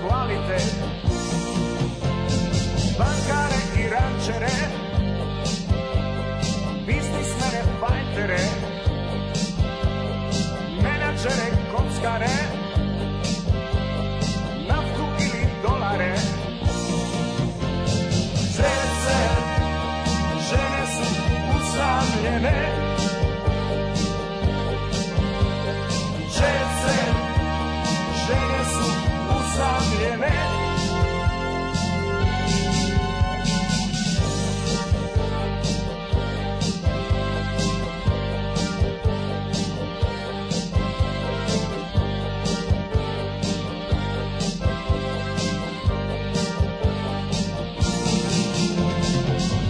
hvalite, bankare i rančere, biznismene fajtere, menadžere kockare, naftu ili dolare. Žene su usamljene, žene su usamljene.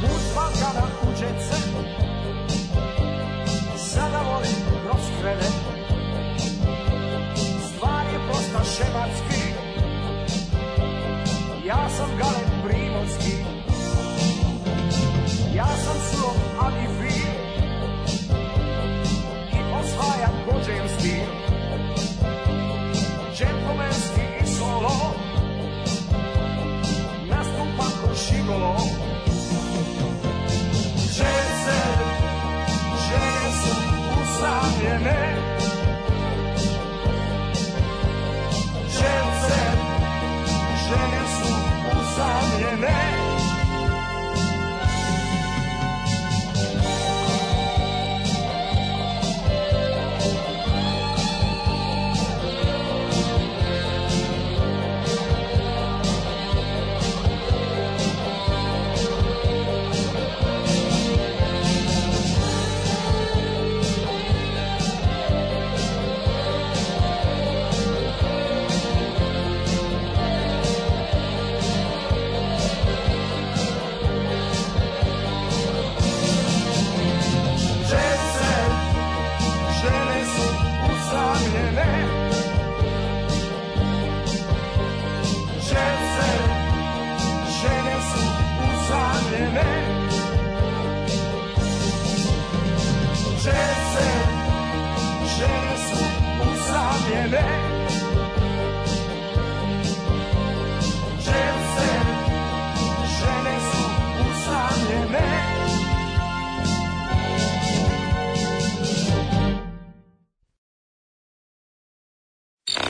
Put Balkana u jet set, sada volim proskrene. Stvar je prosta šematski, ja sam Galen Primorski, ja sam surov ali fin i osvajam bođenski, džentlmenski i solo, nastupam ko šigolo. Žene su usamljene, žene su usamljene.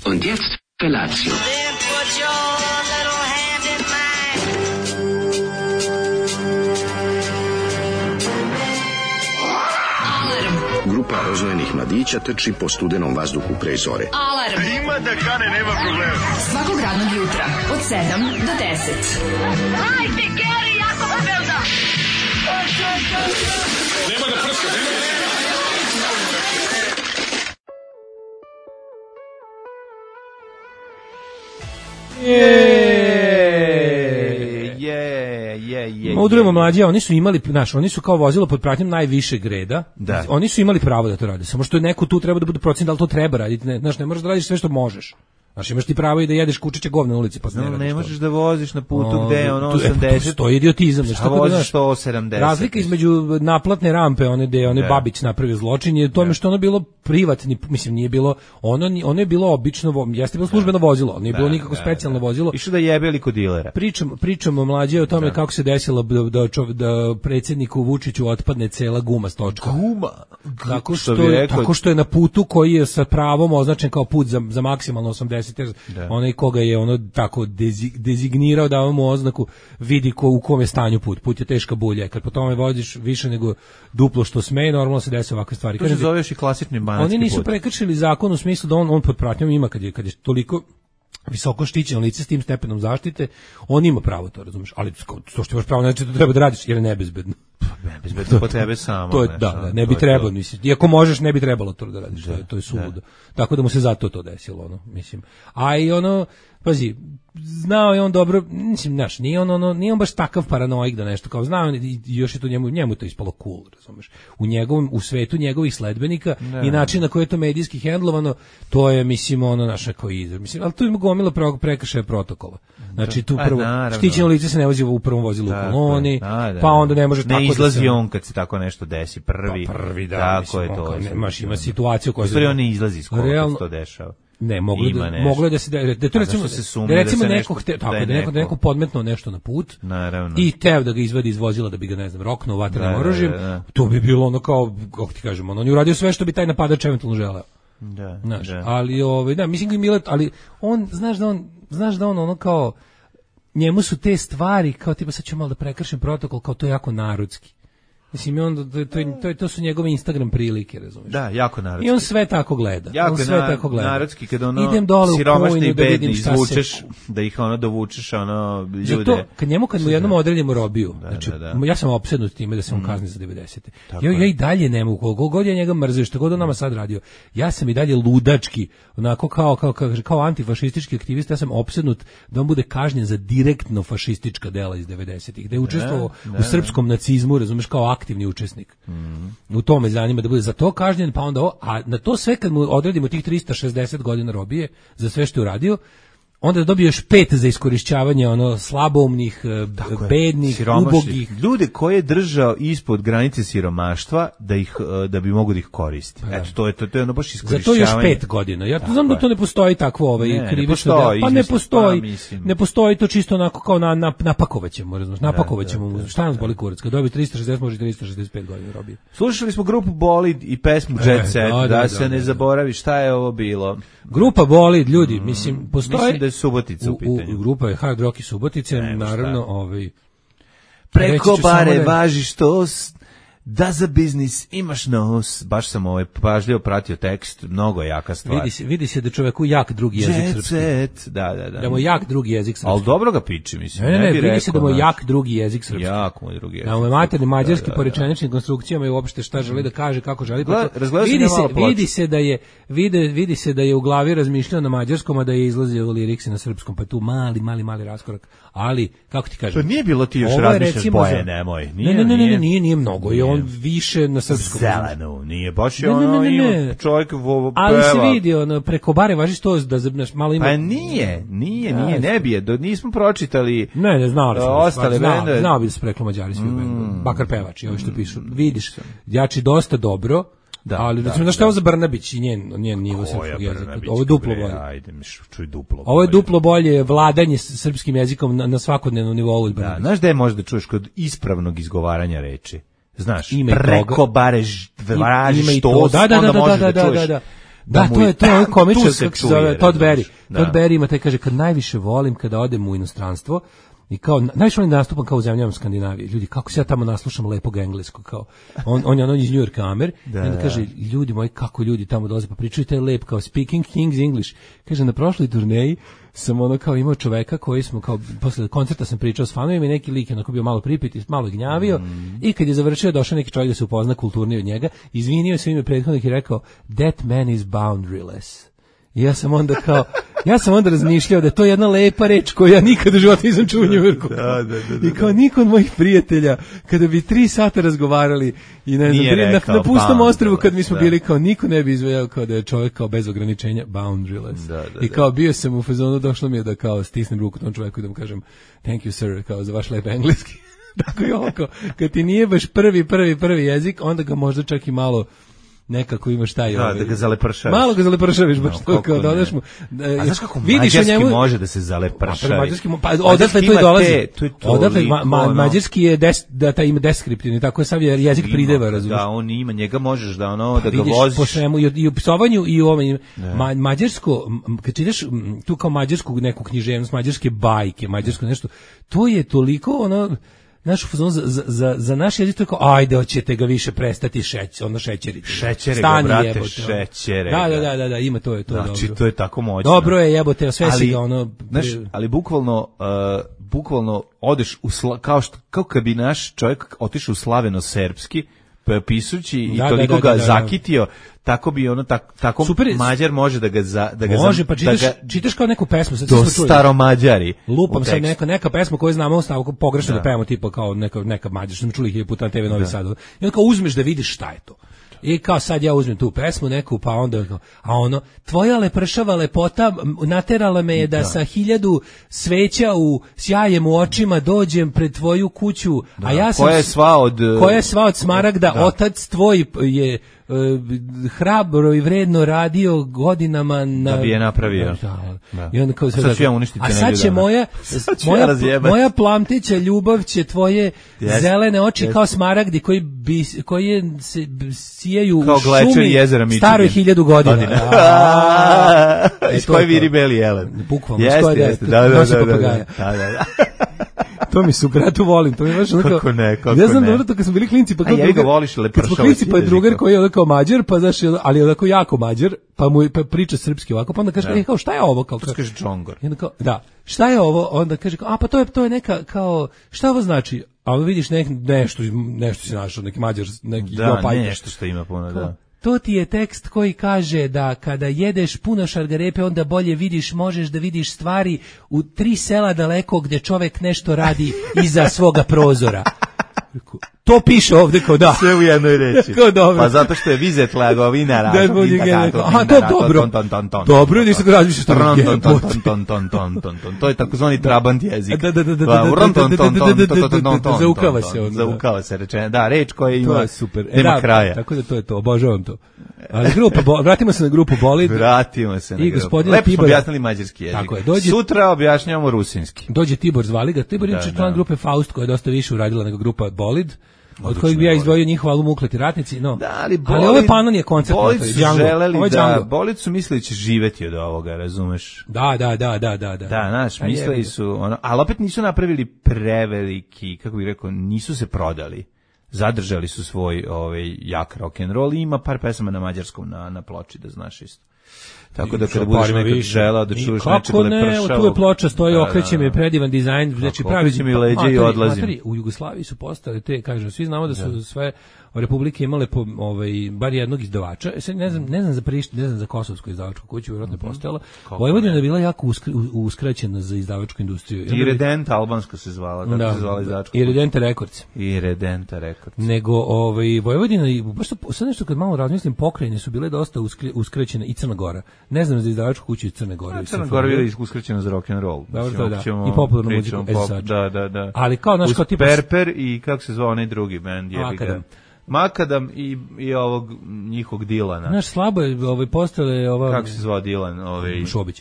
Und jetzt Felatio. Then put your little hand in mine. Grupa rozvojenih mladića trči po studenom vazduhu pre zore. Alarm. Ima da kane, nema problema. Svakog radnog jutra od 7 do 10. Hajde, Geri, jako se velda. Nema da prska, nema da prska. Udrujemo mlađe, oni su imali, oni su kao vozilo pod pratnjom najvišeg reda. Da. Oni su imali pravo da to rade, samo što je neko tu treba da bude procen da li to treba raditi. Ne možeš da radiš sve što možeš. Znaš, imaš ti pravo i da jedeš kučiće govna na ulici, pa ne možeš da voziš na putu gde je ono 80. To je idiotizam. A voziš 170. Razlika između naplatne rampe, one gde je Babić napravio zločin, je tome što ono bilo privatni, mislim, nije bilo, ono je bilo obično, jeste bilo službeno vozilo, nije bilo nikako specijalno vozilo. Išao da jebe ili kod dilera. Pričamo mlađe o tome kako se desilo da predsjedniku Vučiću otpadne cela guma s točka. Guma? Tako što je na putu koji je sa pravom označen kao put za maksimalno 80, onaj koga je ono tako dezignirao, dao mu oznaku, vidi u kom je stanju put. Put je teška bulja. Kad po tome voziš više nego duplo što sme, normalno se desi ovakve stvari. To se zove još i klasični banatski put. Oni nisu prekršili zakon u smislu da on pod pratnjom ima, kad je toliko visoko štićeno lice s tim stepenom zaštite, on ima pravo to, razumeš, ali to što imaš pravo, znači to treba da radiš jer je nebezbedno. Nebezbedno po tebe samo. To je, ne bi trebalo, mislim. Iako možeš, ne bi trebalo to da radiš, to je suludo. Tako da mu se zato to desilo, mislim. A i pazi, znao je on dobro, mislim, znaš, nije on baš takav paranoik da nešto kao znao, i još je to njemu to ispalo cool, razumeš. U svetu njegovih sledbenika i način na koji je to medijski hendlovano, to je, mislim, naša koji izraz. Mislim, ali tu ima gomila prekršaja protokola. Znači, tu prvo, štićeno lice se ne vozi u prvom vozilu u koloni, pa onda ne može tako da se... Ne izlazi on kad se tako nešto desi, prvi. Prvi, da, tako mislim, je to. Ima situaciju koja... U stvari on ne izlazi iz kola kad se to dešava. Ne, moglo je da se da to recimo neko podmetnuo nešto na put. Naravno. I teo da ga izvadi iz vozila da bi ga, ne znam, roknuo vatrenim oružjem. To bi bilo ono kao, kako ti kažemo, on je uradio sve što bi taj napadač eventualno želeo. Da. Ali mislim da Milet, ali on znaš da on ono kao njemu su te stvari kao tipa sad ću malo da prekršim protokol, kao to je jako narodski. Mislim, to su njegove Instagram prilike, razumiješ? Da, jako narodski. I on sve tako gleda. Jako narodski, kada ono idem dole siromašni i bedni da izvučeš, da ih ono dovučeš, ono ljude. Zato, kad mu jednom odredimo robiju, ja sam opsednut time da se on kazni za 90. Ja i dalje ne mogu, koliko god ja njega mrzio, što god on nama sad radio, ja sam i dalje ludački, onako kao antifašistički aktivista, ja sam opsednut da on bude kažnjen za direktno fašistička dela iz 90-ih, da je učestvovao u srpskom nacizmu, razumeš, kao aktivni učesnik. U tome zanima da bude za to kažnjen, pa onda a na to sve kad mu odredimo tih 360 godina robije za sve što je uradio, onda dobije još 5 za iskorišćavanje slaboumnih, bednih, ubogih. Ljude koje je držao ispod granice siromaštva da bi mogo da ih koristi. Eto, to je ono baš iskorišćavanje. Za to još 5 godina. Ja znam da to ne postoji takvo krivično delo. Pa ne postoji. Ne postoji to čisto onako kao napakovaćemo, razumiješ? Napakovaćemo. Šta nas boli kurac? Kad dobije 360, može 365 godina robije. Slušali smo grupu Bolid i pesmu Jet Set, da se ne zaboravi šta je ovo bilo. Grupa Bolid, ljudi, mislim, postoji. Mislim da je Subotica u pitanju. Grupa je Hard Rock i Subotice, naravno, preko bare važi štos, da za biznis imaš nos. Baš sam pažljivo pratio tekst, mnogo jaka stvar. Vidi se da čoveku jak drugi jezik srpski. Da mu jak drugi jezik srpski. Ali dobro ga piči, mislim. Ne, vidi se da mu jak drugi jezik srpski. Jak mu je drugi jezik. Da mu je materni mađarski po rečeničnim konstrukcijama i uopšte šta želi da kaže, kako želi. Vidi se da je u glavi razmišljao na mađarskom, a da je izlazio liriksi na srpskom, pa tu mali raskorak. Ali, kako ti kažem? To nije bilo ti još razmišljaš boje, nemoj. Nije mnogo. Je on više na srpskom. Zeleno, nije baš ono ima čovjek peva. Ali se vidi, preko bare važi što da malo ima. Pa nije, ne bi nismo pročitali. Ne, znali smo. Ostale bendove. Znao bi da se preklo Mađari svi bendove. Bakar pevač i ovi što pišu. Vidiš, jači dosta dobro. Ali recimo da šta je ovo za Brnabić i njen nivo srpskog jezika. Ovo je duplo bolje. Ajde, čuj duplo. Ovo je duplo bolje vladanje srpskim jezikom na svakodnevnom nivou od Brnabića. Znaš da je možda čuješ kod ispravnog izgovaranja reči? Znaš, preko bare važi štos, onda možeš da čuješ. Da, to je komičar, kako se zove, Todd Berry. Todd Berry ima taj, kaže, kad najviše volim kada odem u inostranstvo, i kao, najviše volim da nastupam kao u zemljama Skandinavije. Ljudi, kako se ja tamo naslušam lepog engleskog, kao, on je iz New York Amer, i onda kaže, ljudi moji, kako ljudi tamo dolaze, pa pričaju taj lep, kao, speaking King's English. Kaže, na prošloj turneji sam kao imao čoveka koji smo, kao, posle koncerta sam pričao s fanovima i neki lik je bio malo pripit, malo gnjavio, i kad je završio, došao neki čovjek da se upozna kulturnije od njega, izvinio se u ime prethodnih i rekao, that man is boundaryless. I ja sam onda razmišljao da je to jedna lepa reč koju ja nikad u životu nisam čuo u New Yorku. I kao niko od mojih prijatelja, kada bi 3 sata razgovarali i ne znam, na pustom ostrvu kad mi smo bili, kao niko ne bi izvojao kao da je čovjek kao bez ograničenja boundaryless. I kao bio sam u fazonu, došlo mi je da kao stisnem ruku tom čovjeku i da mu kažem thank you sir, kao za vaš lep engleski. Tako je ovo, kad ti nije baš prvi jezik, onda ga možda čak i malo nekako imaš taj da ga zalepršaviš. Malo ga zalepršaviš, baš to kao dodaš mu. A znaš kako mađarski može da se zalepršavi? Odatle to i dolazi. Odatle mađarski je da taj ima deskriptivni, tako je sav jezik prideva, razumiješ? Da, on ima, njega možeš da da ga voziš. Po svemu i u psovanju i u ovom mađarsko, kad čitaš tu kao mađarsku neku književnost, mađarske bajke, mađarsko nešto, to je toliko našu fazonu za naš jezik to je kao, ajde, hoćete ga više prestati šećeriti. Šećere ga, brate, šećere. Da, ima to je to. Znači, to je tako moćno. Dobro je, jebote, sve si ga Znaš, ali bukvalno odeš kao kad bi naš čovjek otišao u slaveno-serbski, pisući i toliko ga zakitio, tako bi tako Mađar može da ga može, pa čitaš kao neku pesmu, sad smo čuli. Staromađari. Lupam sad neka pesma koju znamo u stavku pogrešno da pevamo, tipa kao neka Mađar, što smo čuli 1000 puta na TV Novi Sad. I onda kao uzmeš da vidiš šta je to. I kao sad ja uzmem tu pesmu neku, pa onda, tvoja lepršava lepota naterala me je da sa 1000 sveća u sjajem u očima dođem pred tvoju kuću, a ja sam... Koja je sva od smaragda, otac tvoj je hrabro i vredno radio godinama da bi je napravio. Da. I onda kao sad ću ja uništiti a sad će moja plamteća ljubav će tvoje zelene oči kao smaragdi koji se sijaju u šumi staroj 1000 godina. Iz koje viri beli jelen. Bukvalno, da. To mi su, bratu, volim. To mi baš onako. Kako ne. Ja znam dobro to kad smo bili klinci, pa kao ja ga voliš lepršavac. Kad smo klinci, pa je drugar koji je onako Mađar, pa znaš, ali je onako jako Mađar, pa mu priča srpski ovako, pa onda kaže, kao šta je ovo? Kao kaže Džongor. I onda kao, da, šta je ovo? Onda kaže, a pa to je neka, kao, šta ovo znači? A onda vidiš nešto si našao, neki Mađar, neki Jopajka. Da, nešto što ima puno, da. To ti je tekst koji kaže da kada jedeš puno šargarepe, onda bolje možeš da vidiš stvari u 3 sela daleko gde čovek nešto radi iza svoga prozora. To piše ovde kao da. Sve u jednoj reči. Pa zato što je Vizet Lagovina aha, to je dobro. Dobro, nisam razmišljao što je. To je takozvani trabant jezik. Zaukava se on. Zaukava se rečena. Da, reč koja ima kraja. Tako da to je to, obožavam to. Ali vratimo se na grupu Bolid. Vratimo se na grupu. Lepo smo objasnili mađarski jezik. Sutra objašnjavamo rusinski. Dođe Tibor, zvali ga. Tibor je član grupe Faust koja je dosta više uradila nego grupa Bolid. Od kojih bi ja izdvojio njihov album Ukleti ratnici, no. Da, ali ovaj Panon je koncert. Bolid su mislili da će živeti od ovoga, razumeš? Da. Da, znaš, mislili su, ali opet nisu napravili preveliki, kako bih rekao, nisu se prodali. Zadržali su svoj jak rock and roll i ima par pesama na mađarskom na ploči, da znaš isto. Tako da kada budeš nekad želao da čuješ nečeg lepršavog... Kako ne, tu je ploča, stoji, okreće mi, predivan dizajn, znači pravi... Okreće mi leđe i odlazim. U Jugoslaviji su postale te, kažem, svi znamo da su sve republike imale bar jednog izdavača, ne znam za Prištinu, ne znam za kosovsku izdavačku kuću, vjerojatno je postojala. Vojvodina je bila jako uskraćena za izdavačku industriju. Irredenta albansko se zvala, tako se zvala izdavačka. Irredenta Records. Irredenta Records. Nego Vojvodina, baš sad nešto kad malo razmislim, pokrajine su bile dosta uskraćene i Crna Gora. Ne znam za izdavačku kuću iz Crne Gore. Crna Gora je uskraćena za rock and roll. I popularnu muziku. Da. Ali kao naš kao tipa Perper i kako se zvao onaj drugi bend, Makadam i ovog njihovog Dilana. Znaš, slabo je postale kako se zvao Dilan?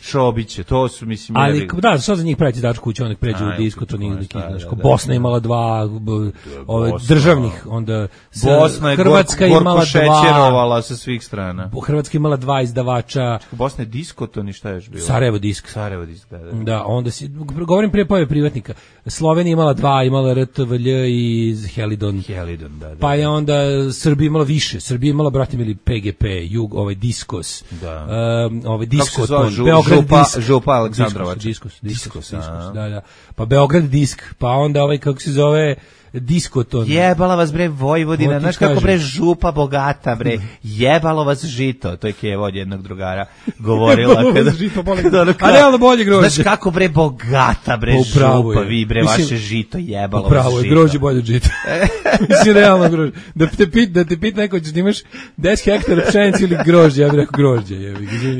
Šobić. To su, mislim... Ali, da, što za njih preći dačku kuću, onek pređu u disko, to nije Bosna imala 2 državnih, onda Hrvatska imala 2... šećerovala sa svih strana. Hrvatska imala 2 izdavača. Bosna je diskoton i šta je još bilo? Sarajevo disk. Da. Da, onda govorim prije pojave privatnika. Slovenija imala 2, imala RTVLJ i Helidon. Da. Pa je onda Srbija imala više. Srbija imala, brate mili, PGP, Diskos, Diskoton, Beograd Disk. Župa Aleksandrovač. Diskos, da. Pa Beograd Disk, pa onda kako se zove, Diskoton. Jebala vas bre Vojvodina, znaš kako bre župa bogata bre, jebalo vas žito, to je Kevo od jednog drugara govorila a realno bolje grožđe. Znaš kako bre bogata bre župa, vi bre vaše žito, jebalo vas žito. Pravo je, grožđe bolje od žita. Mislim, realno grožđe. Da te pita neko, da imaš 10 hektara pšenice ili grožđe, ja bih rekao grožđe.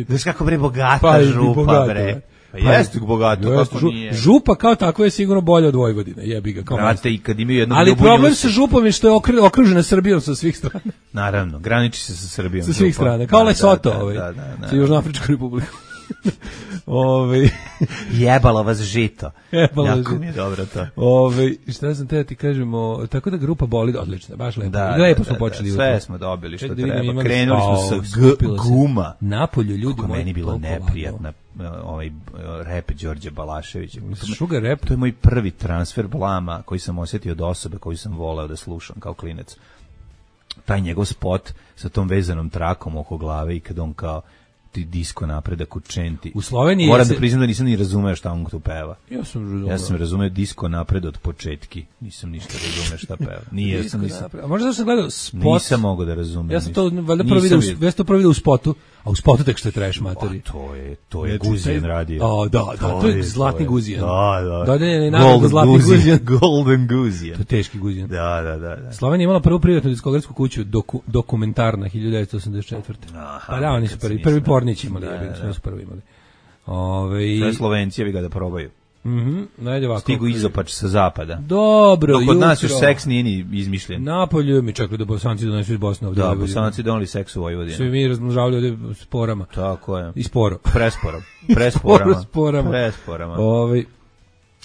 Znaš kako bre bogata župa bre. Pa jeste bogato, kako nije. Župa kao tako je sigurno bolja od Vojvodine, jebi ga. Brate, i kad imaju jednog ali problem sa župom je što je okružena Srbijom sa svih strana. Naravno, graniči se sa Srbijom. Sa svih strana, kao Lesoto, sa Južnoafričkom republikom. Jebalo vas žito. Jako mi je dobro to. Šta sam te ti kažemo, tako da grupa Bolid odlična, baš lepo. Lepo smo počeli. Sve smo dobili što treba. Krenuli smo sa Guma. Napolju ljudi moji. Meni bilo neprijatno rap Đorđe Balaševića. Sugar rap. To je moj prvi transfer blama koji sam osjetio od osobe koju sam voleo da slušam kao klinac. Taj njegov spot sa tom vezanom trakom oko glave i kad on kao disko napredak u Čenti. U Sloveniji moram da priznam da nisam ni razumeo šta on tu peva. Ja sam razumeo disko napred od početki. Nisam ništa razumeo šta peva. Nisam. A možda da sam gledao spot. Nisam mogao da razumem. Ja sam to valjda prvo vidio u spotu, a u spotu tek što je trash materi. To je Guzijan radio. Da, to je Zlatni Guzijan. Da. Dodeljen je nagrada Zlatni Guzijan. Golden Guzijan. To je teški Guzijan. Da. Slovenija imala prvu privatnu diskografsku kuću Dokumentarna 1984. Pa da, oni su prvi pornići imali, sve su prvi imali. Sve Slovenci bi ga da probaju. Najde ovako. Stigu izopač sa zapada. Dobro, Dok kod nas jutro. još seks nije ni izmišljen. Napolju mi čekali da Bosanci donesu iz Bosne ovdje. Da, Bosanci doneli seks u Vojvodinu. Svi mi razmnožavali ovdje sporama. Tako je. I sporo. Presporama. Presporama.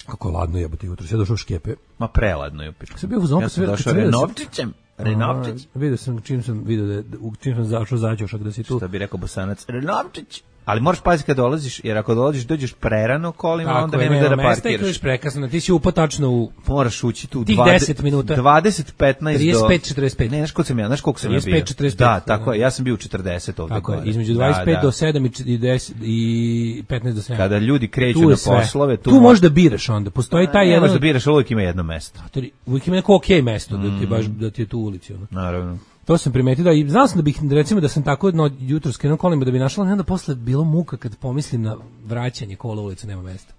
Kako ladno jebote jutro. Sve došao u Škepe. Ma preladno je. Sam bio u zonku. Ja sam došao Renovčićem. Renovčić. Vidio sam čim sam zašao zaćošak da si tu. Šta bi rekao Bosanac? Renovčić. Ali moraš paziti kad dolaziš, jer ako dođeš prerano kolima, onda nema da parkiraš. Tako prekasno, ti si upao tačno u... Moraš ući tu tih 10 minuta. 20-15 do... 35-45. Ne, znaš koliko sam ja bio? 35-45. Da, tako je, ja sam bio u 40 ovdje. Tako je, između 25 do 7 i 10 i 15 do 7. Kada ljudi kreću na poslove... Tu možeš da biraš onda, postoji taj jedan... Možeš da biraš, uvijek ima jedno mesto. Uvijek ima neko okej mesto, da ti je tu ulici. Naravno. To sam primetio da i znao sam da bih recimo da sam tako jutro skrenuo kolima da bi našla, onda posle bilo muka kad pomislim na vraćanje kola ulica, nema mesta.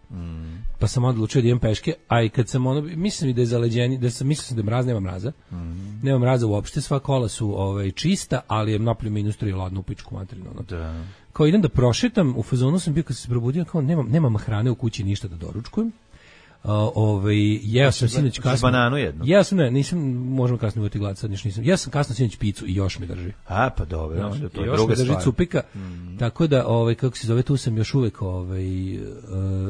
Pa sam odlučio da idem peške, a i kad sam mislim da je zaleđenje, mislio sam da je mraz, nema mraza. Nema mraza uopšte, sva kola su čista, ali je napolju minus 3 ladno u pičku materinu. Da. Kao idem da prošetam, u fazonu sam bio kad se probudio, kao nemam hrane u kući, ništa da doručkujem. Jeo sam sinoć kasno. Bananu jednu. Ja sam nisam, možemo kasno uvati glad, sad nisam. Ja sam kasno sinoć picu i još mi drži. A pa dobro, to je još druga mi drži stvar. Tako da kako se zove, tu sam još uvek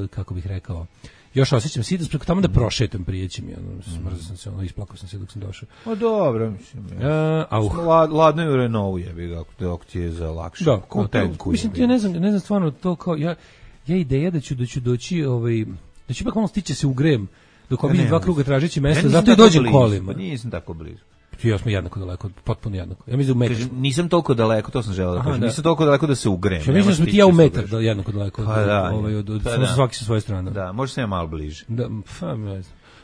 kako bih rekao, još osjećam sitas preko tamo da prošetam, prijeći mi, smrzao sam se, isplakao sam se dok sam došao. O dobro, mislim. Ladno je u Renault, jebi ga, ako ti je za lakše. Da, mislim, ja ne znam stvarno to kao, ja ideja da ću doći, da ću ipak malo stići se ugrejem, dok obiđem 2 kruga tražeći mesto, zato i dođem kolima. Nisam tako blizu. Ja smo jednako daleko, potpuno jednako. Ja mislim da u metar. Nisam toliko daleko, to sam želeo da kažem. Nisam toliko daleko da se ugrejem. Ja mislim da smo ti ja u metar jednako daleko. Pa svaki sa svoje strane. Da, možda sam ja malo bliže. Da,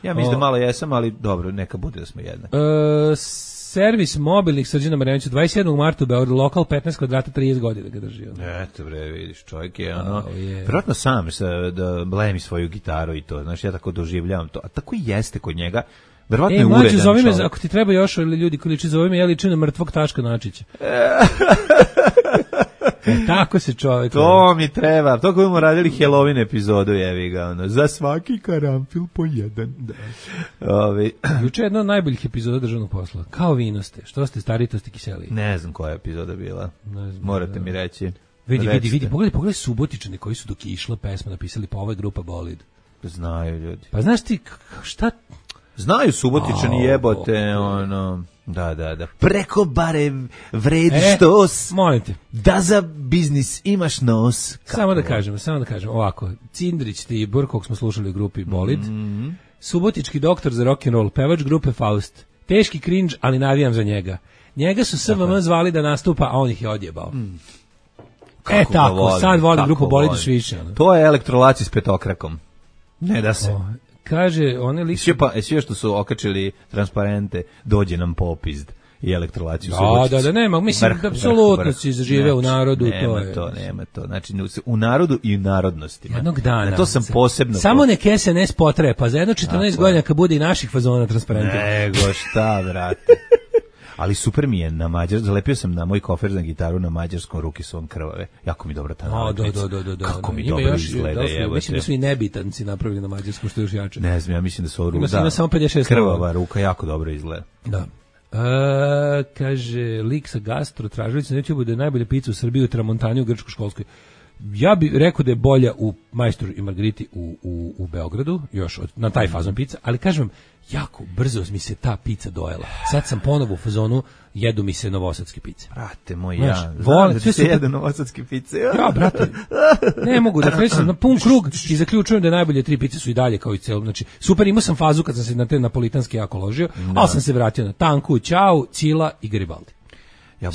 ja mislim da malo jesam, ali dobro, neka bude da smo jednaki. Servis mobilnih Srđana Marjanovića 27. marta u Beogradu, lokal 15 kvadrata, 30 godina ga drži. Eto bre, vidiš, čovjek je vjerojatno sam da blemi svoju gitaru i to, znaš, ja tako doživljavam to, a tako i jeste kod njega. Verovatno je uredan zove me, čovjek. ako ti treba još ljudi koji liči, zove me, ja ličim na mrtvog Taška Načića. Tako se čovjek. To mi treba. To koji smo radili Halloween epizodu, jevi ga, za svaki karamfil po jedan. Juče je jedna od najboljih epizoda državnog posla. Kao vino ste. Što ste stari, to ste kiseli. Ne znam koja je epizoda bila. Morate mi reći. Vidi, pogledaj Subotičane koji su dok je išla pesma napisali, pa ova je grupa Bolid. Znaju ljudi. Pa znaš ti, šta... Znaju Subotičani jebote, Da. Preko bare vredi štos. Molim te. Da za biznis imaš nos. Samo da kažem, ovako. Cindrić, Tibor, kog smo slušali u grupi Bolid. Subotički doktor za rock'n'roll, pevač grupe Faust. Teški cringe, ali navijam za njega. Njega su SVM zvali da nastupa, a on ih je odjebao. Tako, sad volim grupu Bolid još više. To je elektrolaci s petokrakom. Ne da se... Kaže, one lik... Sve što su okačili transparente, dođe nam popizd i elektrolaciju. Da, nema, mislim da apsolutno si zažive u narodu. Nema to. Znači, u narodu i u narodnostima. Jednog dana. To sam posebno... Samo nek SNS potrepa, za jedno 14 godina kad bude i naših fazona transparente. Nego šta, brate. Ali super mi je na mađarskom, zalepio sam na moj kofer za gitaru na mađarskom, ruke su on krvave. Jako mi dobro ta nalepnica. Da. Kako mi dobro izgleda, jebote. Mislim da su i nebitanci napravili na mađarskom, što je još jače. Ne znam, ja mislim da su ovo ima samo 56 krvava ruka, jako dobro izgleda. Da. Kaže, lik sa gastro, tražilica na YouTube da je najbolja pizza u Srbiji u Tramontani u Grčko-školskoj. Ja bih rekao da je bolja u Majstoru i Margariti u Beogradu, još na taj fazon pizza, ali kažem vam, jako brzo mi se ta pizza dojela. Sad sam ponovo u fazonu, jedu mi se novosadske pice. Brate moj, volim da ti se jedu novosadske pice. Ja, brate, ne mogu da krećem na pun krug i zaključujem da najbolje 3 pice su i dalje kao i celo. Znači, super, imao sam fazu kad sam se na te napolitanske jako ložio, ali sam se vratio na Tanku, Ćao, Cila i Garibaldi. Ja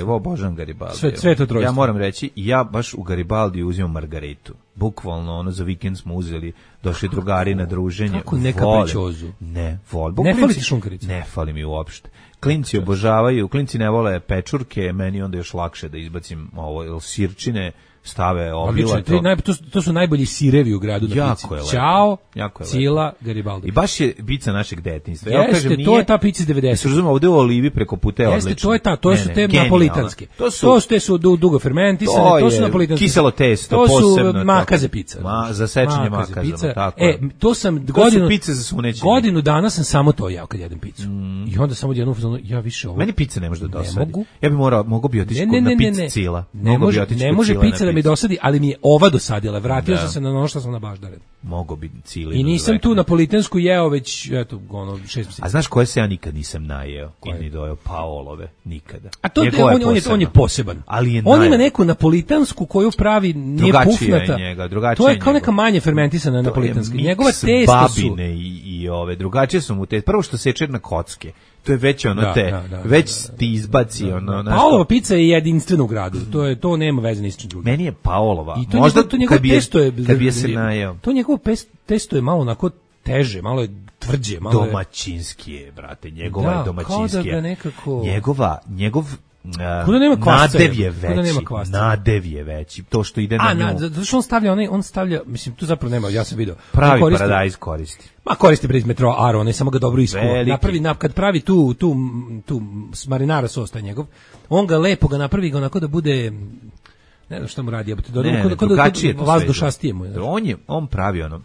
obožavam Garibaldi. Sve to trojstvo. Ja moram reći, ja baš u Garibaldi uzimam Margaritu. Bukvalno, za vikend smo uzeli, došli drugari na druženje. Kako ne kapričozu? Ne, volim. Ne fali ti šunkarica? Ne fali mi uopšte. Klinci obožavaju, klinci ne vole pečurke, meni onda još lakše da izbacim ovo, sirčine, stave obilato. To su najbolji sirevi u gradu na pici. Ćao, Cila, Garibaldi. I baš je pica našeg detinjstva. Ja kažem, nije, to je ta pica iz 90. Se razumemo, ovde u Olivi preko puta je odlično. Jeste, to su te napolitanske. To su dugo fermentisane, to su napolitanske. Kiselo testo, posebno. To su makaze pica. Zasečenje makazama, tako. To sam godinu dana sam samo to jeo kad jedem picu. I onda samo jednom fazonu, ja više ovo. Meni pica ne može da dosadi. Ja bih mogao bi otići na picu Cila. Ne može pica da mi dosadi, ali mi je ova dosadila. Vratio sam se na ono što sam na baždaren. Mogo bi Cila. I nisam tu napolitansku jeo već, eto, 6 mjeseci. A znaš koje se ja nikad nisam najeo? I ni dojeo Paolove, nikada. A to on je poseban. On ima neku napolitansku koju pravi, nije pufnata. To je kao neka manje fermentisana napolitanska. Njegova testa su babine i ove drugačije su mu te. Prvo što seče na kocke. To je već ono već ti izbaci ono. Paolova pizza je jedinstvena u gradu. To nema veze ni s čim drugim. Meni je Paolova. Možda to njegovo testo je kad bi se najeo. To njegovo testo je malo onako teže, malo je tvrđe, malo domaćinski je, brate, njegova je domaćinski. Kao da ga nekako njegov nadev je veći. To što ide na nju. Zato što on stavlja, mislim, tu zapravo nema, ja sam vidio. Pravi paradajz koristi. Ma koristi pred metro Aro, ne samo ga dobro iskuva. Kad pravi tu marinara sos taj njegov, on ga lepo ga napravi ga onako da bude, ne znam šta mu radi, drugačije to vazdušastije mu. On pravi ono,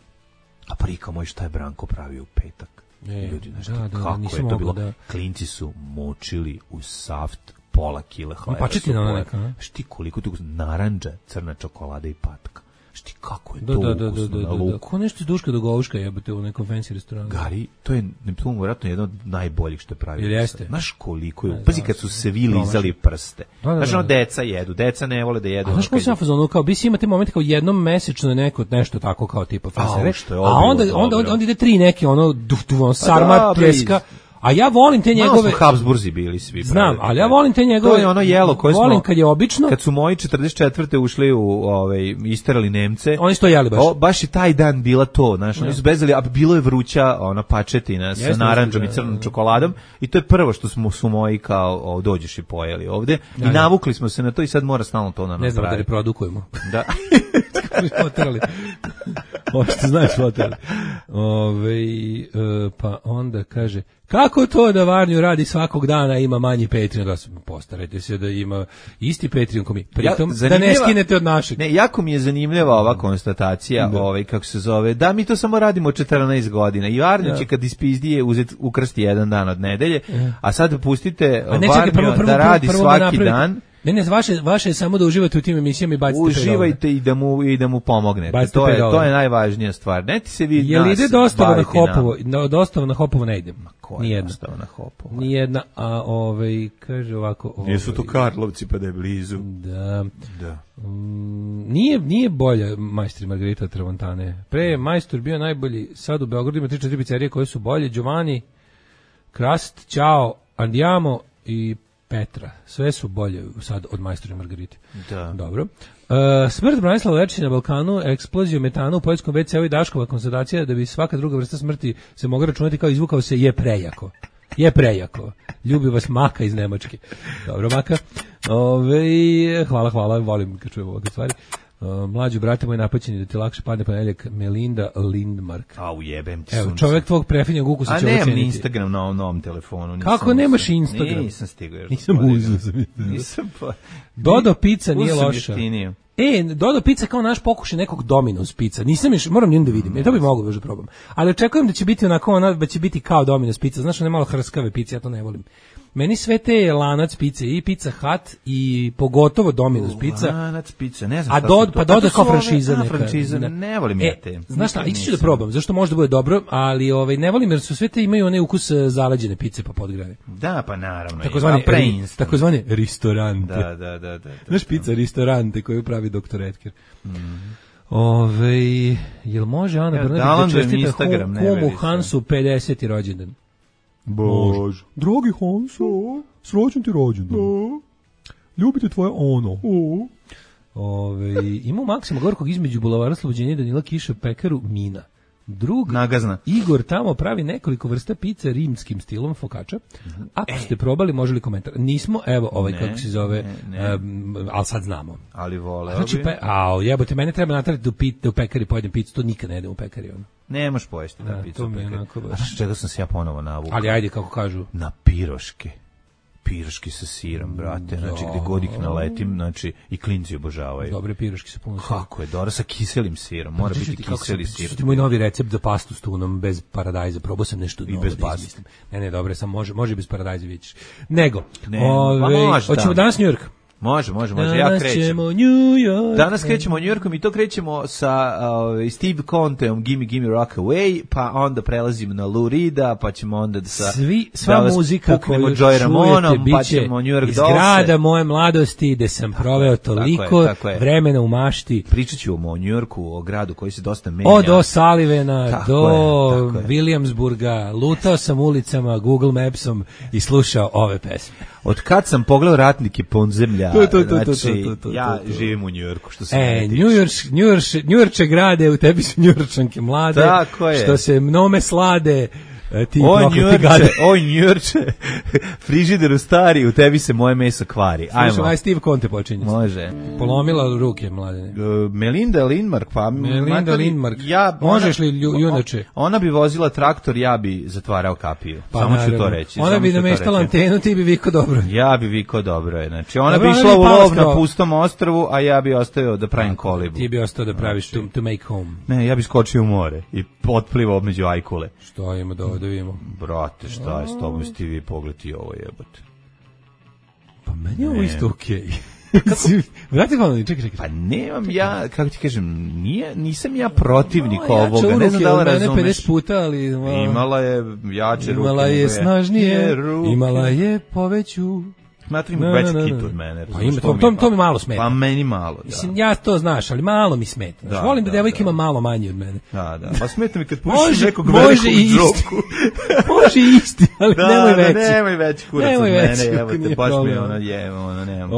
a prika moj šta je Branko pravi u petak. Ljudi, kako je to bilo? Klinci su močili u saft pola kile hleba. Pačetina neka. Šti koliko tu narandža, crna čokolada i patka. Šti kako je to ukusno na luku. Ko nešto iz Duška do Goluška jebate u nekom fancy restoranu. Gari, to je vjerojatno jedno od najboljih što je pravio. Jeste. Znaš koliko je, pazi kad su se vi lizali prste. Znaš ono deca jedu, deca ne vole da jedu. A znaš kako sam fazonu, kao bi si imate moment kao jednom mesečno nešto tako kao tipa fasere. A onda ide 3 neke ono sarma, pljeska. A ja volim te njegove. Malo su Habsburzi bili svi. Znam, ali ja volim te njegove. To je ono jelo koje volim kad je obično. Kad su moji 44. ušli u isterali Nemce. Oni su to jeli baš. Baš i taj dan bila to, znaš, oni su bezali, a bilo je vruća ona pačetina sa narandžom i crnom čokoladom i to je prvo što su moji kao dođeš i pojeli ovde i navukli smo se na to i sad mora stalno to na napraviti. Ne znam da reprodukujemo. Da. Potrali. Što znaš potrali. Pa onda kaže, kako to da Varnju radi svakog dana ima manji Patreon? Postarajte se da ima isti Patreon ko mi. Pritom da ne skinete od našeg. Ne, jako mi je zanimljiva ova konstatacija, kako se zove, da mi to samo radimo 14 godina i Varnju će kad ispizdije ukrsti jedan dan od nedelje, a sad pustite Varnju da radi svaki dan. Ne, vaše je samo da uživate u tim emisijama i bacite pedale. Uživajte i da mu pomognete. To je najvažnija stvar. Ne ti se vi jel ide dostava na Hopovo? Dostava na Hopovo ne ide. Nijedna. Dostava na Hopovo? Nijedna, a kaže ovako. Jesu to Karlovci pa da je blizu. Da. Nije bolja Majstor i Margarita Tramontane. Pre je Majstor bio najbolji, sad u Beogradu ima 3-4 pizzerije koje su bolje. Giovanni, Krast, Ćao, Andiamo i Petra. Sve su bolje sad od Majstora i Margarite. Da. Dobro. Smrt Branislava Lečića na Balkanu, eksploziju metana u poljskom WC-u i Daškova konstatacija da bi svaka druga vrsta smrti se mogla računati kao izvukao se je prejako. Ljubi vas Maka iz Nemačke. Dobro, Maka. Hvala, volim kad čujem ovakve stvari. Mlađu, brate moj, napaćeni da ti lakše padne ponedjeljak, Melinda Lindmark. Ujebem ti sunce. Evo, čovjek tvog prefinjeg ukusa će oceniti. A nemam Instagram na ovom novom telefonu. Kako nemaš Instagram? Nisam stigao još. Nisam pa. Dodo pizza nije loša. Dodo pizza kao naš pokušaj nekog Domino's pizza. Nisam još, moram da vidim. To bi mogao još da probam. Ali očekujem da će biti onako, da će biti kao Domino's pizza. Znaš, one malo hrskave pizze, ja to ne volim. Meni sve te lanac pice i Pizza Hut i pogotovo Domino's pizza. Lanac pizza, ne znam šta su to. Pa doda kao franšiza neka. Franšiza, ne volim ja te. Znaš šta, ići ću da probam, zašto možda bude dobro, ali ne volim jer su sve te imaju onaj ukus zaleđene pice pa podgrane. Da, pa naravno. Takozvani ristorante. Da. Znaš pizza ristorante koju pravi doktor Edker. Jel može Ana Brnabić da čestita kumu Hansu 50. rođendan? Bož. Dragi Hanso, srećan ti rođendan. Ljubite tvoje ono. Ima u Maksima Gorkog između bulevara Slobođenja i Danila Kiša pekaru Mina. drug nagazna. Igor tamo pravi nekoliko vrsta pice rimskim stilom focaccia. Ako ste probali, može li komentar? Nismo, evo, kako se zove, ali sad znamo. Ali vole. Znači, jebote, mene treba natrati da u pekari pojedem picu, to nikad ne jedem u pekari. Ne možeš pojesti na picu u pekari. A čega sam se ja ponovo navukao? Ali ajde, kako kažu. Na piroške. Piroški sa sirom, brate, znači gde god ih naletim, znači i klinci obožavaju. Dobre piroški sa puno sira. Kako je, dobro sa kiselim sirom, mora biti kiseli sir. Što ti moj novi recept za pastu s tunom bez paradajza, probao sam nešto novo. I bez pasta. Ne, dobro, sam može bez paradajza vidiš. Nego, može, hoćemo danas New York. Može, ja krećem. Danas krećemo u New Yorkom i to krećemo sa Steve Conteom Gimme Rock Away, pa onda prelazimo na Lou Reeda, pa ćemo onda sva muzika koju čujete biće iz grada moje mladosti, gde sam proveo toliko vremena u mašti. Pričat ću o New Yorku, o gradu koji se dosta menja. Od O'Sullivana do Williamsburga, lutao sam ulicama Google Mapsom i slušao ove pesme. Od kad sam pogledao Ratnike podzemlja, ja živim u Njujorku, što se mene tiče. Njujorče grade, u tebi su Njujorčanke mlade, tako je. Što se mnome slade, ti oj Njujorče, frižideru stari, u tebi se moje meso kvari. Slušaj, aj Steve Conte počinje. Može. Polomila ruke, mladene. Melinda Lindmark, možeš li junače? Ona bi vozila traktor, ja bi zatvarao kapiju. Samo ću to reći. Ona bi nameštala antenu, ti bi vikao dobro. Ja bi vikao dobro, znači ona bi išla u lov na pustom ostrvu, a ja bi ostao da pravim kolibu. Ti bi ostao da praviš to make home. Ne, ja bi skočio u more i potplivao među ajkule. Što ima da vidimo. Brate, šta je s tobom, sti vi pogledi ovo, jebote. Pa meni je ovo isto okej. Vrati hvala, čekaj. Pa nemam ja, kako ti kažem, nisam ja protivnik ovoga, ne znam da li razumeš. Mene 50 puta, ali imala je jače ruke. Imala je snažnije, imala je poveću. Smatram veći kit od mene. To mi malo smeta. Pa meni malo, da. Mislim, ja to znaš, ali malo mi smeta. Volim da devojka ima malo manje od mene. Da. Pa smeta mi kad pušiš nekog velikog džoku. Može isti, ali nemoj veći. Nemoj veći kurac od mene, evo te, baš mi ono nemam.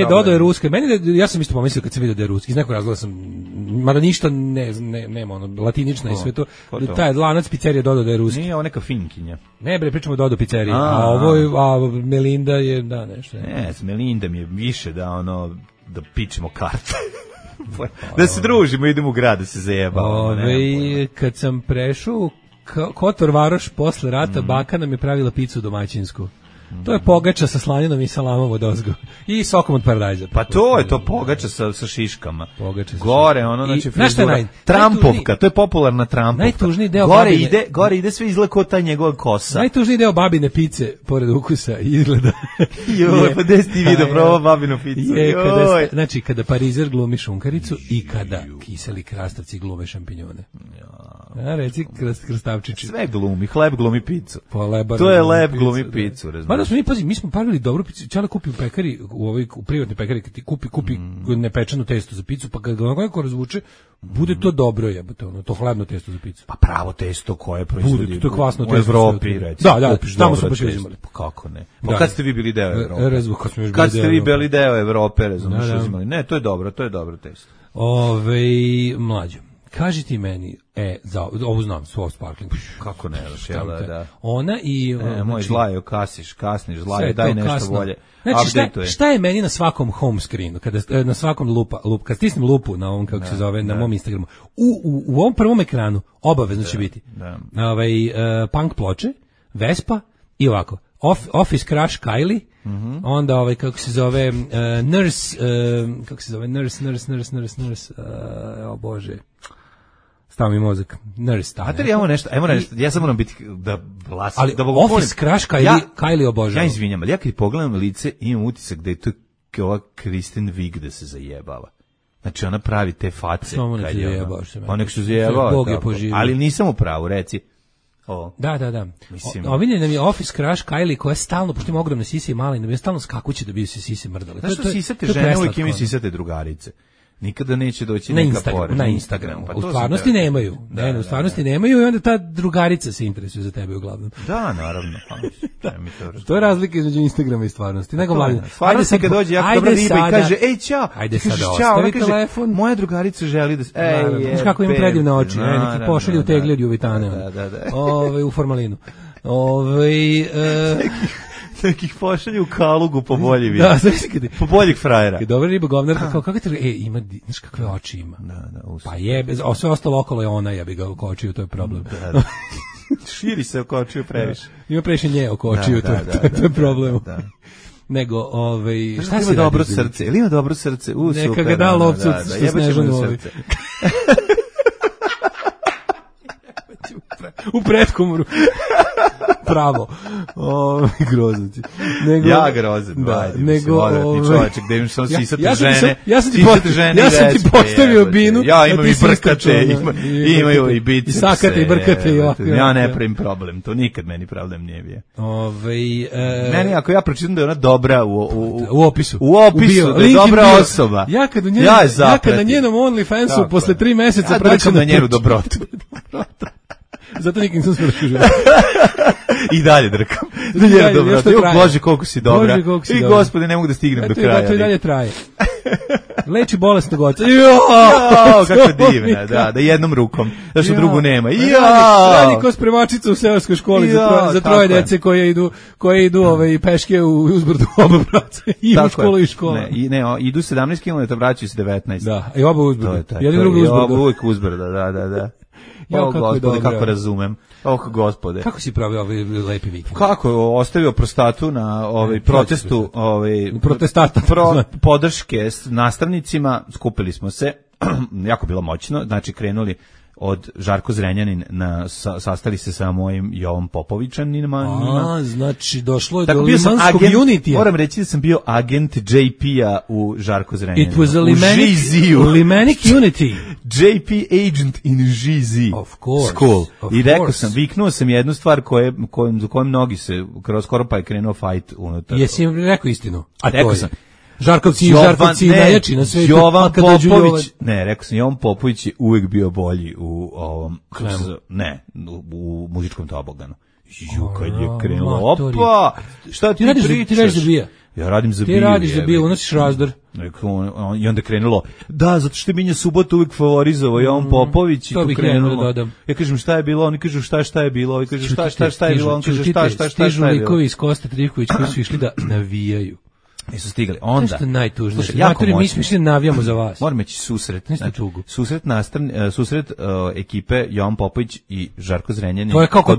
Dodo je ruska. Ja sam isto pomislio kad sam vidio da je ruski. Iz nekog razloga sam, mada ništa nema, latinična i sve to. Taj lanac pizzerija Dodo da je ruski. Nije ovo neka finkinja. Ne bre, pričamo o Dodo pizzeriji. A Melinda je, da, nešto. Ne, Melinda mi je više da pičemo karte. Da se družimo, idemo u grad da se zajebamo. Kad sam prešao Kotor Varoš posle rata, baka nam je pravila picu domaćinsku. To je pogača sa slaninom i salamom od ozgo. I sokom od paradajza. Pa to je to pogača sa šiškama. Pogača sa gore, znači frizura. Trampovka, to je popularna trampovka. Najtužniji deo gore ide sve izgleda kao ta njegova kosa. Najtužniji deo babine pice, pored ukusa, izgleda. Joj, pa gde si ti vidio probao babinu picu? Znači, kada parizer glumi šunkaricu i kada kiseli krastavci glume šampinjone. Reci krastavčići. Sve glumi, hleb glumi picu. To je leb glumi picu, razumiješ. Mi smo pravili dobru picu. Čala kupi u pekari, u privatnoj pekari, kad ti kupi nepečeno testo za picu, pa kad ga neko razvuče, bude to dobro, jebote, to hlebno testo za picu. Pa pravo testo koje proizvodi bude, to je kvasno testo u Evropi, recimo. Da, tamo smo baš uzimali. Pa kako ne? Pa kad ste vi bili deo Evrope? Kad ste vi bili deo Evrope, razumiješ, uzimali. Ne, to je dobro testo. Mlađo. Kaži ti meni, ovo znam, Swarf Sparkling. Kako ne, da. Ona i... moj zlajo, kasniš, zlajo, daj nešto bolje. Znači, šta je meni na svakom home screenu, na svakom kad stisnem lupu na ovom, kako se zove, na mom Instagramu, u ovom prvom ekranu obavezno će biti punk ploče, Vespa i ovako, Office Crush Kylie, onda kako se zove, Nurse, o Bože, stav mi mozak, Nurse. Ajmo nešto, ja sam moram biti da glasim. Ali Office Crush Kylie obožavam. Ja izvinjam, ali ja kad pogledam lice imam utisak da je to ova Kristen Wiig da se zajebava. Znači ona pravi te face. Pa nek se zajebava. Ali nisam u pravu, reci. Da. Ovinjen nam je Office Crush Kylie koja je stalno, pošto ima ogromne sise i male, nam je stalno skakuće da bi se sise mrdale. Znaš što sisate žene uvijek imaju sisate drugarice? Nikada neće doći na neka pored. Na Instagramu. Pa U to stvarnosti nemaju. U stvarnosti nemaju i onda ta drugarica se interesuje za tebe uglavnom. Da, naravno. To je razlika između Instagrama i stvarnosti. Nego mladen. Stvarnosti kad dođe jako dobra riba i kaže, ej, ćao. Ajde sada ostavi telefon. Moja drugarica želi da... Znaš kako ima predivne oči. Neki pošalju u tegli od Juvitane. U formalinu. Nekih pošalju u Kalugu po bolji da, po boljih frajera. Kad dobra riba govnarka, kako te ima, znaš kakve oči ima. Pa jebe, sve ostalo okolo je ona, ja bi ga oko očiju, to je problem. Širi se oko očiju previše. Ima previše nje oko očiju, to je problem. Nego, šta ima dobro srce? Ili ima dobro srce? Neka ga da lovcu što Snežanu srce. U pretkomoru. Pravo. Groznici. Ja grozan. Nego čovječe, gde im samo sisate žene. Ja sam ti postavio binu. Ja imam i brkate, imaju i bice. I sakate i brkate. Ja ne pravim problem, to nikad meni problem nije bio. Meni, ako ja pročitam da je ona dobra u opisu. U opisu, da je dobra osoba. Ja kad na njenom OnlyFansu posle 3 meseca praćam na njenu dobrotu. Zato nikim sam smršio. I dalje drkam. Bože, koliko si dobra. I gospode, ne mogu da stignem do kraja. To i dalje traje. Leči bolesnog oca. Kako divna, da jednom rukom. Zašto drugu nema. Radi ko spremačica u seoskoj školi za troje dece koje idu peške u uzbrdu oba braca. I u školu i škola. Ne, idu 17 km, vraćaju se 19. Da, i oba uzbrdu. Jedan drugi uzbrdu. Oba uvijek uzbrda, da. Gospode, kako razumem. Gospode. Kako si pravio ovaj lepi vikend? Kako ostavio prostatu na protestu, protestata podrške s nastavnicima, skupili smo se, jako bilo moćno, znači krenuli od Žarko Zrenjanin sastali se sa mojim Jovom Popovićanima. Znači došlo je do limanskog unitija. Moram reći da sam bio agent JP-a u Žarko Zrenjaninu. It was a Limanic unity. JP agent in GZ school. I rekao sam, viknuo sam jednu stvar za kojom mnogi se skoro pa je krenuo fight unutar. Jesi im rekao istinu? A rekao sam. Žarkovci najjači na svetu. Jovan Popović, rekao sam, Jovan Popović je uvijek bio bolji u ovom, u muzičkom toboganu. Kad je krenulo, opa, šta ti pričaš? Ti radiš za bija. Ja radim za bija. Ti radiš za bija, unosiš razdor. I onda je krenulo, da, zato što je Minja Subota uvijek favorizovao Jovan Popović i to tu krenulo. Ja kažem šta je bilo, oni kažu šta je bilo, oni kažu šta je bilo, on kaže šta je bilo. Stižu likovi iz Kosta Trivković koji su išli da navijaju. Nisu stigli. Onda. Nešto najtužnije. Maturi, mi smo navijamo za vas. Moram ići susret. Susret ekipe Jovan Popović i Žarko Zrenjanin. To je kao kod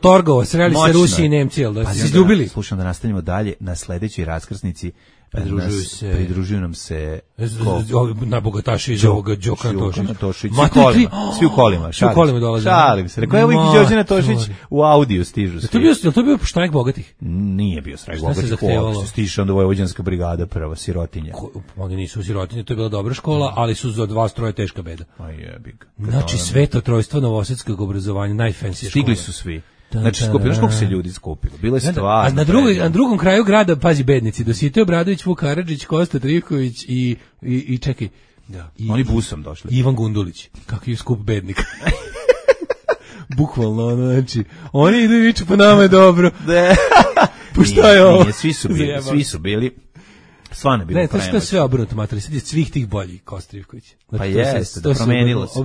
Torgova. Sreli se Rusi i Nemci, jel da se izljubili? Slušam da nastavimo dalje na sledećoj raskrsnici. Pridružuju nam se najbogataši iz ovoga Đokan Tošić. Svi u kolima. Šalim se. Rekao, evo i Đorđe Tošić u audiju stižu svi. Je to bio štrajk bogatih? Nije bio štrajk bogatih. Stiže onda Vojvođanska brigada prva, sirotinja. Oni nisu sirotinje, to je bila dobra škola, ali su za 2 teška beda. Jebik. Znači sveto trojstvo novosadskog obrazovanja, najfensije škole. Stigli su svi. Znači, skupilo, koliko se ljudi skupilo? Bilo je stvarno. A na drugom kraju grada, pazi, bednici, Dositej Obradović, Vuk Karadžić, Kosta Trivković i čekaj. Da, oni busom došli. Ivan Gundulić. Kakav je skup bednika. Bukvalno, znači, oni idu i viču, pa nama je dobro. Pa šta je ovo? Svi su bili. Stvarno je bilo ne, to što je sve obrnuto, materi, sad je svih tih boljih Kosta Trivković. Pa jeste, promenilo se,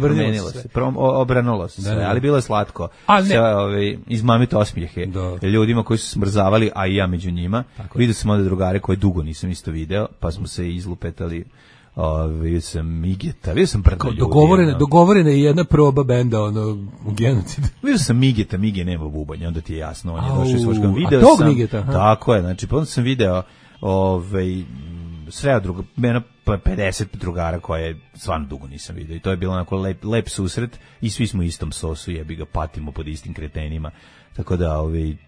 obranulo se sve, ali bilo je slatko. Izmamiti osmijehe ljudima koji su smrzavali, a i ja među njima. Vidio sam ovdje drugare koje dugo nisam isto video, pa smo se izlupetali. Vidio sam Migeta, vidio sam brdo ljudi. Dogovorena je jedna proba benda, u genocidu. Vidio sam Migeta, Mige nema bubanja, onda ti je jasno, on je došao iz Svoška. A tog Migeta? Tako je, znači, pa onda sam video sve druga, 50 drugara koje stvarno dugo nisam vidio i to je bilo onako lep susret i svi smo u istom sosu, jebi ga, patimo pod istim kretenima, tako da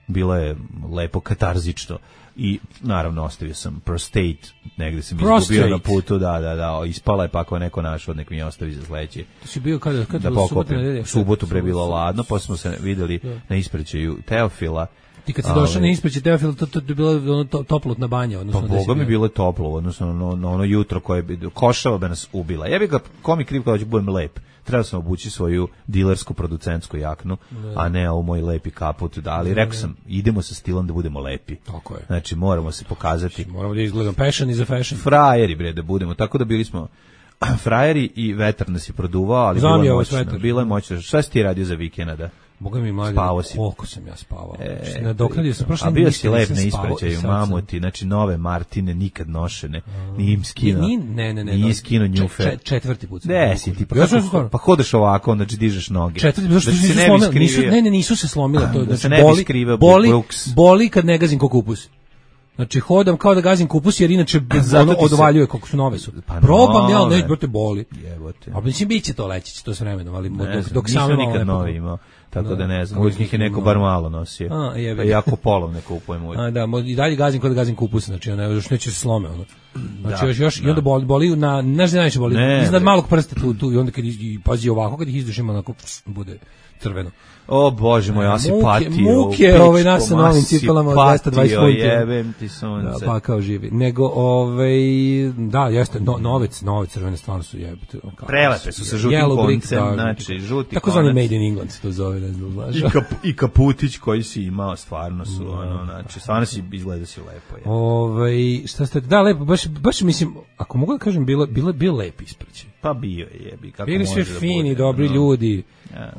bilo je lepo katarzično i naravno ostavio sam Prostate, negde sam izgubio na putu, da, ispala je pa ako neko našao, nek mi je ostavi za sledeće. To si bio kada da pokopim. Subotu bre bilo ladno, posle smo se videli na ispraćaju Teofila Ti kad si došao na ispraćaj Teofila, to je bilo ono toplotna banja. Pa Boga mi bilo toplo, odnosno na ono jutro koje bi košava bi nas ubila. Ja bih ga komi kriv kada ću budem lep. Trebao sam obući svoju dilersku producentsku jaknu, a ne ovu moj lepi kaput. Ali rekao sam, idemo sa stilom da budemo lepi. Tako je. Znači, moramo se pokazati. Moramo da izgledamo passion i za fashion. Frajeri, bre, da budemo. Tako da bili smo frajeri i vetar nas je produvao, ali bilo je moćno. Šta si ti radio za vikenda, da? Boga mi mlađe, koliko sam ja spavao. Nadoknadio sam prošle. A bio si lep na ispraćaju, mamuti, znači nove Martine, nikad nošene, nije im skinuo. Nije skinuo njufe. Četvrti put. Ne, si ti, pa hodeš ovako, onda dižeš noge. Četvrti put, zašto se ne bi skrivio? Nisu se slomile. Da se ne bi skrivio Brooks. Boli kad ne gazim ko kupus. Znači hodam kao da gazim kupus jer inače ono odvaljuje kako su nove su. Probam ja, ne, brate boli. Jebote. A mislim biće to leći će to s vremenom, ali dok sam nikad novi imao. Tako da ne znam, uvijek njih je neko bar malo nosio. Pa jako polovne kupujem uvijek. Da, i dalje gazim kao da gazim kupus, znači još neće se slome. Znači još i onda boli, znaš da najviše boli, iznad malog prsta tu i onda kad pazi ovako, kad ih izdušimo, onako bude crveno. O Bože moj, ja si patio. Muke, nas sa novim cipelama od 220 funti. Jebem ti sunce. Da, pa kao živi. Nego, da, jeste, nove crvene stvarno su jebite. Prelepe su sa žutim koncem, znači, žuti konac. Tako zvani Made in England se to zove, ne znam, znaš. I kaputić koji si imao, stvarno su, znači, stvarno si izgleda si lepo. Šta ste, da, lepo, baš mislim, ako mogu da kažem, bio lep ispraćaj. Pa bio je, jebi, kako bili sve fini, dobri ljudi,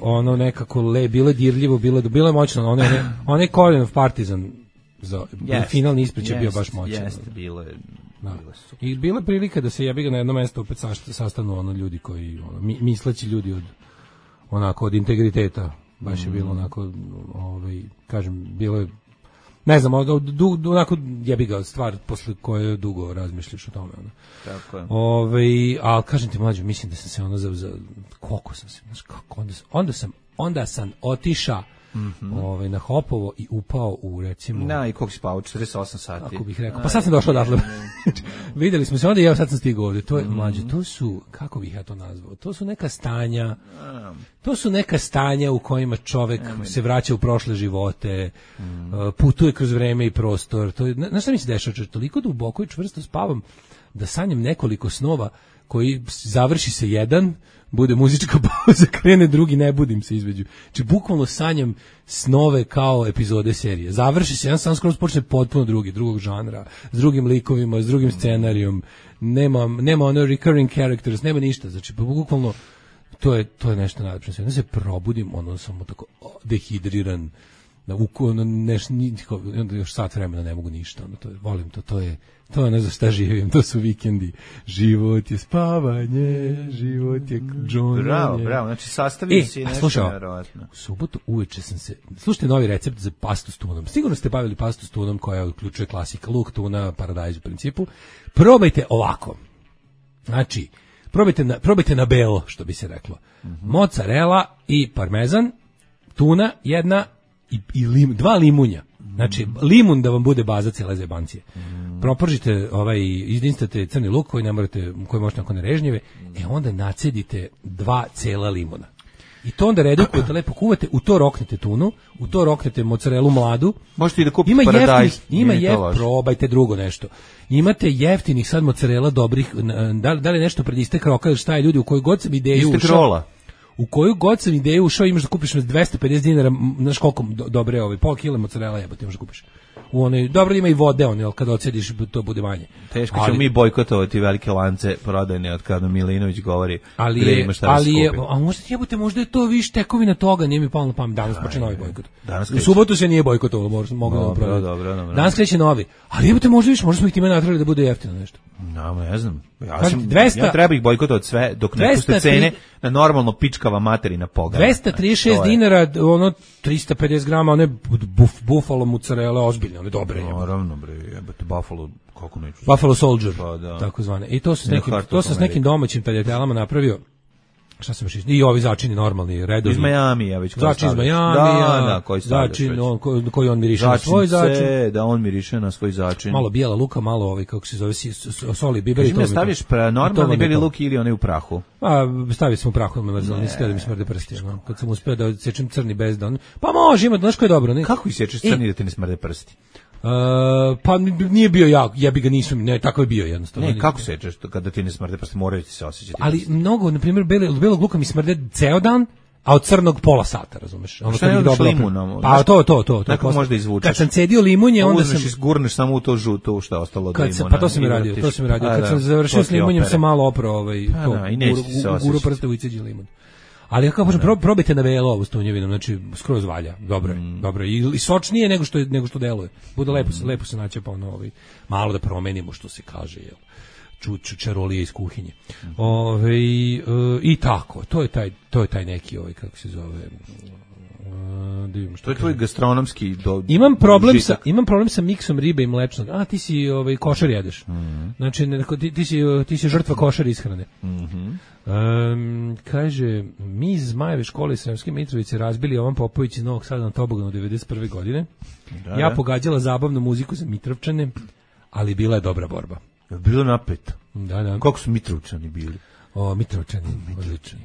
ono nekako bilo je dirljivo, bilo je moćno, onaj Colin of Partizan za finalni ispraćaj bio baš moćan. Jeste, bilo je. I bila je prilika da se jebi ga na jedno mesto opet sastanu ljudi koji, misleći ljudi od integriteta, baš je bilo onako, kažem, bilo je, ne znam, onako jebi ga stvar posle koje dugo razmišljaš o tome. Tako je. Ali kažem ti mlađo, mislim da sam se za koliko sam se, znaš kako, onda sam otišao na Hopovo i upao u recimo... I koliko si spavao, 48 sati. Kako bih rekao, pa sad sam došao odatle. Videli smo se onda i ja sad sam stigao ovdje. To je, mlađe, to su, kako bih ja to nazvao, to su neka stanja u kojima čovek se vraća u prošle živote, putuje kroz vreme i prostor. Znaš šta mi se dešava? Toliko duboko i čvrsto spavam da sanjam nekoliko snova koji završi se jedan, bude muzička pauza, krene drugi, ne budim se između. Znači, bukvalno sanjam snove kao epizode serije. Završi se, jedan san skoro počne potpuno drugog žanra, s drugim likovima, s drugim scenarijom, nema ono recurring characters, nema ništa. Znači, bukvalno, to je nešto najlepše. Onda se probudim, samo tako dehidriran, onda još sat vremena ne mogu ništa, volim to je ono za šta živim, to su vikendi. Život je spavanje, život je džonanje. Bravo, znači sastavio si nešto nevjerovatno. U subotu uveče sam se, slušajte novi recept za pastu s tunom. Sigurno ste bavili pastu s tunom koja uključuje klasika, luk, tuna, paradajz u principu. Probajte ovako. Znači, probajte na belo, što bi se reklo. Mozzarella i parmezan, tuna jedna i dva limunja. Znači, limun da vam bude baza cijele zebancije. Propržite, izinstate crni luk koji možete nakon režnjeve, onda nacedite 2 cela limuna. I to onda redukujete, lepo kuvate, u to roknete tunu, u to roknete mozzarellu mladu. Možete i da kupite paradajz. Probajte drugo nešto. Imate jeftinih sad mozzarella dobrih, da li nešto pred istek roka, šta je ljudi, u koju god sam ideju ušao. Istek rola. U koju god sam ideju ušao, imaš da kupiš na 250 dinara, znaš koliko dobre pola kila mozzarella jebote imaš da kupiš. Dobro ima i vode, ali kad ocediš to bude manje. Teško ćemo mi bojkotovati velike lance prodajne od kada Milinović govori gde ima šta da se kupi. Možda je to viš tekovina toga, nije mi palo na pamet, danas počne novi bojkot. U subotu se nije bojkotovalo, mogu da vam prodati. Danas kreće novi, ali jebote možda smo ih time natrali da bude jeftino nešto. Ne znam. Ja treba ih bojkotovati sve dok ne puste cene na normalno pičkava materina pogleda. 236 dinara, 350 grama, one buffalo mozzarella, ozbiljne, one dobre. Naravno, bre, jebate, buffalo, kako neću. Buffalo Soldier, tako zvane. I to se s nekim domaćim taljatelama napravio. šta se baš i ovi začini normalni redovi. Iz Miami, ja već kao začin iz Miami, koji začin koji on miriše na svoj začin. Da on miriše na svoj začin. Malo bijela luka, malo ovaj kako se zove soli, biber i to. Staviš normalni beli luk ili onaj u prahu? Stavio sam u prahu, me mrzelo, nisi htio da mi smrde prsti. Kad sam uspeo da odsečem crni bez da on... Pa može, ima, znaš ko je dobro. Ne? Kako isečeš crni da ti ne smrde prsti? Pa nije bio ja, jebi ga nisam, ne, tako je bio jednostavno. Ne, kako sečeš kada ti ne smrde prsti, moraju ti se osjećati. Ali mnogo, na primjer, belog luka mi smrde ceo dan, a od crnog pola sata, razumeš? Ono što je dobro limunom? Pa to. Tako možda izvučeš. Kad sam cedio limunje, onda sam gurneš samo u to žuto što je ostalo od limuna. Pa to sam i radio. Kad sam završio s limunjem sam malo oprao guru prste u iceđi limun. Ali kako kažem, probajte na velo ovu s tunjevinom, znači skroz valja, dobro i sočnije nego što deluje. Bude lepo se naće pa ono malo da promenimo što se kaže, jel. Čarolije iz kuhinje. I tako, to je taj neki kako se zove. To je tvoj gastronomski Imam problem sa miksom ribe i mlečnog. Ti si košar jedeš. Znači ti si žrtva košar ishrane. Kaže, mi iz Zmajeve škole Sremske Mitrovice razbili Jovan Popović iz Novog Sada na toboganu 91. godine. Ja pogađala zabavnu muziku za Mitrovčane, ali bila je dobra borba. Bilo napet. Da. Kako su Mitrovčani bili? Mitrovčani, odlični.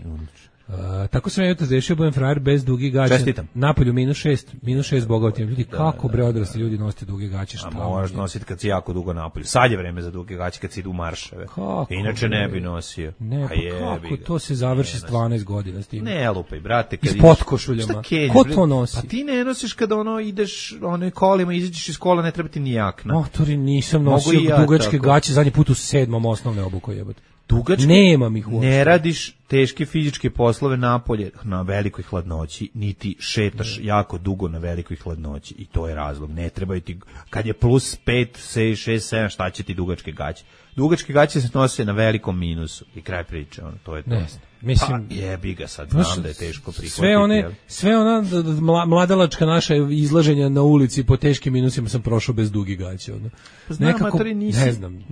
Tako sam ja jutros rešio, budem frajer bez dugih gaća. Čestitam. Napolju -6 bogatim. Ljudi, kako bre odrasli ljudi nosite duge gaće? A moraš nositi kad si jako dugo napolju. Sad je vreme za duge gaće kad si idu u marševe. Inače ne bi nosio. Ne, pa kako to se završi s 12 godina s tim? Ne lupaj, brate. I s potkošuljama. Ko to nosi? Pa ti ne nosiš kada ideš kolima, izađeš iz kola, ne treba ti ni jakna. Motori, nisam nosio dugačke gaće, zadnji put u 7. osnovne obuko jebote. Dugačke, nemam ih uopšte. Ne radiš teške fizičke poslove napolje na velikoj hladnoći, niti šetaš jako dugo na velikoj hladnoći i to je razlog. Ne trebaju ti, kad je plus 5, 6, 7, šta će ti dugačke gaće? Dugačke gaće se nose na velikom minusu i kraj priče, to je to. Ne, mislim, pa jebi ga sad, znam da je teško prihvatiti. Sve ona mladalačka naša izlaženja na ulici po teškim minusima sam prošao bez dugih gaća. Znam, matori, ne znam,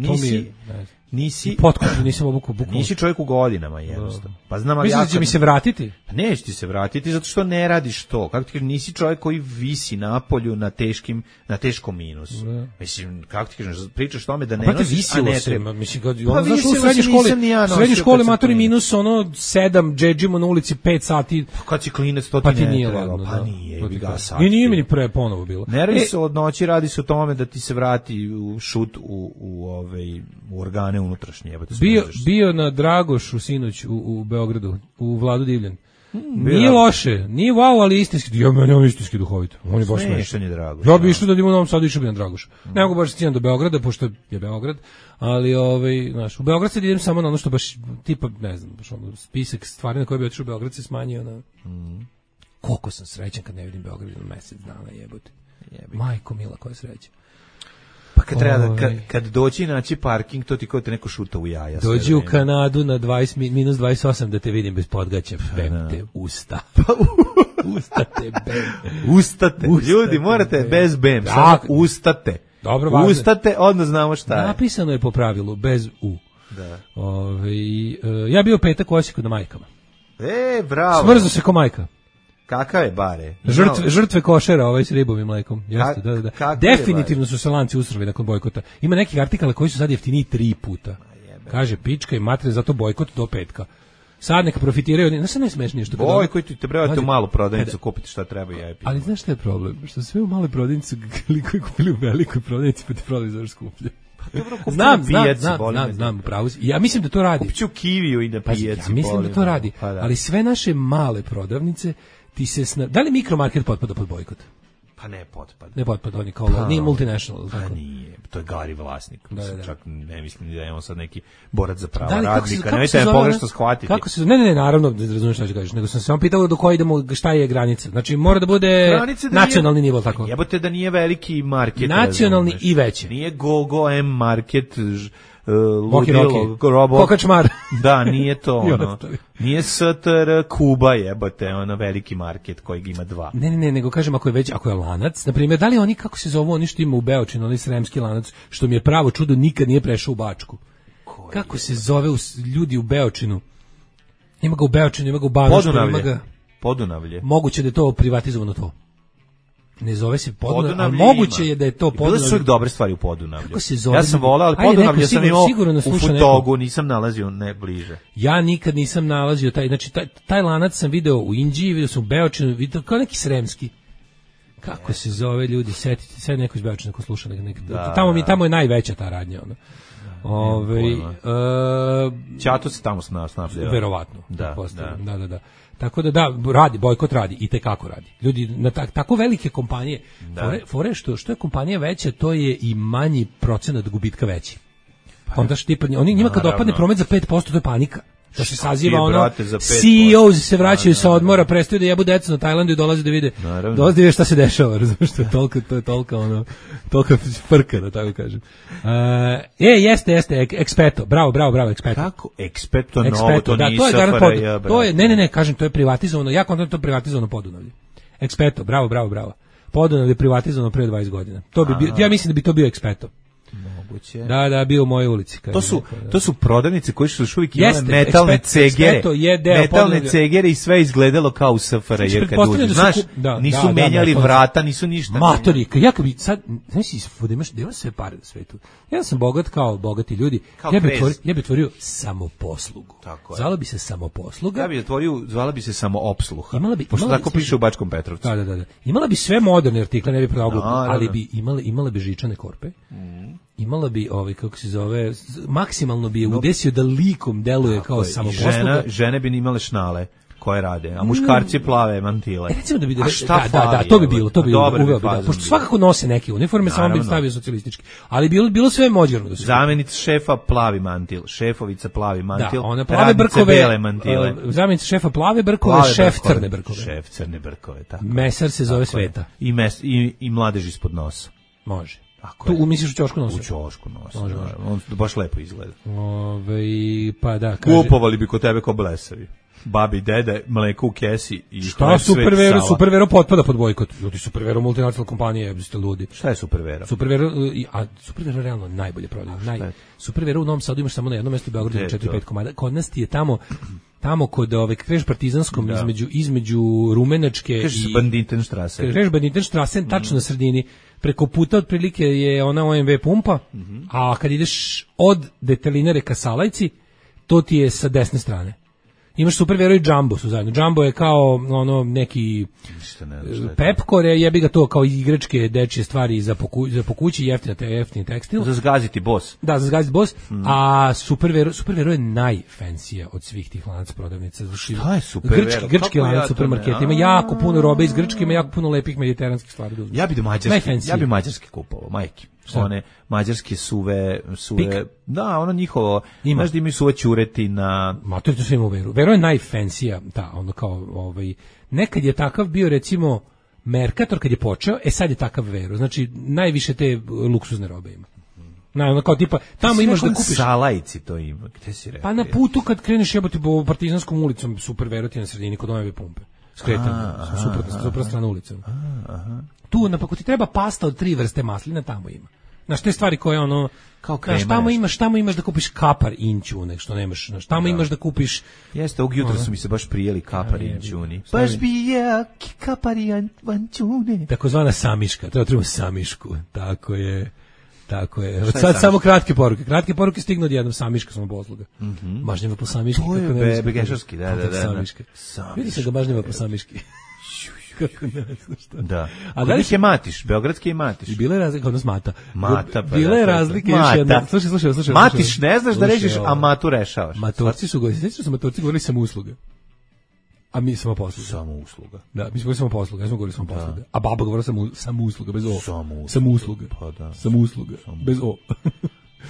nisi potkošulj, nisam obuku bukvalno. Nisi čovjek u godinama, jednostavno. Pa znam, ali misliš da će mi se vratiti? Pa neće ti se vratiti zato što ne radiš to. Kako ti kažem, nisi čovjek koji visi napolju na teškom minusu. Mislim, kako ti kažem, pričaš tome da ne nosiš, a ne treba. Mislim, znaš, u srednjoj školi matori minus 7 džedžimo na ulici 5 sati. Pa kad si klinec, to ti ne treba. Pa nije, i nije mi ni pre ponovo bilo. Ne radi se od noći, radi se o tome da ti se vrati šut u organe unutrašnje. Bio na Dragošu sinoć u Beogradu, u Vladu Divljan. Nije loše, nije wow, ali istinski. Ja meni on istinski duhovit. On je baš smešan. Ja bi išao da idemo u Novom Sadu, išao bi na Dragoš. Ne mogu baš stići do Beograda, pošto je Beograd, ali znaš, u Beograd se idem samo na ono što baš tipa, ne znam, baš ono spisak stvari na koje bi otišao u Beograd se smanjio na. Koliko sam srećan kad ne vidim Beograd na mesec dana, jebote. Majko mila, koja sreća. Pa kad doći naći parking, to ti kao te neko šuta u jaja. Dođi u Kanadu na -28 da te vidim bez podgaća. Bem te usta. Ustate. Ljudi, morate bez bem. Samo ustate. Dobro, važno. Ustate, onda znamo šta je. Napisano je po pravilu, bez u. Da. Ja bio petak u Osijeku na majkama. Bravo. Smrzo se ko majka. Kakav je bare? Žrtve košera s ribom i mlekom. Jeste, da. Definitivno su se lanci usrali nakon bojkota. Ima nekih artikala koji su sad jeftiniji 3 puta. Kaže, pička i matre, zato bojkot do petka. Sad neka profitiraju, znaš šta najsmešnije što kada... Bojkot, te trebate u malu prodavnicu kupiti šta treba i ajpi. Ali znaš šta je problem? Što sve u maloj prodavnici koji kupili u velikoj prodavnici pa ti prodaju za skuplje. Znam, pravo si. Ja mislim da to radi. Kupit ću kiviju i na pijaci. Ja mislim da to radi, ali sve naše male prodavnice da li mikromarket potpada pod bojkot? Pa ne potpada. Ne potpada, on je kao nije multinational. Pa nije, to je Gari vlasnik. Čak ne mislim da je on sad neki borac za prava radnika. Nemojte me pogrešno shvatiti. Ne, naravno, ne razumiješ šta ću kažeš, nego sam se vam pitao do koje idemo, šta je granica. Znači, mora da bude nacionalni nivo, tako. Jebote da nije veliki market. Nacionalni i veći. Nije Go M market, Kokačmar. Da, nije to nije STR Kuba jebote, veliki market kojeg ima 2. Ne, nego kažem ako je lanac, na primjer, da li oni kako se zovu, oni što ima u Beočinu, onaj sremski lanac, što mi je pravo čudo nikad nije prešao u Bačku. Kako se zove ljudi u Beočinu? Ima ga u Beočinu, ima ga u Banoštu, ima ga... Podunavlje. Moguće da je to privatizovano to. Ne zove se Podunavlje, ali moguće je da je to Podunavlje. Bile su dobre stvari u Podunavlju. Kako se zove? Ja sam volao, ali Ajde, Podunavlje sam imao u Futogu, neko. nisam nalazio ne bliže. Ja nikad nisam nalazio taj, znači taj lanac sam video u Inđiji, video sam u Beočinu, video kao neki sremski. Kako se zove, ljudi, setite, sad neko iz Beočina ko sluša tamo je najveća ta radnja, ono. Ćato se tamo snabdeo. Verovatno. Da. Tako da radi, bojkot radi i tekako radi. Ljudi na tako velike kompanije, fore što je kompanija veća, to je i manji procenat gubitka veći. Onda oni njima kad opadne promet za 5%, to je panika. To se saziva ono, CEO se vraćaju sa odmora, prestaju da jebu decu na Tajlandu i dolaze da vide šta se dešava, razumiješ, to je tolika frka, da tako kažem. Jeste, Expeto, bravo, Expeto. Kako? Expeto novo, to nije SFRJ, to je, ne, kažem, to je privatizovano, ja kontam to je privatizovano Podunavlje. Expeto, bravo. Podunavlje je privatizovano pre 20 godina. Ja mislim da bi to bio Expeto. Moguće. Da, bio u mojoj ulici. To su prodavnice koje su još uvijek imale metalne cegere. Metalne cegere i sve izgledalo kao u SFRJ kad uđe. Znaš, nisu menjali vrata, nisu ništa. Matori, jako bi sad, znaš, da imaš sve pare na svetu. Ja sam bogat kao bogati ljudi. Ja bi otvorio samoposlugu. Zvala bi se samoposluga. Ja bi otvorio, zvala bi se samoopsluha. Pošto tako piše u Bačkom Petrovcu. Da. Imala bi sve moderne artikle, ne bi prodao glupo, ali bi imala bi žičane korpe. Imala bi, kako se zove, maksimalno bi je udesio da likom deluje kao samoposluga. Žene bi imale šnale koje rade, a muškarci plave mantile. Recimo da bi to bi bilo, uveo bi, pošto svakako nose neke uniforme, samo bi stavio socijalistički. Ali bilo sve moderno. Zamjenica šefa plavi mantil, šefovica plavi mantil, ona plave brkove, bele mantile. Zamjenica šefa plave brkove, šef crne brkove. Tako. Mesar se zove Sveta. I mladež ispod nosa. Može. Tu misliš u ćošku nosa? U ćošku nosa. On baš lepo izgleda. Pa da, kaže. Kupovali bi kod tebe ko blesavi. Babi, dede, mleko u kesi i šta Supervero potpada pod bojkot. Ljudi, Supervero multinacionalna kompanija, jeste ludi. Šta je Supervero? Supervero realno najbolje prodaje. Supervero u Novom Sadu imaš samo na jednom mjestu u Beogradu 4-5 komada. Kod nas ti je tamo kod kreš Partizanskom između Rumenačke i Banditenstrasse. Kreš Banditenstrasse tačno na sredini. Preko puta otprilike je ona OMV pumpa, a kad ideš od Detelinare ka Salajci, to ti je sa desne strane. Imaš Supervero i Jumbo su zajedno. Jumbo je kao neki Pepcore, jebi ga to kao igračke dečje stvari za po kući, jeftini tekstil. Za zgaziti Boss. Da, za zgaziti Boss. A Supervero je najfensija od svih tih lanaca prodavnica. Šta je Supervero? Grčki lanac supermarketa. Ima jako puno robe iz Grčke, ima jako puno lepih mediteranskih stvari. Ja bi mađarski kupovao, majke. One mađarske suve, da, ono njihovo, znaš da imaju suve ćuretina. Ma to sve ima u Veru. Vero je najfensija, nekad je takav bio recimo Mercator kad je počeo, sad je takav Vero, znači najviše te luksuzne robe ima. Kao tipa, tamo imaš da kupiš... Salajci to ima, gde si rekao? Pa na putu kad kreneš jebati po Partizanskom ulicom, Supervero ti na sredini kod OMV pumpe. Skretanje, suprotna strana ulicom. Tu, ako ti treba pasta od 3 vrste maslina, tamo ima. Znaš, te stvari koje kao krema. Tamo imaš da kupiš kapar inćune, što nemaš. Tamo imaš da kupiš... Jeste, ovog jutra su mi se baš prijeli kapar inćuni. Baš bi je kapar inćune. Takozvana samiška, treba samišku, tako je. Od sad samo kratke poruke. Kratke poruke stignu od jednom samiška samoposluga. Bažnjava po samiški. To je begešarski, da. Vidi se ga bažnjava po samiški. Kako ne znam što. Da. A da li je Matiš, beogradski je Matiš. Bila je razlika, odnos Mata. Mata, pa. Bila je razlika još jedna. Slušaj. Matiš ne znaš da rešiš, a Matu rešavaš. Matorci su govorili samo usluga. A mi samo posluga. Samo usluga. Da, mi smo govorili samo posluga, ja smo govorili samo posluga. A baba govorila samo usluga, bez o. Samo usluga. Pa da. Samo usluga, bez o.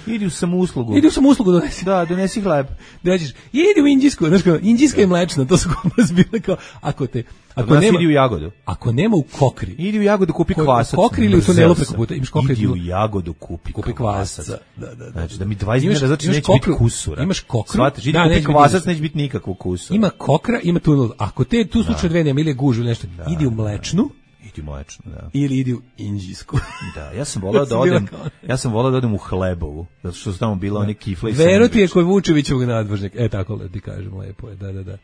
Idi u samouslugu. Donesi. Da, donesi hleb. Dođeš. Idi u Inđisku, znaš kao, Inđiska je mlečna, to su kod nas bile kao, ako nema, idi u Jagodu. Ako nema u Kokri. Idi u Jagodu kupi kvasac. Kokri ili u tunelu preko puta, imaš Kokri. Idi u Jagodu kupi kvasac. Da. Znači da mi 20 dinara, znači neće biti kusura. Imaš Kokru. Shvataš, idi kupi kvasac, neće biti nikakvog kusura. Ima Kokra, ima tunel. Ako tu slučaj dve nema ili gužu ili nešto, idi u mlečnu. Suški mojačno, da. Ili idi u Inđijsku. Da, ja sam voleo da odem u Hlebovu, zato što su tamo bila one kifle i Vero ti je kod Vučevićevog nadvožnjaka. Tako ti kažem, lepo je, da.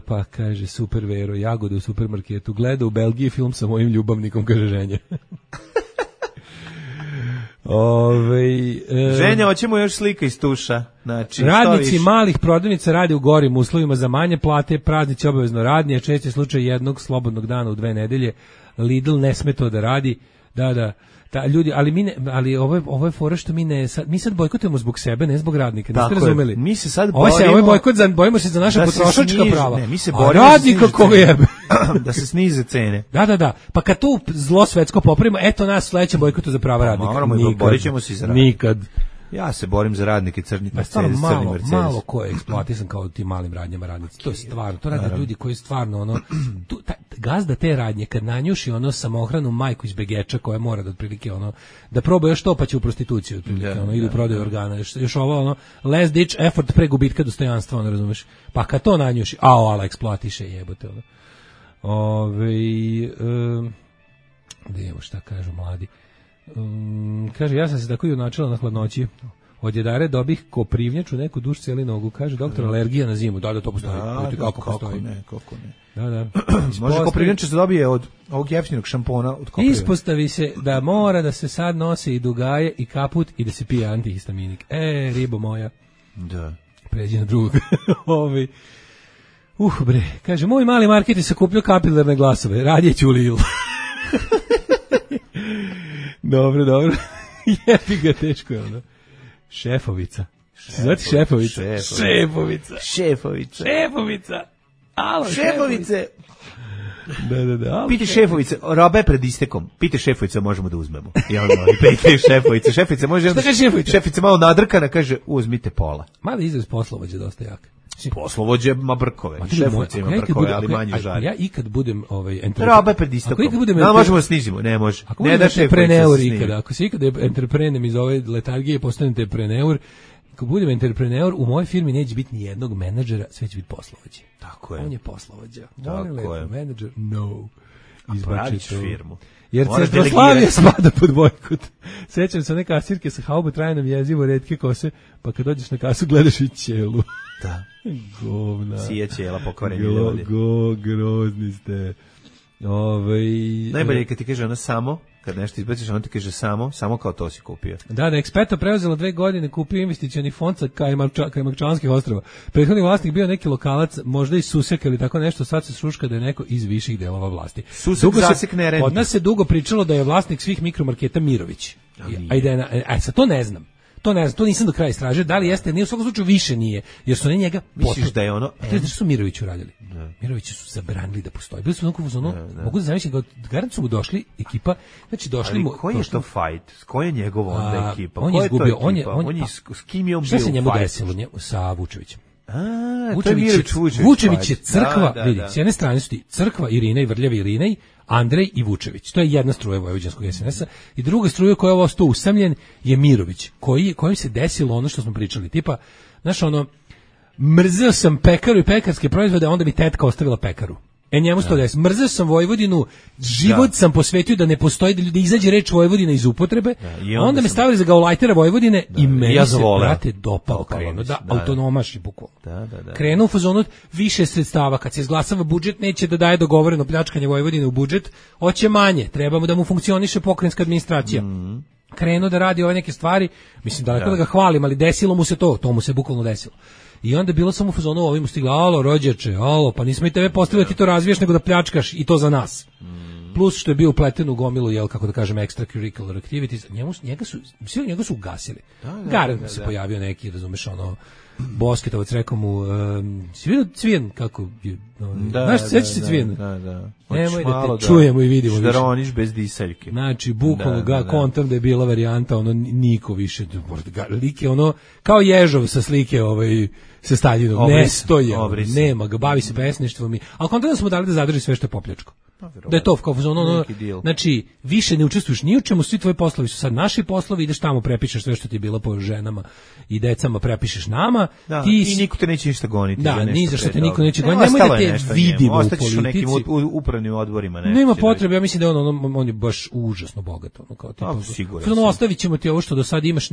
Pa kaže, super Vero, jagode u supermarketu, gleda u Belgiji film sa mojim ljubavnikom, kaže ženja. Ženja, hoćemo još slika iz tuša. Znači, radnici malih prodavnica rade u gorim uslovima za manje plate, praznici obavezno radnje, čest je slučaj jednog slobodnog dana u 2 nedelje, Lidl ne sme to da radi, da. Ljudi, ali ovo je fora što mi sad bojkotujemo zbog sebe, ne zbog radnika, niste razumeli? Mi se sad borimo... Ovo je bojkot, bojimo se za naša potrošačka prava. Ne, mi se borimo radnika koga jebe. Da se snize cene. Da. Pa kad tu zlo svetsko popravimo, eto nas sledeće bojkotu za prava radnika. Borit ćemo se za radnika. Nikad. Ja se borim za radnike crni Mercedes. Malo ko je eksploatisan kao tim malim radnjama radnici. To je stvarno, to rade ljudi koji stvarno gazda te radnje kad nanjuši samohranu majku iz Begeča koja mora da otprilike da proba još to pa će u prostituciju otprilike ili prodaju organa. Još ovo last ditch effort pre gubitka dostojanstva, razumeš? Pa kad to nanjuši, ala eksploatiše jebote da imamo šta kažu mladi. Kaže, ja sam se tako i unačila na hladnoći. Od jedare dobih koprivnjaču, neku duš cijeli nogu. Kaže, doktor, alergija na zimu. Da, to postoji. Kako ne. Da. Može koprivnjača se dobije od ovog jeftinog šampona. Od ispostavi se da mora da se sad nose i dugaje i kaput i da se pije antihistaminik. Ribo moja. Da. Pređi na drugog. Kaže, moj mali market je sakupljio kapilarne glasove. Radije ću u Lidl. Dobro. Jebi ga, teško je ono. Šefovica. Znate Šefovica? Alo, Šefovice. Da. Pite Šefovice, roba je pred istekom. Pite Šefovice, možemo da uzmemo. Pite Šefovice. Šefice, može. Šta kaže Šefovica? Šefice malo nadrkana, kaže, uzmite pola. Mali izraz poslovođe dosta jak. Poslovođe ima brkove, Šefovice ima brkove, ali manje žari. Ja ikad budem roba je pred istekom. Da možemo da snizimo, ne može. Ne da Šefovice. Ako se ikad entreprenem iz ove letargije postanem entrepreneur, ako budem entrepreneur, u mojoj firmi neće biti ni jednog menadžera, sve će biti poslovođe. Tako je. On je poslovođa. Tako je. Menadžer, no. Pravić firmu. Jer Centroslavija spada pod bojkot. Sećam se one kasirke sa haubu trajnom jezivo, retke kose, pa kad dođeš na kasu gledaš i ćelu. Da. Govna. Sije ćela pokvareni ljudi. Grozni ste. Najbolje je kad ti kaže ona samo, kad nešto izbaciš, ona ti kaže samo kao to si kupio. Da, Expeto preuzelo 2 godine, kupio investicioni fond sa Kajmakčanskih ostrava. Prethodni vlasnik bio neki lokalac, možda i Susek ili tako nešto, sad se šuška da je neko iz viših delova vlasti. Susek zasek ne renti. Od nas se dugo pričalo da je vlasnik svih mikromarketa Mirović. Sad to ne znam. To nisam do kraja istražio, da li jeste, nije u svakom slučaju više nije, jer su oni njega misliš da je ono... Što su Mirović uradili? Mirovići su zabranili da postoji. Bili su mogu da zamislim, garant su mu došli, ekipa, znači došli mu... Ali koji je to fight? Koji je njegova onda ekipa? On je izgubio, s kim je on bio u šta se njemu fight? Desilo? Sa Vučevićem. Vučević je crkva, vidi, s jedne strane su ti crkva Irinej, Vrljavi Irinej, Andrej i Vučević. To je jedna struja vojvođanskog SNS-a i druga struja koja je ovo sto usamljen je Mirović, kojim se desilo ono što smo pričali, tipa, znaš mrzeo sam pekaru i pekarske proizvode, a onda mi tetka ostavila pekaru. Njemu se to desi. Mrzeo sam Vojvodinu, život sam posvetio da ne postoji, da izađe reč Vojvodina iz upotrebe, onda me stavili za gaulajtera Vojvodine i meni se, brate, dopao kao autonomaš i bukvalno. Krenuo u fazonu više sredstava, kad se izglasava budžet, neće da daje dogovoreno pljačkanje Vojvodine u budžet, hoće manje, trebamo da mu funkcioniše pokrajinska administracija. Krenuo da radi ove neke stvari, mislim daleko da ga hvalim, ali desilo mu se to mu se bukvalno desilo. I onda bilo samo u fazonu, ovim mu stigla, alo rođeče, pa nismo i tebe postavili da ti to razviješ, nego da pljačkaš i to za nas. Plus što je bio upleten u gomilu, kako da kažem, extracurricular activities, njega su ugasili. Garant se pojavio neki, razumeš, Bosketovac, rekao mu, si vidio Cvijen, kako je, znaš, sjećaš se Cvijen? Nemoj da te čujemo i vidimo više. Šdaroniš bez diseljke. Znači, bukvalno ga kontam da je bila varijanta, niko više, lik je kao Ježov sa slike sa Staljinom, ne stoje, nema ga, bavi se pesništvom, ali kontam da smo dali da zadrži sve što je popljačko. Da je to kao znači više ne učestvuješ ni u čemu, svi tvoji poslovi su sad naši poslovi, ideš tamo prepišeš sve što ti je bilo po ženama i decama, prepišeš nama, i niko te neće ništa goniti. Da, ni za što te niko neće goniti. Nemoj da te vidimo u politici. U nekim upravnim odborima. Nema potrebe, ja mislim da on je baš užasno bogat. Kao tipa, ostavit ćemo ti ovo što do sad imaš,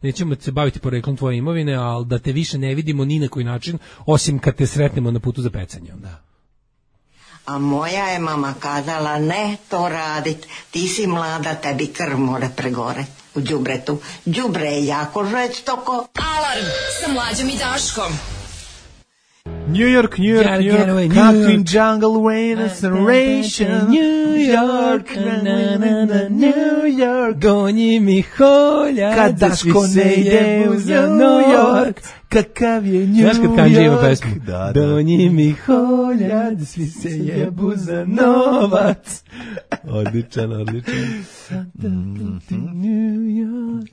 nećemo se baviti poreklom tvoje imovine, ali da te više ne vidimo ni na koji način, osim kad te sretnemo na putu za pecanje. Da. A moja je mama kazala, ne to radit, ti si mlada, tebi krv mora pregore u đubretu. Đubre je jako žestoko. Alarm sa Mlađom i Daškom. New York, country jungle restoration. New York, New York, gonji mi holja, kad Daško ne ide za New York, kakav je New York. Znaš kad Kanđe ima pesmu? Da. Donji mi holja, svi se jebu za novac. Odličan. New York.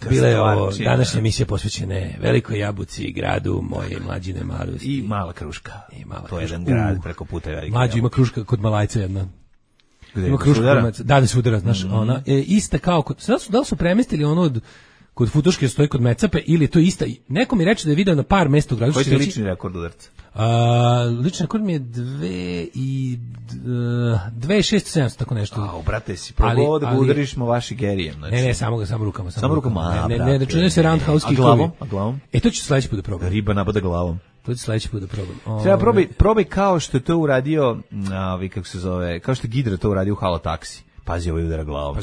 Bila je ovo današnja emisija posvećena velikoj jabuci, gradu moje mlađine mladosti. I mala kruška. To je jedan grad preko puta velike. Mlađu ima kruška kod Malajca jedna. Ima kruška kod Malajca. Da se udara, znaš, ona. Ista kao kod, da li su premestili ono kod Futuške stoji kod Mecape ili to ista. Neko mi reče da je video na par mesta u gradu. Koji je lični rekord udarca? Lični rekord mi je 2.600-700, tako nešto. Brate, si probao da ga udariš vaši gerijem. Znači. Ne, samo rukama. Samo rukama, ne, da čujem se roundhouse kickovi. A glavom? To ću sledeći put da probam. Riba napada glavom. To ću sledeći put da probam. Treba probaj kao što je to uradio, kako se zove, kao što je Gidra to uradio u Halo taksi. Pazi, ovaj udara glavom.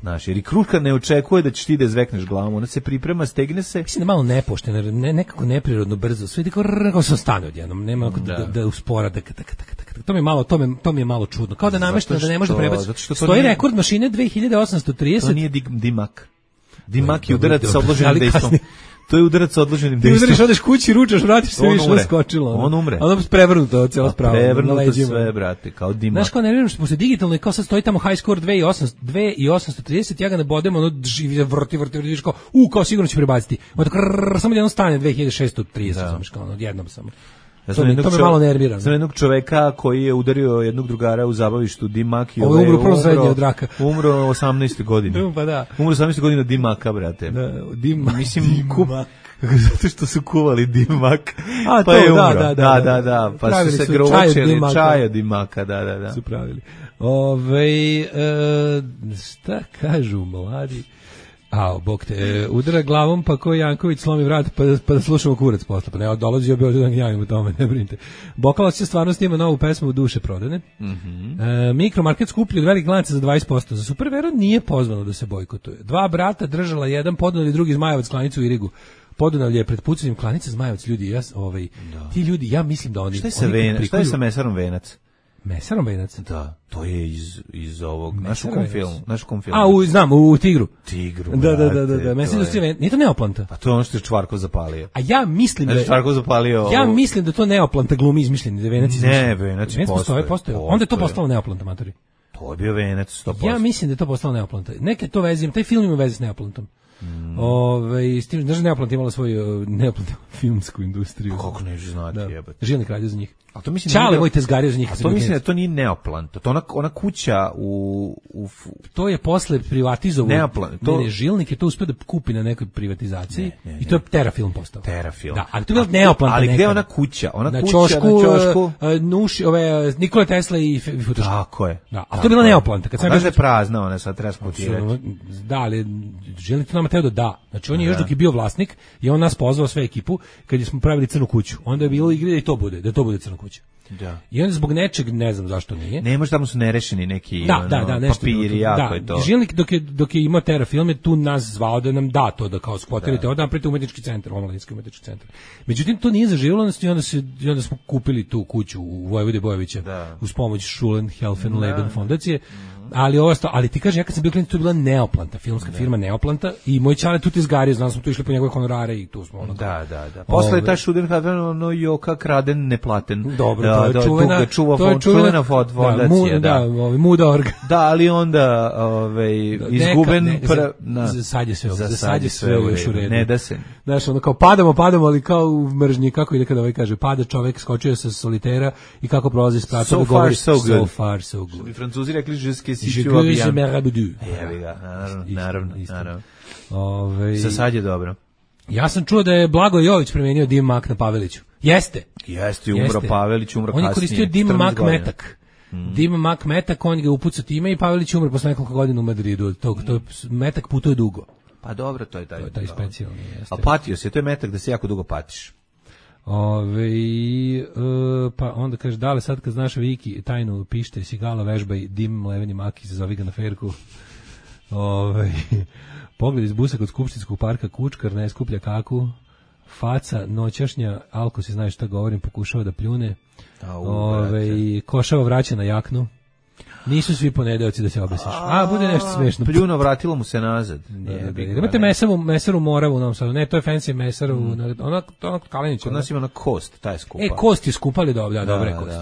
Znaš, jer i kruška ne očekuje da ćeš ti da zvekneš glavom, ona se priprema, stegne se. Mislim da malo nepošteno, nekako neprirodno brzo, sve kao sam stane odjednom, nema da uspora, to mi je malo čudno. Kao da namešteno da ne može da prebaci. Stoji rekord mašine 2830. To nije Dimak. Dimak je udarac sa odloženim dejstvom. To je udarac sa odloženim dejstvom. Ti udariš, odeš kući, ručaš, vratiš se, više naskočilo. On umre. Ono prevrnuto, cijela sprava. Prevrnuto sve, brate, kao Dimak. Znaš, kao nerviram što se digitalno i kao sad stoji tamo high score 2830, ja ga ne bodem, ono vrti, vidiš kao sigurno će prebaciti. Samo jednom stane 2630, kao odjednom samo. To me malo nervira. Znam jednog čoveka koji je udario jednog drugara u zabavištu Dimak i ovo je umro prvo srednje od raka. Umro 18. godine. Pa da. Umro 18. godine od Dimaka, brate. Da, Dimak. Mislim, zato što su kuvali Dimak. Pa je umro. Da. Pa su se grovočili čaj od Dimaka, da. Su pravili. Šta kažu mladi? Bog te, udara glavom pa ko Janković slomi vrat pa da slušamo kurac posle. Pa ne, dolazio bi ovdje da gnjavim u tome, ne brinite. Bokalac će stvarno snima novu pesmu Duše prodane. Mikromarket skuplji od velikih lanaca za 20%. Za Supervero nije pozvano da se bojkotuje. 2 brata držala jedan Podunavlje, drugi Zmajevac klanicu u Irigu. Podunavlje je pred pucanjem klanice, Zmajevac ljudi, ti ljudi, ja mislim da oni... Šta je sa mesarom Venac? Mesarom Venac? Da, to je iz ovog našog filmu. Znam, u Tigru. Da. Mesar Venac, nije to Neoplanta? Pa to je ono što je Čvarkov zapalio. A ja mislim da Čvarkov zapalio. Ja mislim da to Neoplanta glumi izmišljeni, da Venac izmišljeni. Ne, Venac postoje. Onda je to postalo Neoplanta, matori. To je bio Venac 100%. Ja mislim da je to postalo Neoplanta. Neke to vezim, taj film ima veze s Neoplantom. S tim, znaš, Neoplant imala svoju filmsku industriju. Kako neću znati, jebate. Žilnik radio za njih. A to mislim Čale moj tezgario za njih. A to mislim da to nije Neoplant, to je ona kuća to je posle privatizovao. Ne, Žilnik je to uspio da kupi na nekoj privatizaciji i to je Terafilm postao. Terafilm. Da, ali to je bilo Neoplant. Ali gde je ona kuća? Na ćošku Nikola Tesla i Futuška. Tako je. Da, a to je bila Neoplant. Kad sam je prazna, ona sad treba spotirati. Da, ali Žilnik to nama teo da. Znači on je još dok je bio vlasnik i on nas pozvao sve ekipu kad smo pravili Crnu kuću. Onda je bilo igre da to bude Crna kuća. Da. I onda zbog nečeg, ne znam zašto nije. Ne, možda tamo su nerešeni neki papiri, jako je to. Žilnik dok je imao Terafilm je tu nas zvao da nam da to da kao skvotirate, onda napravite umetnički centar, omladinski umetnički centar. Međutim, to nije zaživjelo i onda smo kupili tu kuću u Vojvode Bojovića uz pomoć Schulen Helfen Leben fondacije. ali ti kaže, ja kad sam bio klinac, tu je bila Neoplanta, filmska firma Neoplanta i moj čale tu ti izgario, znam smo tu išli po njegove honorare i tu smo ono. Da. Posle je taj Šuden no joka kraden neplaten. Dobro, to je čuvena fondacija, Muda.org. Da, ali onda izguben sad je sve još u redu. Ne da se. Znaš, ono kao padamo, ali kao u mržnji, kako ide kada kaže, pada čovek, skočio sa solitera i kako prolazi s pratom, govori so far, so good. I Francuzi rekli, je Jevi ga, naravno. Sad je dobro. Ja sam čuo da je Blago Jović premenio dim mak na Paveliću. Jeste, umro Pavelić, umro kasnije. On je koristio dim mak metak. Dim mak metak, on ga upucao time i Pavelić umro posle nekoliko godina u Madridu. To metak putuje dugo. Pa dobro, to je taj specijalni. A patio se, to je metak da se jako dugo patiš. Pa onda kaže, dale sad kad znaš Viki tajnu pište, Sigala vežbaj, dim leveni maki, zazovi ga na ferku. Pogled iz busa kod Skupštinskog parka, kučkar ne skuplja kaku, faca noćašnja, Alko se znaje šta govorim, pokušava da pljune, košava vraća na jaknu. Nisu svi ponedeoci da se obesiš. Bude nešto smešno. Pljuno, vratilo mu se nazad. Imate mesaru Moravu u Novom Sadu. Ne, to je fancy mesaru. Ona Kalenić. Kod nas ima na kost, ta je skupa. Kost je skupa, ali dobro, dobra je kost.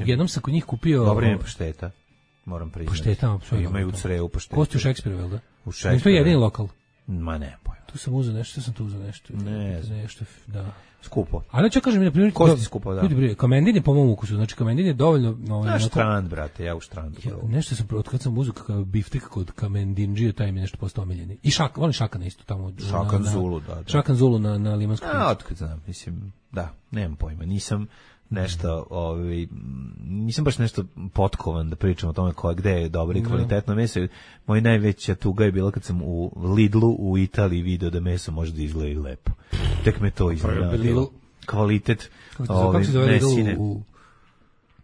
Jednom sam kod njih kupio... Dobro je pašteta, moram priznati. Pašteta, apsolutno. Imaju u Creju pašteta. Kost je u Šekspiru, vel da? U Šekspiru. To je jedini lokal. Ma ne, pojma. Tu sam uzeo nešto, nešto, da. Skupo. Ali ću kažem, na primjer, kosti skupo, da. Ljudi, Kamendin je po mom ukusu, znači Kamendin je dovoljno... Štrand, brate, ja u Štrandu. Nešto sam, od kad sam uzeo kakav biftek kod Kamendinđije, taj mi je nešto postao omiljeni. I volim Šakana isto tamo. Šakan Zulu, da. Šakan Zulu na Limanskom. Otkad znam, mislim, da, nemam pojma, nisam nešto, nisam baš nešto potkovan da pričam o tome gde je dobro i kvalitetno meso. Moj najveća tuga je bila kad sam u Lidlu u Italiji video da meso može da izgleda i lepo. Tek me to iznenadilo. Kvalitet mesine.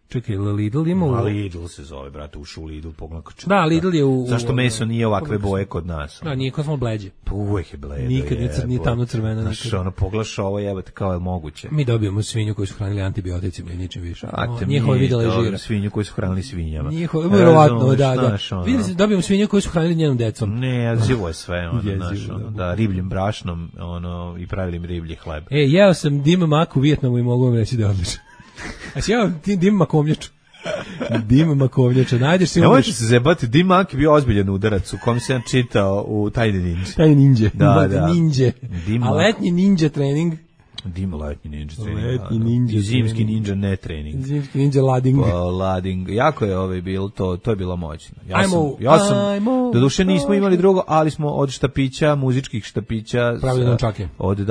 Čekaj, Lidl ima u... Lidl se zove, brate, ušu u Lidl, pogledaj. Da, Lidl je u... Zašto meso nije ovakve boje kod nas? Da, nije kod smo bleđe. Pa uvek je bledo. Nikad nije tamno crveno. Znaš, poglaš ovo jebate kao je moguće. Mi dobijemo svinju koju su hranili antibioticima i ničem više. Njihova videla je žira. Svinju koju su hranili svinjama. Njihova, verovatno, da. Dobijemo svinju koju su hranili njenom decom. Ne, živo je sve, da, ribljim brašnom, i pravili mi riblji hleb. Jeo sam dim mak u Vijetnamu i mogu vam reći da je odlično. A si jeo dim makovnjaču. Dim makovnjača, najdeš si... Nemojte se zebati, dim mak je bio ozbiljan udarac u kom sam čitao u Tajni ninja. Tajni ninja. Da. A letnji ninja trening... Letnji ninja trening. I zimski ninja ne trening. Zimski ninja lading. Lading. Jako je bilo to je bilo moćno. Ja sam doduše nismo imali drugo, ali smo od štapića, muzičkih štapića, pravili nunčake. Od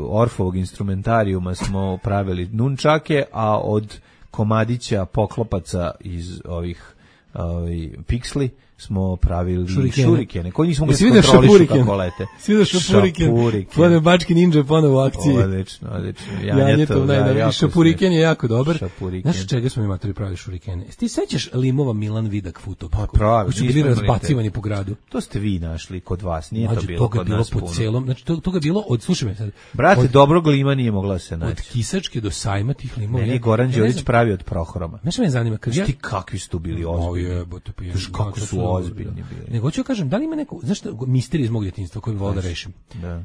Orfovog instrumentarijuma smo pravili nunčake, a od komadića poklopaca iz ovih piksli smo pravili šurikene. Koji nismo ga kontrolišu kako lete. Svi da šapuriken. Ponovno Bački ninja ponovo u akciji. Odlično. Šapuriken je jako dobar. Znaš čega smo mi matori pravili šurikene? Ti sećaš limova Milan Vidak Futopak? Pa pravi. Koji su bili razbacivani po gradu. To ste vi našli kod vas, nije to bilo kod nas puno. Znači to ga bilo slušaj me sad. Brate, dobrog lima nije mogla se naći. Od Kisačke do Sajma tih limova. Meni Goran Đorić pravi od Prohoroma. Znaš me zanima, ti kakvi su tu bili ozbiljni. Kako su ozbiljni bili. Nego ću kažem, da li ima neko, znaš što, misterij iz mog djetinjstva koji bi volao da rešim? Da.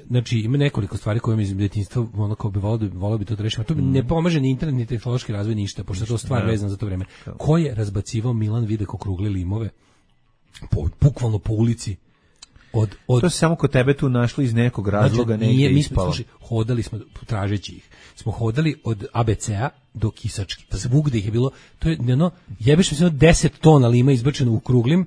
Znači, ima nekoliko stvari koje mi iz djetinjstva kao bi volao bi to da rešim, a to ne pomaže ni internet, ni tehnološki razvoj, ništa, pošto je to stvar vezana za to vreme. Ko je razbacivao Milan Vidak okrugli limove? Bukvalno po ulici. To se samo kod tebe tu našli iz nekog razloga, negdje ispalo. Hodali smo, tražeći ih, smo hodali od ABC-a do Kisački, pa svugde ih je bilo, to je, jebeš mi se 10 tona lima izbačeno u kruglim,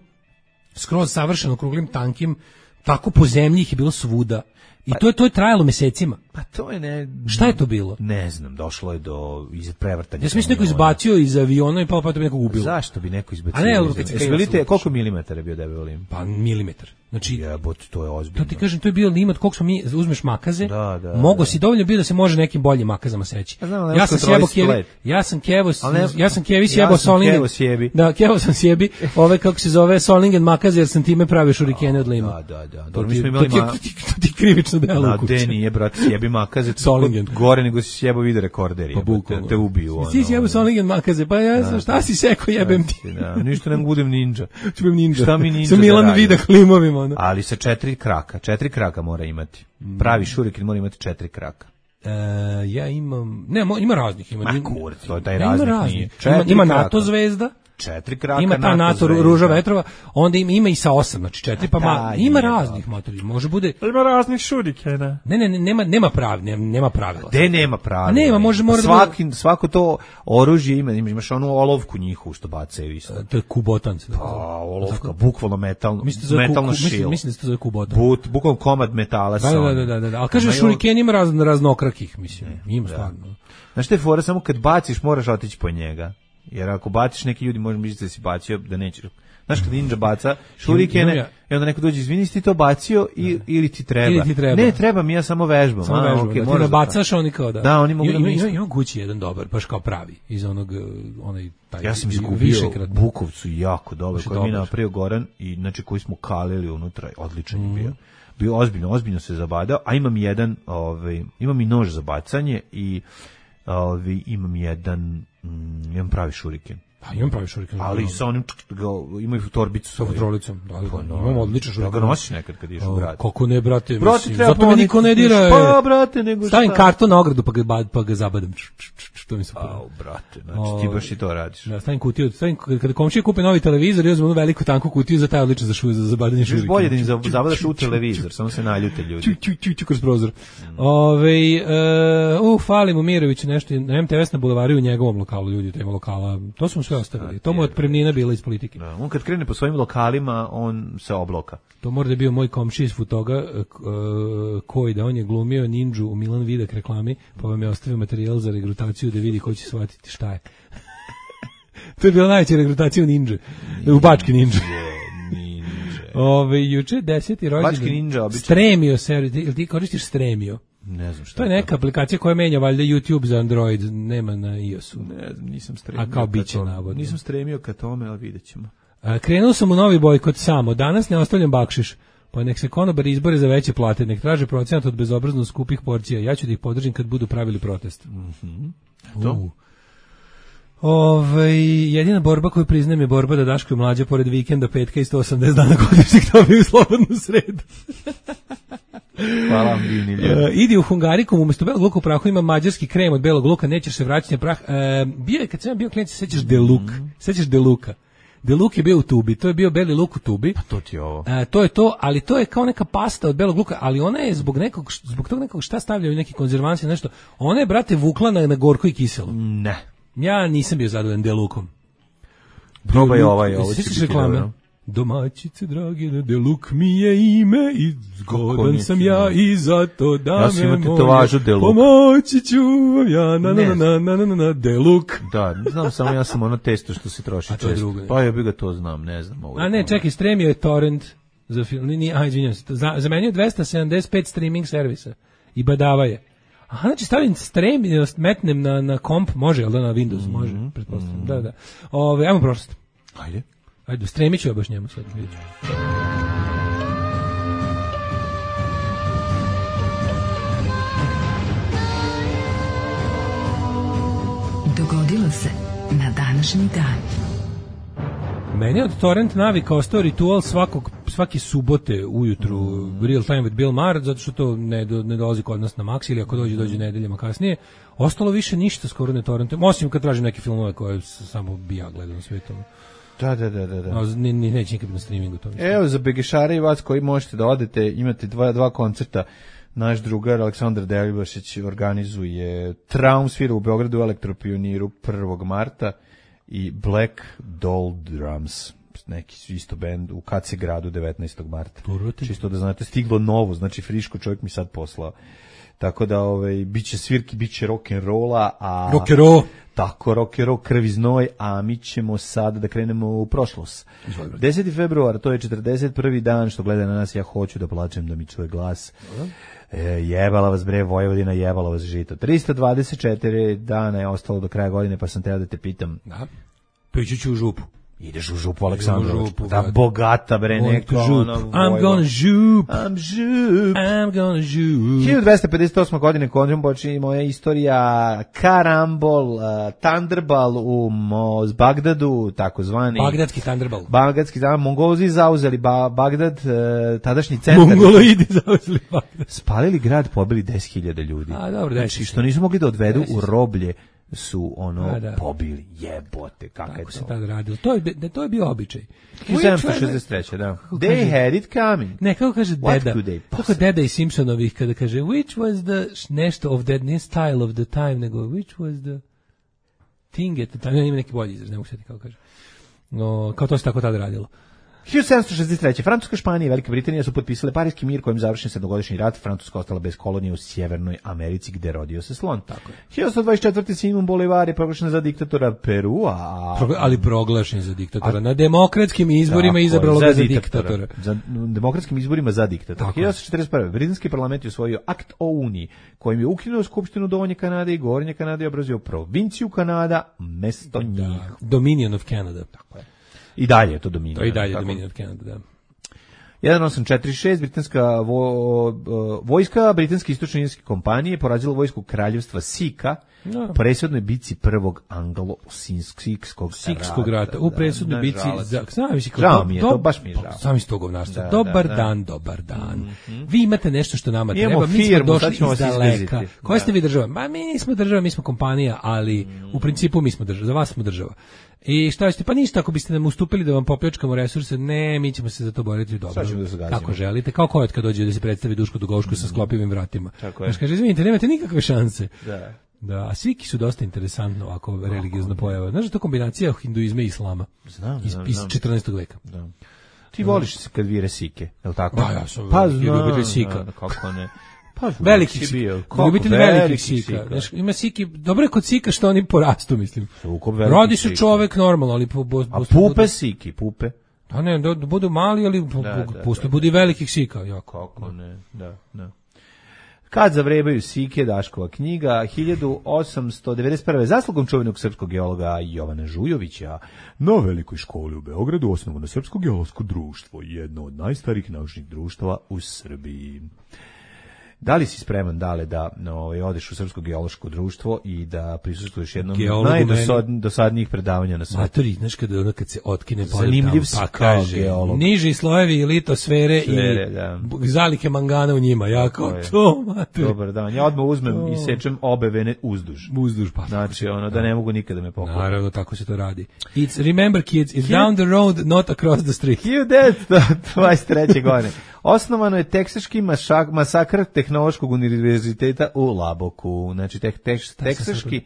skroz savršeno kruglim, tankim, tako po zemlji ih je bilo svuda. I to je trajalo mesecima. Pa to je Šta je to bilo? Ne znam, došlo je do prevrtanja. Ja sam neko izbacio iz aviona i pa to bi nekog ubilo. Zašto bi neko izbacio? Vidite koliko milimetara je bio debel lim? Pa milimetar. Znači, jebote, to je ozbiljno. To ti kažem, to je bio limit koliko smo mi uzmeš makaze. Mogo si dovoljno bio da se može nekim boljim makazama seći. Ja sam sjebo Kevi, ja sam Kevi sjebo Solingen. Da, Kevo sam sjebi, ove kako se zove Solingen makaze jer sam time pravio šurikene od lima. Da. To ti krivično delo. Na Deni je brat sjebi makaze Solingen. Gore nego si sjebo video rekorder, te ubiju. Si sjebo Solingen makaze, pa ja znam šta si seko jebem ti. Da, ništa ne budem ninja. Ću ninja. Šta mi ninja? Sa Milan Vida klimovima. Ali sa 4 kraka mora imati. Pravi šuriken mora imati 4 kraka. Ja imam... Ne, ima raznih. To je taj raznih nije. Ima NATO zvezda. 4 kraka ima ta NATO ruža vetrova, onda ima i sa 8, znači 4 pa ima raznih motori, može bude. Ima raznih šurikena. Ne, nema pravila. Gde nema pravila? Nema, mora svako to oružje imaš onu olovku njihovu što bacaju isto. To je kubotan. Olovka, bukvalno metalno šilo. Mislim da se to zove kubotan. Bukvalno komad metala. Da. Ali kaže šuriken ima raznokrakih, mislim. Ima stvarno. Znaš te fora, samo kad baciš moraš otići po njega. Jer ako baciš neki ljudi, možeš misliti da si bacio, da nećeš. Znaš kad ninja baca šurikene, i onda neko dođe, izvini, si ti to bacio ili ti treba? Ne, treba mi, ja samo vežbam. Okay, ti nabacaš, oni kao da. Da, oni mogu ima kući jedan dobar, baš kao pravi, iz onog, taj. Ja sam izgubio Bukovcu jako dobar, koji mi je napravio Goran, i znači koji smo kalili unutra, odličan je bio. Bio ozbiljno se zabadao, a imam imam i nož za bacanje i imam pravi šuriken. Pa imam pravi šuriken. Ali sa onim, imaju torbicu. Sa patrolicom, da. Imam odličan šuriken. Da ga nosiš nekad kad ideš u grad. Kako ne, brate, mislim. Zato me niko ne dira. Pa, brate, nego šta. Stavim karton na ogradu pa ga zabadam. Što mi se pa, brate, znači ti baš i to radiš. Da, stavim kutiju. Kada komšije kupe novi televizor, ja uzmem onu veliku tanku kutiju za taj odličan za zabadanje šurikena. Bolje da im zabadaš u televizor, samo se naljute ljudi. Ču kroz prozor. Fali mu Mirović nešto, na MTS na bulevaru u njegovom lokalu, ljudi, tema lokala. To smo sve ostavili. To mu otpremnina bila iz politike. Da, on kad krene po svojim lokalima, on se obloka. To mora da je bio moj komšija iz Futoga, koji da on je glumio ninđu u Milan Vidak reklami, pa vam je ostavio materijal za regrutaciju da vidi ko će shvatiti šta je. To je bila najveća regrutacija u ninđe. U Bački ninđe. Juče 10. rođendan. Bački ninđa obično. Stremio se, ili ti koristiš Stremio? Ne znam šta. To je neka aplikacija koja menja valjda YouTube za Android, nema na iOS-u. Ne znam, nisam stremio. A kao biće navodno. Nisam stremio ka tome, ali vidjet ćemo. Krenuo sam u novi bojkot samo. Danas ne ostavljam bakšiš. Pa nek se konobari izbore za veće plate, nek traže procenat od bezobrazno skupih porcija. Ja ću da ih podržim kad budu pravili protest. To? Jedina borba koju priznajem je borba da Daško i Mlađa pored vikenda, petka i 180 dana godišnjeg dobiju slobodnu sredu. Hvala vam, divni ljudi. Idi u Hungarikum, umjesto belog luka u prahu ima mađarski krem od belog luka, nećeš se vraćati na prah. Bio je, kad sam bio klijent, sećaš Deluk. Sećaš Deluka. Deluk je bio u tubi, to je bio beli luk u tubi. Pa to ti je ovo. To je to, ali to je kao neka pasta od belog luka, ali ona je zbog tog nekog šta stavljaju neki konzervansi, nešto. Ona je, brate, vukla na gorko i kiselo. Ne. Ja nisam bio zadovoljan Delukom. Probaj ovo će biti dobro. Domaćice drage, Deluk mi je ime i zgodan sam ja i zato da me moje pomoći ću ja na Deluk. Da, znam samo ja sam ono testo što se troši često. Pa ja bi ga to znam, ne znam. A ne, čekaj, Stremio je torrent za film, izvinjam se, zamenio 275 streaming servisa i badava je. Aha, znači stavim Stremio, metnem na komp, može, jel da na Windows, može, pretpostavljam, da. Ajmo prošlost. Ajde, stremit ću ja baš njemu sad, vidjet ću. Dogodilo se na današnji dan. Meni od torrent navika ostao ritual svake subote ujutru Real Time with Bill Maher, zato što to ne dolazi kod nas na Max, ili ako dođe nedeljama kasnije. Ostalo više ništa skoro ne torrentujem, osim kad tražim neke filmove koje samo bi ja gledao na svijetom. Da. Neće nikad na streamingu to. Evo, za begešare i vas koji možete da odete, imate dva koncerta. Naš drugar Aleksandar Delbašić organizuje Traum svira u Beogradu u Elektropioniru 1. marta i Black Doll Drums neki isto bend u KC gradu 19. marta. Turoti. Čisto da znate, stiglo novo, znači friško, čovjek mi sad poslao. Tako da biće svirki, biće rock'n'rolla, a Rock'n'roll. tako rock'n'roll, krv i znoj, a mi ćemo sad da krenemo u prošlost. 10. februar, to je 41. dan što gleda na nas, ja hoću da plačem da mi čuje glas. Jebala vas bre Vojvodina, jebala vas žito. 324 dana je ostalo do kraja godine, pa sam teo da te pitam. Da. Piću ću u župu. Ideš u župu, Aleksandrović. Da bogata bre neka. I'm gonna žup. I'm gonna žup. 1258. godine konzum počinje moja istorija Karambol, Thunderball u Bagdadu, takozvani Bagdadski Thunderball. Bagdadski, da, Mongolozi zauzeli Bagdad, tadašnji centar. Mongoloidi zauzeli Bagdad. Spalili grad, pobili 10.000 ljudi. A dobro, znači, što nisu mogli da odvedu u roblje su pobili, jebote, kako se tad radilo. To je bio običaj. 1763. da. They had it coming. Ne, kako kaže deda. Kako deda iz Simpsonovih kada kaže which was the nešto of that, nije style of the time, nego which was the thing at the time. Ima neki bolji izraz, ne mogu sjeti kako kaže. No, kao to se tako tada radilo. 1763. Francuska, Španija i Velika Britanija su potpisale Pariski mir kojim završen sedmogodišnji rat. Francuska ostala bez kolonije u Sjevernoj Americi gde rodio se slon. Tako je. 1924. Simon Bolivar je proglašen za diktatora Perua. Ali proglašen za diktatora. Na demokratskim izborima izabralo ga za diktatora. Na demokratskim izborima za diktatora. 1941. Britanski parlament je usvojio akt o Uniji kojim je ukinuo Skupštinu Donje Kanade i Gornje Kanade i obrazio provinciju Kanada mesto njih. Dominion of Canada. Tako je. I dalje je to Dominion. To i dalje je Dominion of Canada, da. 1846, britanska vojska britanske istočno-indijske kompanije porazila vojsku kraljevstva Sika u presudnoj bici prvog anglo-sikskog rata. U presudnoj bici žao mi je, to baš mi je žao. Sami ste govnarstva. Dobar dan. Vi imate nešto što nama treba. Mi smo došli iz daleka. Koja ste vi država? Ma mi nismo država, mi smo kompanija, ali u principu mi smo država. Za vas smo država. I šta ćete? Pa ništa, ako biste nam ustupili da vam popljačkamo resurse, ne, mi ćemo se za to boriti dobro. Kako želite, kao Kojot kad dođe da se predstavi Duško Dugovško sa sklopivim vratima. Znaš, kaže, izvinite, nemate nikakve šanse. Da, a sviki su dosta interesantno ovako religiozna pojava. Znaš, to kombinacija hinduizma i islama. Znam. Iz 14. veka. Da. Ti voliš se kad vire Sike, je li tako? Da, ja sam ljubitelj Sika. Kako ne? Veliki Sika. Ljubitelj velikih Sika. Znaš, ima Siki, dobro je kod Sika što oni porastu, mislim. Rodi se čovek normalno, ali... A pupe Siki, pupe? Da ne, da budu mali, ali pusto budi velikih Sika. Kako ne, da. Kad zavrebaju Sike, Daškova knjiga, 1891. Zaslugom čuvenog srpskog geologa Jovana Žujovića na Velikoj školi u Beogradu osnovano Srpsko geološko društvo, jedno od najstarijih naučnih društava u Srbiji. Da li si spreman, Dale, da odeš u Srpsko geološko društvo i da prisustvuješ jednom najdosadnijih predavanja na svijetu? Matori, znaš kad se otkine zanimljiv si kao geolog. Niži slojevi litosfere i zalike mangana u njima. Jako to, matori. Dobar dan. Ja odmah uzmem i sečem obe vene uzduž. Pa. Znači, da ne mogu nikada me pokupiti. Naravno, tako se to radi. Remember kids, it's down the road, not across the street. 1923. godine. Osnovano je teksaški masakr Tehnološkog univerziteta u Laboku. Znači, teksaški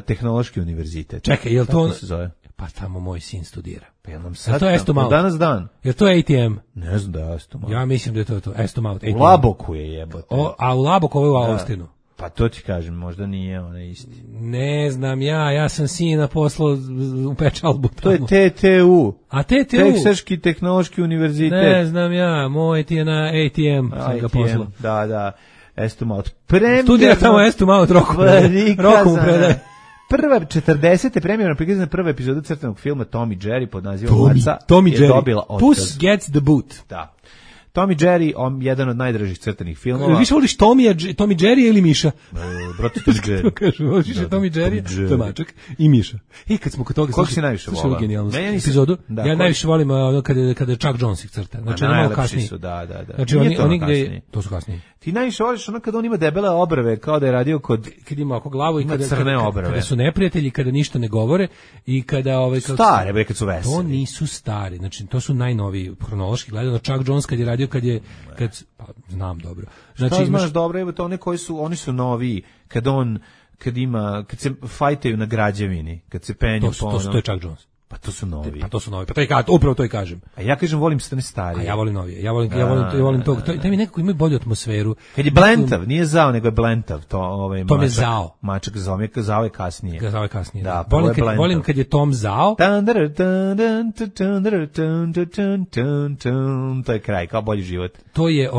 tehnološki univerzitet. Čekaj, je li to... se zove? Pa tamo moj sin studira. Pa je nam sad to je Estomalt? Danas dan. Je to ATM? Ne znam da je Estomalt. Ja mislim da je to Estomalt. U Laboku je jebote. A u Laboku ovo je u Austinu. Pa to ti kažem, možda nije onaj isti. Ne znam, ja sam sina poslao u pečalbu tamo. To je TTU. A TTU? Teksaški tehnološki univerzitet. Ne znam ja, moj ti je na ATM, sam ga poslao. Da, Estomalt. Studira tamo Estomalt, Rokom predaje. Prva 40. premijerno prikazana prva epizoda crtanog filma Tom i Jerry pod nazivom Maca je dobila otkaz. Puss Gets the Boot. Da. Tom i Jerry, jedan od najdražih crtanih filmova. Više voliš Tom i Jerry ili Miša? Brate, Tom i Jerry. Kažu, voliš više Tom i Jerry, to je mačak, i Miša. Kad smo kod toga... Kako si najviše volao? Epizodu. Ja najviše volim kada Chuck Jones ih crta. Znači, ono malo kasnije. Da. Znači, oni gde... To su kasnije. Ti najviše voliš ono kada on ima debele obrve, kao da je radio kod... Kad ima oko glavu i crne obrve. Kada su neprijatelji, kada ništa ne govore i kada... Stare, kad su veseli. To nisu stari, znači, to su najnoviji, hronološki gledano. Chuck Jones kad je radio, pa znam dobro. Znači, šta znaš dobro, evo to oni su noviji, kad se fajtaju na građevini, kad se penju to je Chuck Jones. Pa to su novi. Pa to je upravo to i kažem. A ja kažem volim stane starije. A ja volim novije. Ja volim to. To mi nekako ima bolju atmosferu. Kad je blentav, nije zao, nego je blentav. To je zao. Mačak zao je kasnije. Zao je kasnije. Da, volim kad je Tom zao. To je kraj, kao bolji život. To je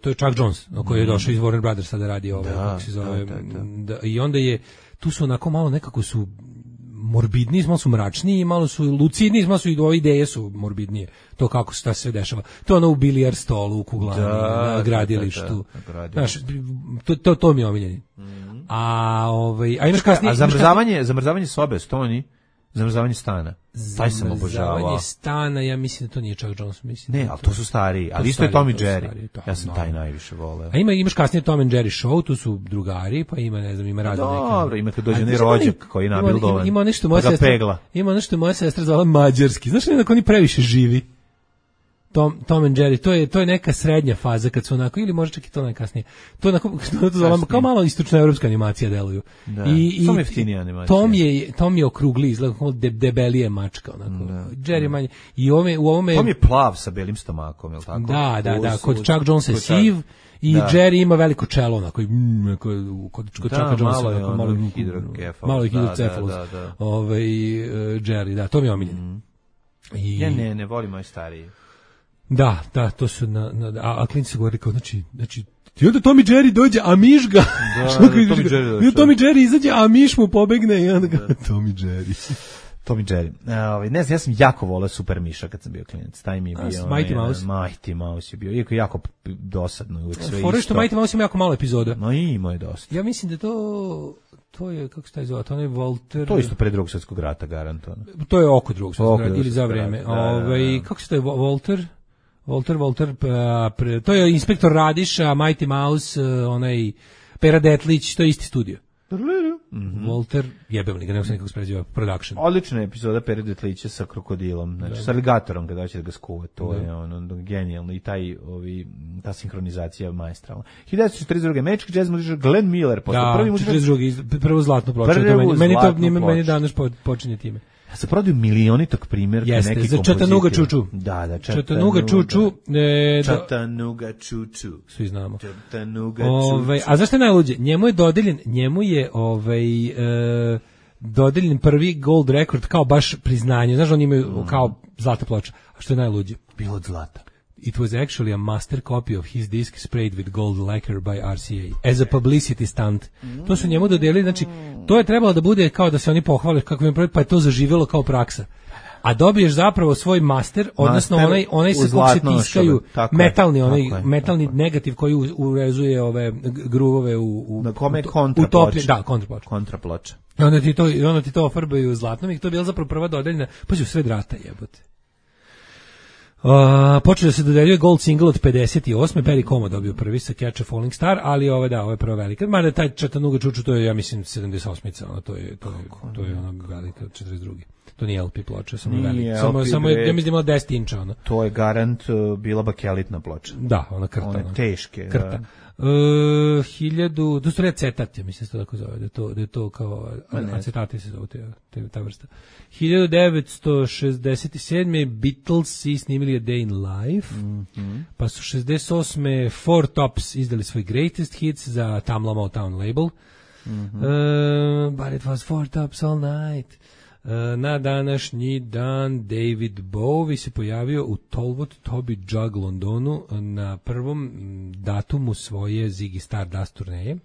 to je Chuck Jones, koji je došao iz Warner Brothersa da radi kako se zove. I onda je tu su onako malo nekako su morbidniji, malo su mračniji, malo su lucidniji, malo su i ove ideje su morbidnije. To kako se sve dešava. To ono u bilijar stolu, u kuglani, na gradilištu. Znaš, to mi je omiljeni. A imaš kasnije... A zamrzavanje sobe, Stoni? Zamrzavanje stana. Taj sam obožavao. Zamrzavanje stana, ja mislim da to nije Chuck Jones. Ne, ali to su stariji. Ali isto je Tom i Jerry. Ja sam taj najviše voleo. A imaš kasnije Tom and Jerry show, tu su drugari, pa ima, ne znam, ima radi neka. Dobro, ima kad dođe rođak koji je nabildovan. Ima nešto moja sestra zvala mađarski. Znaš li da oni previše živi? Tom and Jerry, to je neka srednja faza kad su onako, ili možda čak i to najkasnije. To je onako, kao malo istočnoevropska animacija deluju. Da, samo jeftinija animacija. Tom je okrugli, izgleda kao debelije mačka, onako. Jerry manje. I u ovome... Tom je plav sa belim stomakom, je li tako? Da, kod Chuck Jones je siv, i Jerry ima veliko čelo, onako, kod Chucka Jonesa, malo je hidrocefalus. Jerry, da, to mi je omiljeno. Ja ne volim moj stariji. Da, to su a klinci su govorili kao, znači, i onda Tom i Jerry dođe, a miš ga. Tom i Jerry izađe, a miš mu pobegne i onda ga, Tom i Jerry. Ne znam, ja sam jako voleo Super Miša kad sam bio klinac. Taj mi je bio... Mighty Mouse? Mighty Mouse je bio, iako jako dosadno, uvijek sve isto. Što Mighty Mouse ima jako malo epizoda. No i ima je dosta. Ja mislim da to je, kako se taj zove, to je Walter... To je isto pre Drugog svjetskog rata, garantovano. To je oko Drugog svjetskog rata, ili za vreme. Kako se taj Walter, to je inspektor Radiša, Mighty Mouse, onaj Pera Detlić, to je isti studio. Walter, jebem li ga, nego sam nekako spreziva, production. Odlična epizoda Pera Detlića sa krokodilom, znači sa aligatorom kada hoće da ga skuva, to je genijalno i ta sinhronizacija maestralna. 1942. Magic Jazz muzičar Glenn Miller, prvi muzičar... 42. Prvo zlatno ploče, meni danas počinje time. Ja se prodaju milionitog primjerka neki kompozicija. Za Chattanooga Čuču. Da, Chattanooga Čuču. Chattanooga Čuču. Svi znamo. Chattanooga Čuču. A zašto je najluđe? Njemu je dodeljen prvi gold record kao baš priznanje. Znaš, oni imaju kao zlata ploča. A što je najluđe? Bilo od zlata. It was actually a master copy of his disc sprayed with gold lacquer by RCA as a publicity stunt. To su njemu dodelili, znači to je trebalo da bude kao da se oni pohvale kako im pa je to zaživjelo kao praksa. A dobiješ zapravo svoj master, odnosno onaj sa kog se tiskaju metalni negativ koji urezuje ove gruvove u kontraploča. I onda ti to ofarbaju zlatnom i to je bila zapravo prva dodeljena, pa su sve drata jebote. Počeo da se dodeljuje gold single od 58. Perry Como dobio prvi sa Catch a Falling Star, ali ovo je prva velika. Mada taj Chattanooga Čuču, to je, ja mislim, 78. To je ono velika, 42. To nije LP ploča, samo je velika. Samo je, ja mislim, 10 inča. Ono. To je garant bila bakelitna ploča. Da, ona krta. One teške. Krta. 1000, to su acetat, ja mislim se to tako zove, da je to kao acetati se zove ta vrsta. 1967. Beatles snimili A Day in Life, pa su 68. Four Tops izdali svoj Greatest Hits za Tamla Motown label, but it was Four Tops all night. Na današnji dan David Bowie se pojavio u Talbot Toby Jug Londonu na prvom datumu svoje Ziggy Stardust turneje.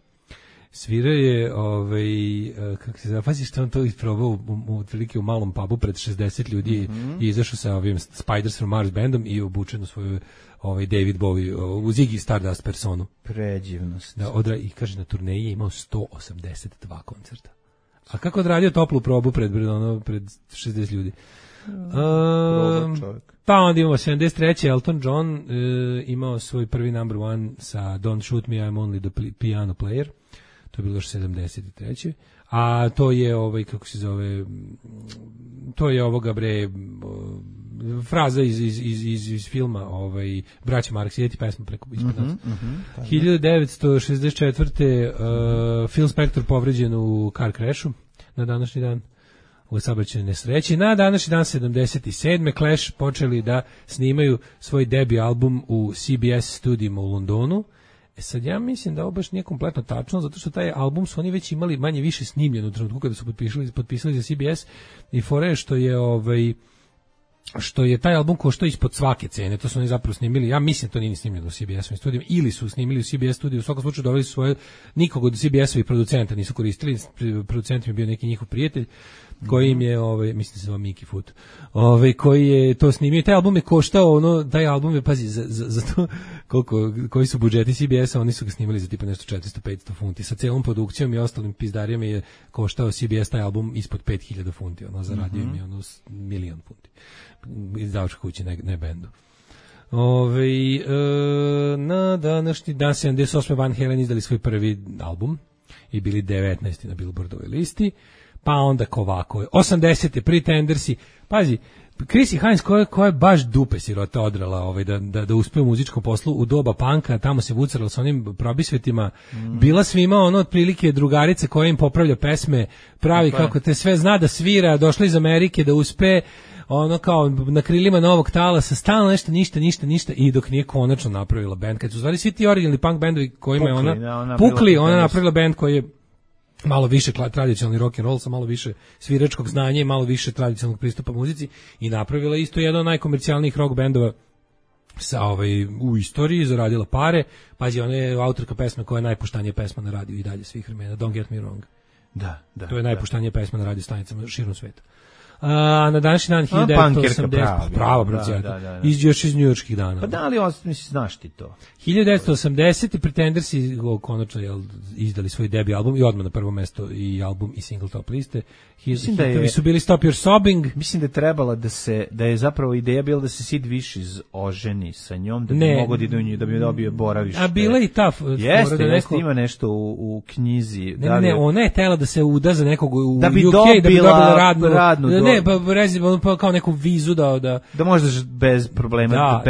Svirao je, kako se zove, pazi što on to isprobao u malom pubu pred 60 ljudi i izašao sa ovim Spiders from Mars bandom i obučen u svoju David Bowie u Ziggy Stardust personu. Predivnost. Da, i kaže na turneji je imao 182 koncerta. A kako odradio toplu probu pred 60 ljudi? Pa onda imamo 73. Elton John imao svoj prvi number one sa Don't Shoot Me, I'm Only the Piano Player. To je bilo još 73. A to je kako se zove, to je ovoga fraza iz filma Braća Marx, ideti pesma preko ispod nas. 1964. Phil Spector povređen u car crashu na današnji dan. u saobraćajnoj nesreći. Na današnji dan 77. Clash počeli da snimaju svoj debi album u CBS studijima u Londonu. Sad ja mislim da ovo baš nije kompletno tačno, zato što taj album su oni već imali manje više snimljen u trenutku kada su potpisali za CBS i fore što je taj album koštao ispod svake cene, to su oni zapravo snimili, ja mislim to nije snimljeno u CBS-ovim studijima, ili su snimili u CBS studiju, u svakom slučaju doveli su svoje, nikog od CBS-ovih producenta nisu koristili, producent je bio neki njihov prijatelj, koji im je, mislim da se zove Mickey Foot, koji je to snimio, taj album je koštao, taj album je, pazi, za to koji su budžeti CBS-a, oni su ga snimali za tipa nešto 400-500 funti, sa celom produkcijom i ostalim pizdarijama je koštao CBS taj album ispod 5000 funti, zaradio im je 1.000.000 funti. Izdavačka kući, ne bendu. Na današnji dan 78. Van Halen izdali svoj prvi album i bili 19. na Billboardovoj listi, pa onda ovako 80. Pretendersi, pazi, Chrissy Hines koja je baš dupe sirota odrala da uspe u muzičkom poslu u doba panka, tamo se vucarala sa onim probisvetima, bila svima otprilike drugarica koja im popravlja pesme, pravi kako te sve zna da svira, došla iz Amerike da uspe, kao na krilima novog talasa, stalno nešto, ništa, i dok nije konačno napravila bend, kad su stvari svi ti originalni punk bendovi kojima je ona pukli, ona napravila bend koji je malo više tradicionalni rock and roll sa malo više sviračkog znanja i malo više tradicionalnog pristupa muzici i napravila isto jedan od najkomercijalnijih rock bendova u istoriji, zaradila pare. Pazi, ona je autorka pesme koja je najpuštanija pesma na radiju i dalje svih vremena, Don't Get Me Wrong. Da. To je najpuštanija pesma na radio stanicama širom sveta. Na današnji dan 1980 prava bracijata još iz njujorških dana. Pa da li znaš ti to? 1980 Pretendersi konačno izdali svoj debi album i odmah na prvo mesto i album i single top liste. Hitovi su bili Stop Your Sobbing. Mislim da je trebala da je zapravo ideja bila da se Sid Vicious oženi sa njom, da bi mogao da bi dobio boravište. A bila i ta jeste, ima nešto u knjizi. Ne, ona je tela da se uda za nekog u da bi UK, da bi dobila radnu pa kao neku vizu da možeš bez problema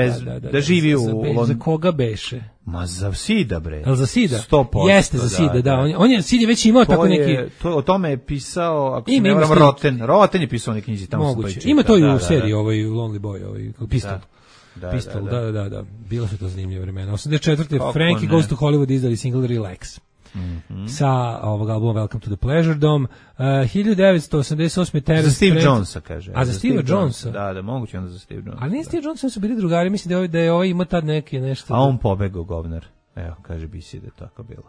da živi u za koga beše? Ma za Sida, bre. Al za Sida? 100%. Jeste za Sida, da. On je Sid je već imao tako neki. O tome je pisao, ako se ne varam, Roten je pisao neke knjizi tamo. Moguće. Ima to i u seriji Lonely Boy, Pistol. Pistol, da. Bilo su to zanimljive vremena. 84. Frankie Goes to Hollywood izdali single Relax. Sa ovog albuma Welcome to the Pleasure Dome. 1988. Terence za Steve Jonesa, kaže. A za Steve Jonesa? Da, moguće onda za Steve Jonesa. Ali nije Steve Jonesa, su bili drugari, mislim da je ima tad neke nešto. A on pobegao, govnar. Evo, kaže BC da je tako bilo.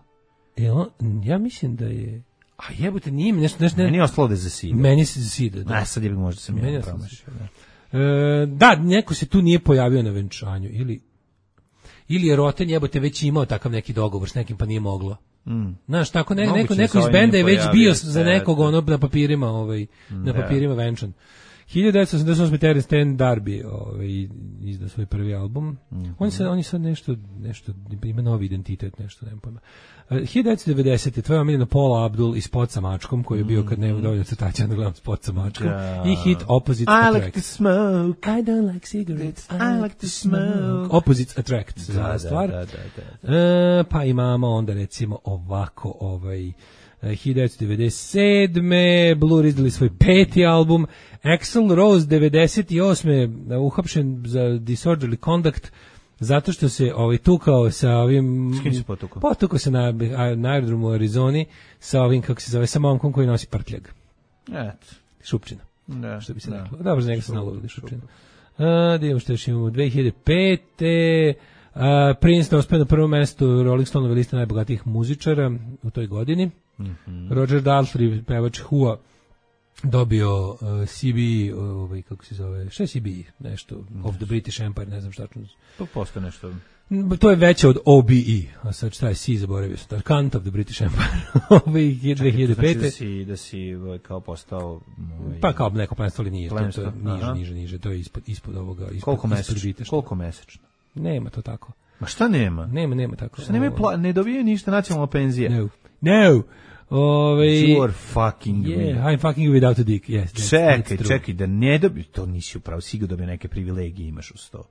Ja mislim da je. A jebote, nije mi nešto. Meni je ostalo da je za Sida. Meni se za Sida, da. Sad je možda sam ja promašio. Da, neko se tu nije pojavio na venčanju. Ili je Roten jebote već imao takav neki dogovor s nekim pa nije moglo. Znaš, tako neko iz benda je već bio za nekog na papirima na papirima venčan. 1988. Terence Stan Darby izdao svoj prvi album. On je sad nešto ima novi identitet, nešto, nemam pojma. 1990. tvoja omiljena Paula Abdul i Spot sa mačkom, koji je bio kad nema dovoljno crtaća, da gledam Spot sa mačkom. I hit Opposites Attract. I like to smoke. I don't like cigarettes. I like to smoke. Opposites Attract. Da. Pa imamo onda recimo ovako 1997. Blur izdali svoj peti album. Axl Rose 98. uhapšen za disorderly conduct zato što se tukao sa ovim... S kim se potukao? Potukao se na aerodromu u Arizoni sa ovim, kako se zove, sa momkom koji nosi prtljag. Šupčina. Što bi se reklo. Dobro, za njega se nalovili Šupčina. Da imamo što još imamo. 2005. Prince uspeo na prvom mestu Rolling Stone liste najbogatijih muzičara u toj godini. Roger Daltrey, pevač Who-a, dobio CB, kako se zove, šta je CB? Nešto, of the British Empire, ne znam šta ću. To postoje nešto. To je veće od OBE, a sad šta je C, zaboravio sam, Cant of the British Empire, 2005. Znači da si kao postao... Pa kao neko plemstvo, ali nije, to je niže, to je ispod ovoga, Koliko mesečno? Nema to tako. Ma šta nema? Nema tako. Šta ne dobije ništa nacionalna penzija? No. You are fucking I'm fucking without a dick. Yes, čekaj, da ne dobiješ, to nisi upravo, sigurno dobije neke privilegije, imaš uz to.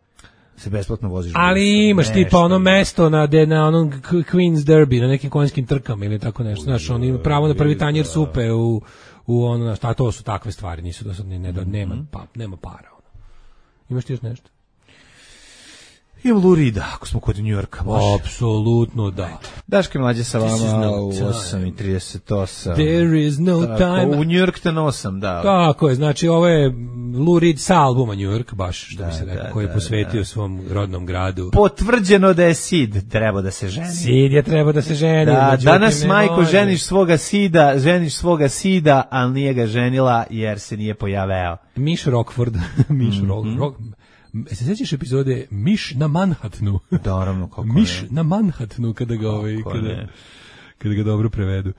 Se besplatno voziš. Ali imaš tipa ono mesto na onom Queen's Derby, na nekim konjskim trkama ili tako nešto. Znaš, on ima pravo na prvi tanjir supe u ono, a to su takve stvari, nisu dosadne, nema para. Ono. Imaš ti još nešto? Imam Lurida, ako smo kod New Yorka, može. Apsolutno da. Daške mlađe sa vama u 8:38. There is no time. U New York te nosam, da. Tako je, znači ovo je Lou Reed sa albuma New York, baš što bi se rekao, koji je posvetio svom rodnom gradu. Potvrđeno da je Sid treba da se ženi. Sid je treba da se ženi. Da, danas majko ženiš svoga sida, ali nije ga ženila jer se nije pojaveo. Miš Rockford, se sećaš epizode Miš na Manhattanu? Naravno, kako Miš na Manhattanu, kada ga dobro prevedu.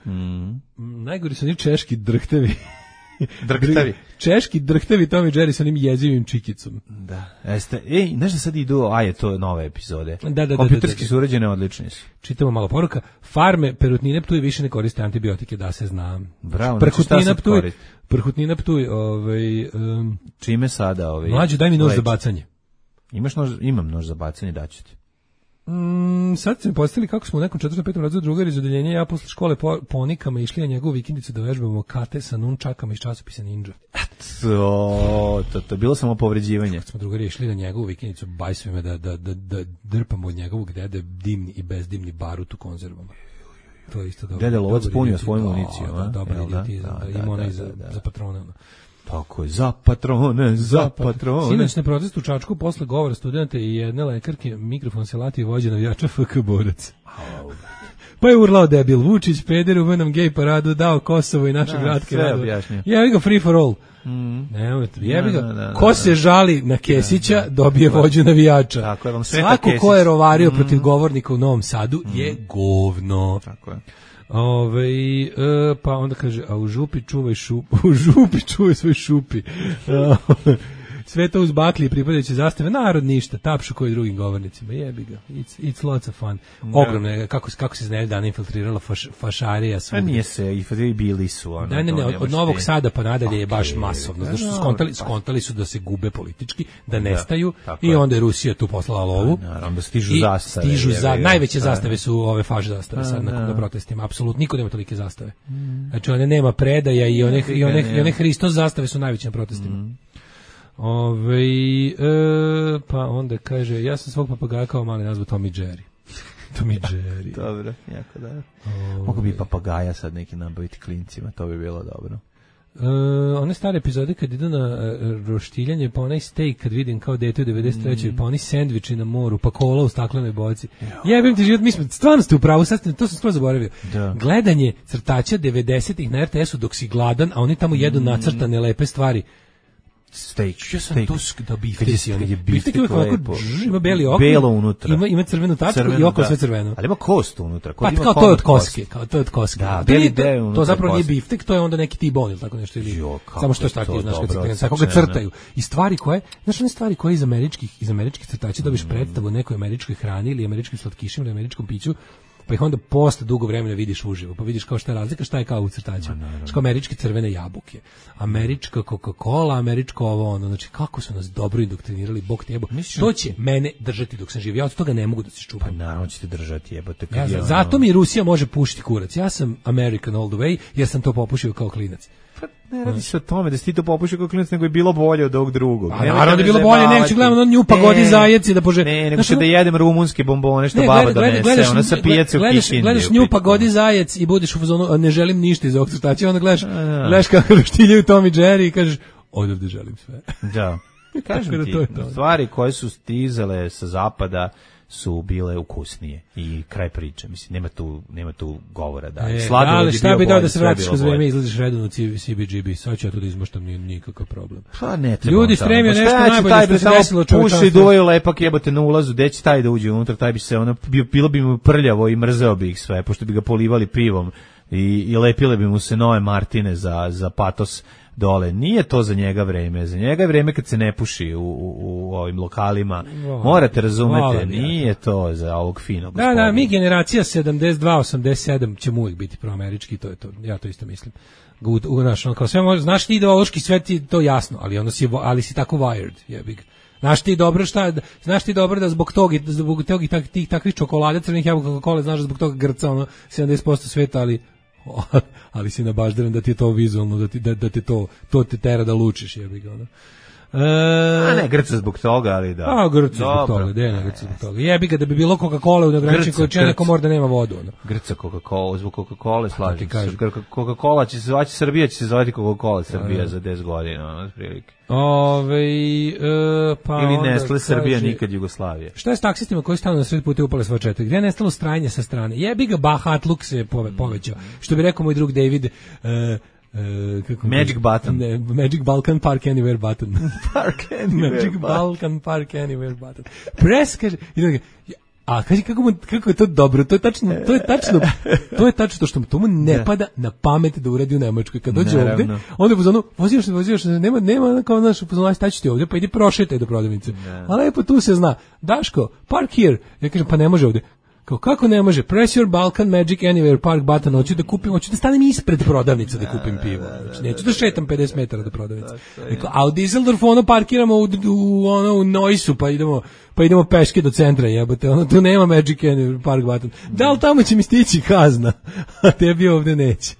Najgori su oni češki drhtevi. Češki drhtevi Tom i Jerry sa onim jezivim čikicom. Da. Znaš da sad idu, je to nove epizode. Da. Kompjuterski su urađene, odlični su. Čitamo malo poruka. Farme Perutnine Ptuj više ne koriste antibiotike, da se zna. Bravo, Prhutnina Ptuj, čime sada Mlađo, daj mi nož za bacanje. Imaš nož? Imam nož za bacanje, daću ti. Sad se mi postavili kako smo u nekom 4. 5. razredu drugari iz odeljenja, ja posle škole ponikama išli na njegovu vikendicu da vežbamo kate sa nunčakama iz časopisa Ninja. To bilo samo povređivanje. Kad smo drugari išli na njegovu vikendicu, bajsve me da drpamo od njegovog dede dimni i bezdimni barut u konzervama. To je isto dobro. Dede lovac punio svoju municiju. Dobar idiotizam, ima onaj za patrone. Tako je, za patrone. Sinoć na protestu u Čačku posle govora studenta i jedne lekarke mikrofon se lati i vođe navijača FK Borac. Pa je urlao debil Vučić, peder u venom gej paradu, dao Kosovo i naše gradke. Sve objašnjio. Jebi ga free for all. Jebi ga. Ko se žali na Kesića, dobije vođu navijača. Svako ko je rovario protiv govornika u Novom Sadu je govno. Tako je. Pa onda kaže, a u župi čuvaj svoj šupi. Sve to uz baklje pripadajuće zastave, narod ništa, tapšu koji drugim govornicima, jebi ga, it's lots of fun. Ogromno je, kako se znaju dana infiltrirala fašarija. A nije se, i bili su. Od Novog Sada pa nadalje je baš masovno, znači skontali su da se gube politički, da nestaju i onda je Rusija tu poslala lovu. Naravno, stižu zastave. Najveće zastave su ove faš zastave sad na protestima, apsolutno, niko nema tolike zastave. Znači, one nema predaja i one Hristos zastave su najveće na protestima. Pa onda kaže, ja sam svog papagaja kao mali nazvao Tom i Jerry. Tom i Jerry. Dobro, jako da. Mogu bi papagaja sad neki nabaviti klincima, to bi bilo dobro. One stare epizode kad idu na roštiljanje, pa onaj steak kad vidim kao dete u 93. Pa oni sendviči na moru, pa kola u staklenoj boci. Jebim ti život, mi smo, stvarno ste u pravu, to sam skoro zaboravio. Gledanje crtača 90-ih na RTS-u dok si gladan, a oni tamo jedu nacrtane lepe stvari. Steak. Ja sam to da biftek je ovako, ima beli oko, belo unutra. Ima crvenu tačku i oko sve crveno. Ali ima kost unutra. Pa kao to je od koske, Da, beli deo unutra. To zapravo nije biftek, to je onda neki tibon ili tako nešto ili. Samo što je tako, znaš, kako ga crtaju. I stvari koje, znaš, one stvari koje iz američkih crtača dobiš predstavu o nekoj američkoj hrani ili američkim slatkišima ili američkom piću. Pa ih onda posle dugo vremena vidiš uživo, pa vidiš kao šta je razlika, šta je kao u crtačima. Kao američke crvene jabuke, američka Coca-Cola, američko ovo, ono, znači kako su nas dobro indoktrinirali, bog te jebo. To će mene držati dok sam živ, ja od toga ne mogu da se čupam. Pa naravno će te držati, jebote. Zato mi Rusija može pušiti kurac, ja sam American all the way, jer sam to popušio kao klinac. Ne radi se o tome da si ti to popušio kao klinac, nego je bilo bolje od ovog drugog. Naravno da je bilo bolje, neću gledamo nju pagodi zajeci da pože. Ne, nego da jedem rumunske bombone što baba donese, ona sa pijace u Kikindi. Gledaš nju pagodi zajec i budeš u fazonu, ne želim ništa iz ovog crtača, onda gledaš kako roštiljaju Tom i Jerry i kažeš, odavde želim sve. Da. Kažem ti, stvari koje su stizale sa zapada su bile ukusnije i kraj priče, mislim, nema tu govora da. Ali šta bi dao da se vratiš kroz vreme, izlaziš redovno CBGB, sad ću ja tu da izmaštam, nije nikakav problem. Pa ne treba. Ljudi stremio nešto najbolje što se desilo čovječanstvu. Puši duvaju lepak jebote na ulazu, gde će taj da uđe unutra, taj bi se, bilo bi mu prljavo i mrzeo bi ih sve, pošto bi ga polivali pivom i lepile bi mu se nove Martine za patos dole. Nije to za njega vreme. Za njega je vreme kad se ne puši u ovim lokalima. Morate razumeti, nije to za ovog finog gospodina. Da, mi generacija 72, 87 ćemo uvijek biti proamerički, to je to. Ja to isto mislim. Kao sve može, znaš ti ideološki svet ti to jasno, ali si tako wired, jebik. Znaš ti dobro da zbog tog i takvih čokolade, crvenih jabuka, Coca-Cola, znaš da zbog toga grca 70% sveta, ali ali si nabaždaren da ti je to vizualno, da ti to te tera da lučiš, jebi ga, ono. A ne, grca zbog toga, ali da. A, grca zbog toga, ne grca zbog toga. Jebi ga da bi bilo Coca-Cola u neograničenoj količini, neko mora da nema vodu. Ono. Grca Coca-Cola, zbog Coca-Cola slažem se. Coca-Cola će se zvati Srbija, će se zvati Coca-Cola Srbija za 10 godina, ono, prilike. Pa ili Nestle Srbija nikad Jugoslavija. Šta je s taksistima koji stanu na sred puta i upale svoje četiri? Gdje je nestalo stranje sa strane? Jebi ga, bahatluk se povećao. Što bi rekao moj drug David, Magic button. Ne, Magic Balkan Park Anywhere button. Park Anywhere Magic Balkan Park Anywhere button. Press, kaže, a kaži kako je to dobro, to je tačno što mu ne pada na pamet da uradi u Nemačkoj. Kad dođe ovde, onda je pozvano, vozioš, nema kao naš pozvano, staći ti ovde, pa idi prošetaj do prodavnice. A lepo tu se zna, Daško, park here. Ja kažem, pa ne može ovde. Kako ne može? Press your Balkan Magic Anywhere Park button, hoću da stanem ispred prodavnice da kupim pivo. Znači, neću da šetam 50 metara do prodavnice. A u Düsseldorfu parkiramo u Noisu, pa idemo peške do centra, jebote. Tu nema Magic Anywhere Park button. Da li tamo će mi stići kazna? A tebi ovde neće.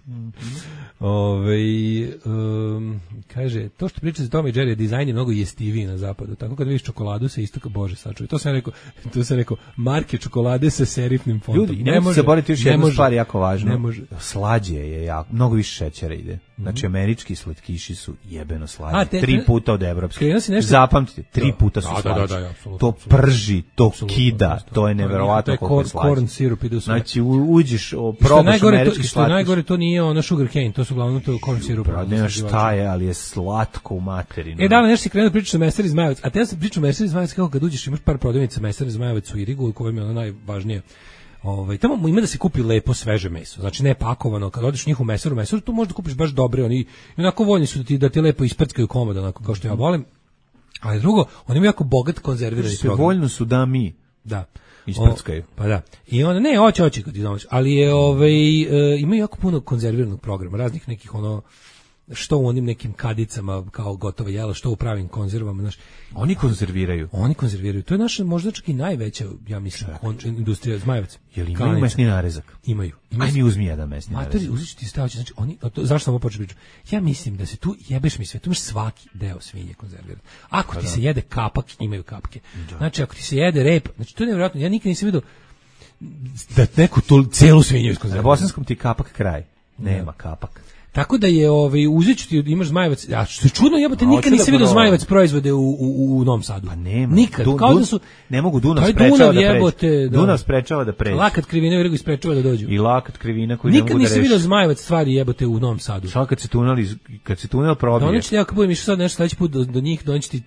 Kaže, to što priča za Tom i Jerry, dizajn je mnogo jestiviji na zapadu, tako kad vidiš čokoladu sa istoka, bože sačuvaj. To sam rekao, marke čokolade sa serifnim fontom. Ljudi, ne može se boriti još jednu stvar jako važno. Slađe je jako, mnogo više šećera ide. Znači, američki slatkiši su jebeno slađi. 3 puta od evropskih. Zapamtite, 3 puta su slađi. To prži, to kida, to je neverovatno koliko je slađi. Corn sirup ide u sve. Znači, uđeš, probaš američki slatkiš. Što je najgore, to nije ono sugar cane, to su uglavnom to corn sirup. Ne šta je, ali je slatko u materinu. Da, nešto si krenuo pričati o Mesari Zmajevac, a te ja sam pričao o Mesari Zmajevac kako kad uđeš imaš par prodavnica Mesari Zmajevac u Irigu, koja mi je ono najvažnije. Tamo ima da se kupi lepo sveže meso, znači ne pakovano. Kad odeš u njihovu mesaru, tu možda kupiš baš dobre, oni onako voljni su da ti lepo isprckaju komad, onako kao što ja volim. Ali drugo, oni imaju jako bogat konzervirani program. Voljno su da mi. Da. Isprckaju. Pa da. I onda ne, hoće kad ti domaći, ali je imaju jako puno konzerviranog programa, raznih nekih što u onim nekim kadicama kao gotovo jelo, što u pravim konzervama, znaš. Oni konzerviraju. To je naša možda čak i najveća, ja mislim, industrija Zmajevac. Jel imaju mesni narezak? Imaju. Aj mi uzmi jedan mesni narezak. Uzet ću ti staviti, znači zašto sam ovo počeo pričati? Ja mislim da se tu jebeš mi sve, tu imaš svaki deo svinje konzerviran. Ako ti se jede kapak, imaju kapke. Znači ako ti se jede rep, znači to je nevjerojatno. Ja nikad nisam vidio da neku celu svinju iskonzerviraju. Na bosanskom ti kapak kraj. Nema kapak. Tako da je uzet ću ti, imaš Zmajevac, a što je čudno, jebote, nikad nisi vidio Zmajevac proizvode u Novom Sadu. Pa nema. Nikad, kao da su... Ne mogu, Dunav sprečava da pređe. Dunav sprečava da pređe. Lakat krivina u Irigu sprečava da dođu. I lakat krivina koji ne mogu da reši. Nikad nisi vidio Zmajevac stvari jebote u Novom Sadu. Šta kad se tunel probije? Doneći ti, ako budem išao sad nešto sledeći put do njih, doneći ti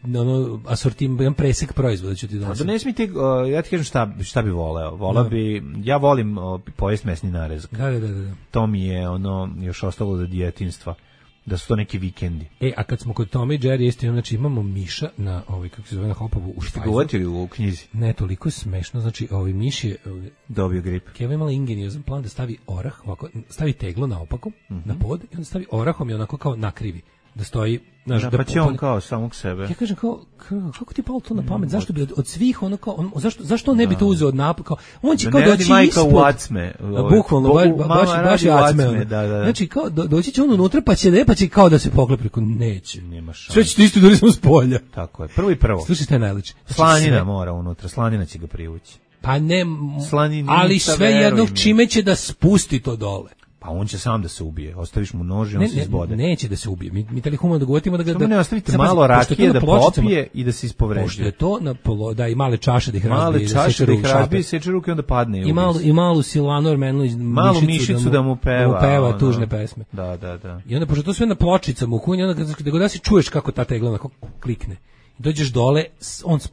asortim, jedan presek proizvoda ću ti donositi. Da ne smijete, ja ti kažem šta bi voleo. Ja volim pojest mesni narezak. Da. To mi je još ostalo za djetinjstva. Da su to neki vikendi. A kad smo kod Toma i Jerry, znači imamo miša na kako se zove, na Hopovu u Špajzu. Ste govorili u knjizi? Ne, toliko je smešno, znači miš je dobio grip. Keva imala ingeniozan plan da stavi orah, ovako, stavi teglo naopako, na pod, i onda stavi orahom i onako kao nakrivi. Da stoji, znaš, pa će on kao samog sebe. Ja kažem kako ti palo to na pamet? Zašto bi od svih zašto on ne bi to uzeo od napaka? On će kao doći ispod. Bukvalno baš acme. Znači kao doći će on unutra pa će kao da se poklepi, neće. Nema šanse. Sve će ti isto da smo s polja. Tako je. Prvo. Slušaj šta je najlepše. Slanina mora unutra, slanina će ga privući. Pa ne, ali sve jednog čime će da spusti to dole. Pa on će sam da se ubije. Ostaviš mu nož i on se izbode. Neće da se ubije. Mi tali humano dogovorimo da ga... Samo ne ostavite malo rakije da popije i da se ispovređuje. Pošto je to da i male čaše da ih razbije. Male čaše da ih razbije i seče ruke onda padne. I malu Silvanu Armenu malu mišicu da mu peva tužne pesme. Da. I onda pošto to sve na pločicama u kunji, onda da god si čuješ kako ta tegla onako klikne. Dođeš dole,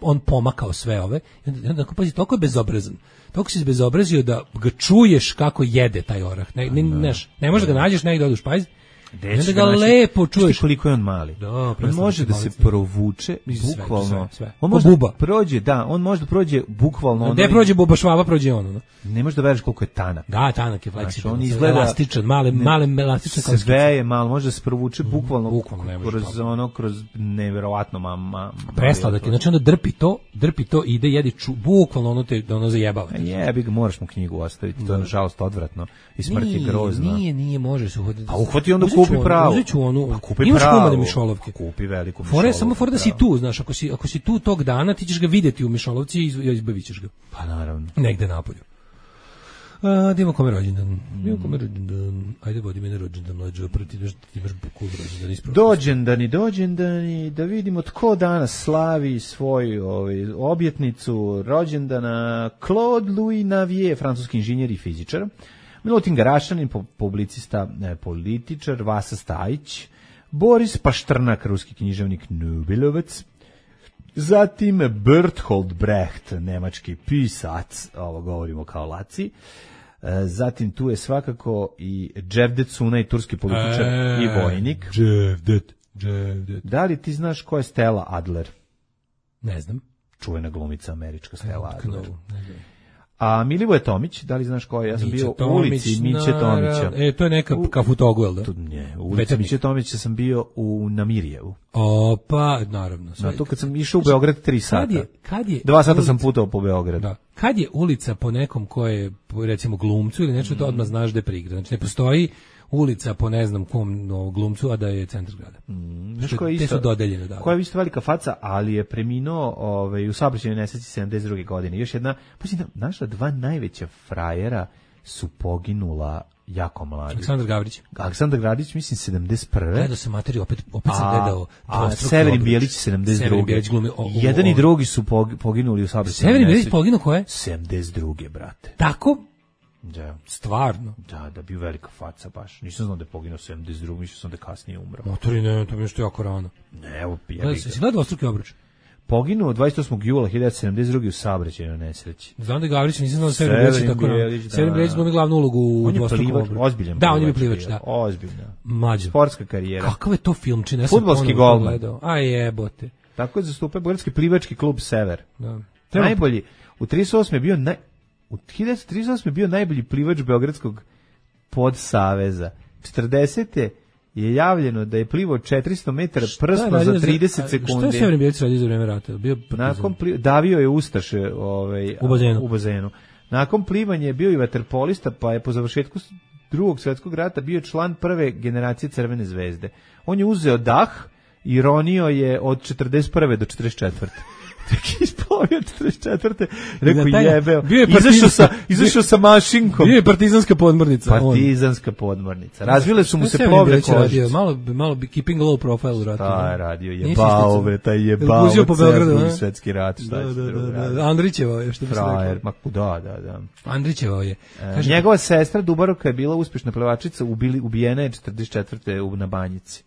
on pomakao sve ove, i onda pazi, toliko je bezobrazan. Toliko si bezobrazio da ga čuješ kako jede taj orah. Ne možeš da ga nađeš negdje odu u špajz. Onda ga lepo čuješ. Koliko je on mali. Da, on može da se provuče bukvalno. Sve. On može buba. Prođe, on može da prođe bukvalno. Gde prođe buba švaba, prođe ono. No? Ne možeš da veriš koliko je tanak. Da, tanak je fleksibilan. On izgleda elastičan, male elastičan kao sve je malo, može da se provuče bukvalno kroz neverovatno prestao da ti, znači onda drpi to i ide jedi bukvalno ono zajebava. Jebi ga, moraš mu knjigu ostaviti, to je nažalost odvratno i smrt je grozna. Nije, može se uhvatiti. A uhvati onda kupi pravo. Uzet ću onu, imaš kumane mišolovke. Kupi veliku mišolovku. Samo fora da si tu, znaš, ako si tu tog dana, ti ćeš ga vidjeti u mišolovci i izbavit ćeš ga. Pa naravno. Negde napolju. Da imamo kome rođendan. Ajde, vodi me na rođendan, mlađo, ti imaš cool rođendan ispravo. Dođendani, da vidimo tko danas slavi svoju objetnicu rođendana. Claude Louis Navier, francuski inženjer i fizičar. Milutin Garašanin, publicista, političar. Vasa Stajić. Boris Paštrnak, ruski književnik, Nobelovac. Zatim Bertolt Brecht, nemački pisac, ovo govorimo kao laci. Zatim tu je svakako i Cevdet Sunay, turski političar i vojnik. Cevdet. Da li ti znaš ko je Stella Adler? Ne znam. Čuvena glumica američka Stella Adler. A Milivoje Tomić, da li znaš ko je? Ja sam bio u ulici Miće Tomića. To je neka Kafutogu, da? Ne, u ulici Miće Tomića sam bio u Namirjevu. Pa, naravno. To kad sam išao u Beograd 3 sata. 2 sata ulica, sam putovao po Beogradu. Da. Kad je ulica po nekom ko je, recimo, glumcu ili nešto, to odmah znaš da je prigra. Znači, ne postoji ulica po ne znam kom glumcu, a da je centar grada. Znaš ko je isto? Te su dodeljene, da. Koja je isto velika faca, ali je preminuo u saobraćajnoj nesreći 72. godine. Još jedna, naša 2 najveća frajera su poginula jako mladi. Aleksandar Gavrić, mislim 71. Gledao sam materiju, opet sam gledao. A Severin Bijelić 72. Jedan i drugi su poginuli u saobraćajnoj nesreći. Severin Bijelić poginuo ko je? 72. brate. Tako? Da. Stvarno? Da, bio velika faca baš. Nisam znao da je poginuo 72. Mislio sam da kasnije umro. Motori, ne, to mi je što jako rano. Ne, evo jebi ga. Si gledao dvostruki obruč? Poginuo 28. jula 1972. u saobraćajnoj nesreći. Znam da je Gavrić, nisam znao da Severin Bijelić tako rano. Severin Bijelić glumi glavnu ulogu u dvostrukom obruču. Ozbiljan. Da, on je bio plivač, da. Ozbiljno. Mlađo. Sportska karijera. Kakav je to film, čini? Fudbalski golman. Aj jebote. Tako je zastupao Beogradski plivački klub Sever. Da. Najbolji. U 38. je bio u 1938. je bio najbolji plivač Beogradskog podsaveza. 40. je javljeno da je plivao 400 metara prsno za 30 sekundi. Šta je Severin Bijelić radio za vreme rata? Davio je ustaše u bazenu. Nakon plivanja je bio i vaterpolista, pa je po završetku Drugog svjetskog rata bio član prve generacije Crvene zvezde. On je uzeo dah i ronio je od 41. do 44. Tek isplavio 44. Rekao jebeo. Izašao sa mašinkom. Bio je partizanska podmornica. Razvile su mu se plovne kožice. Malo bi keeping low profile u ratu. Ta je radio. Jebao. Uzio po Beogradu. Svetski rat. Andrićevao je, što bi se rekao. Da. Andrićevao je. Njegova sestra Dubaroka je bila uspješna plevačica, ubijena je 44. na Banjici.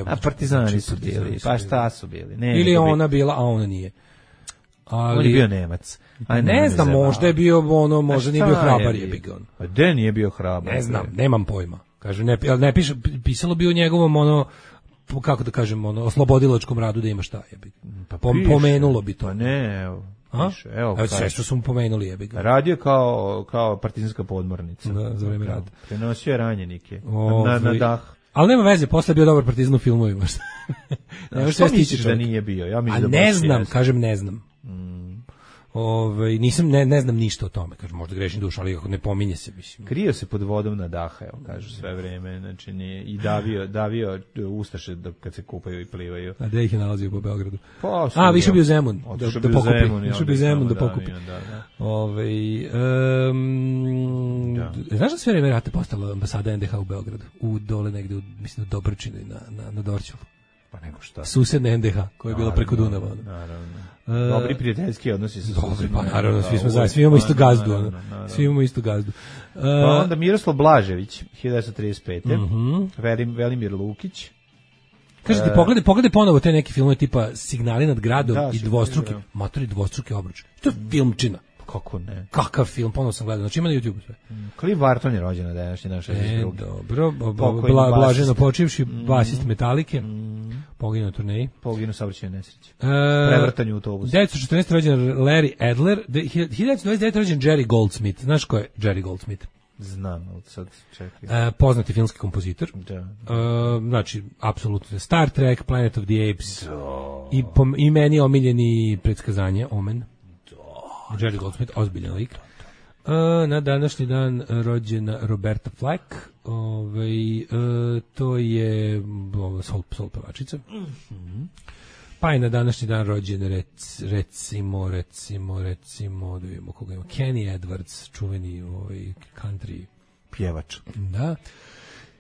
A partizani su bili. Pa šta su bili? Ili ona bila, a ona nije. On je bio Nemac. Ne znam, možda je bio možda nije bio hrabar je on. A gde nije bio hrabar? Ne znam, nemam pojma. Kaže ne piše, pisalo bi o njegovom kako da kažem, oslobodilačkom radu da ima šta je. Pa pomenulo bi to. Pa ne, evo. Piše, evo sve što su mu pomenuli je. Radio kao partizanska podmornica. Da, za vreme rata. Prenosio je ranjenike na dah. Ali nema veze, posle je bio dobar partizan u filmovima. Što misliš da nije bio? Ja mislim da ne znam, kažem ne znam. Nisam, ne znam ništa o tome, kažem, možda grešim dušu, ali ne pominje se, mislim. Krio se pod vodom na daha, evo, kažu sve vreme, znači nije, i davio ustaše kad se kupaju i plivaju. A gde ih je nalazio po Beogradu? Više bio Zemun, da pokupi. Više bio Zemun da pokupi. Znaš da sve vreme rata postala ambasada NDH u Beogradu? Dole negde, mislim, u Dobrčinu na Dorćolu. Pa nego šta. Susedne NDH, koja je bila preko Dunava. Naravno. Dobri prijateljski odnosi sa susedima. Pa naravno, svi smo zajedno, svi imamo istu gazdu. Svi imamo istu gazdu. Pa onda Miroslav Blažević, 1935. Velimir Lukić. Kažete, pogledaj ponovo te neke filmove tipa Signali nad gradom i dvostruki obruč. To je filmčina. Kako ne? Kakav film, ponovno sam gledao, znači ima na YouTube sve. Cliff Barton je rođen na današnji dan 62. Dobro, blaženo počivši, basist Metalike, poginuo na turneji. Poginuo saobraćajnoj nesreći. Prevrtanju autobusa. 1914. rođen Larry Adler, 1929. rođen Jerry Goldsmith. Znaš ko je Jerry Goldsmith? Znam, ali sad čekaj. Poznati filmski kompozitor. Da. Znači, apsolutno Star Trek, Planet of the Apes. I meni omiljeni predskazanje, Omen. Jerry Goldsmith, ozbiljan lik. Na današnji dan rođena Roberta Flack. To je soul pevačica. Pa je na današnji dan rođen recimo da vidimo koga ima, Kenny Edwards, čuveni country pjevač. Da.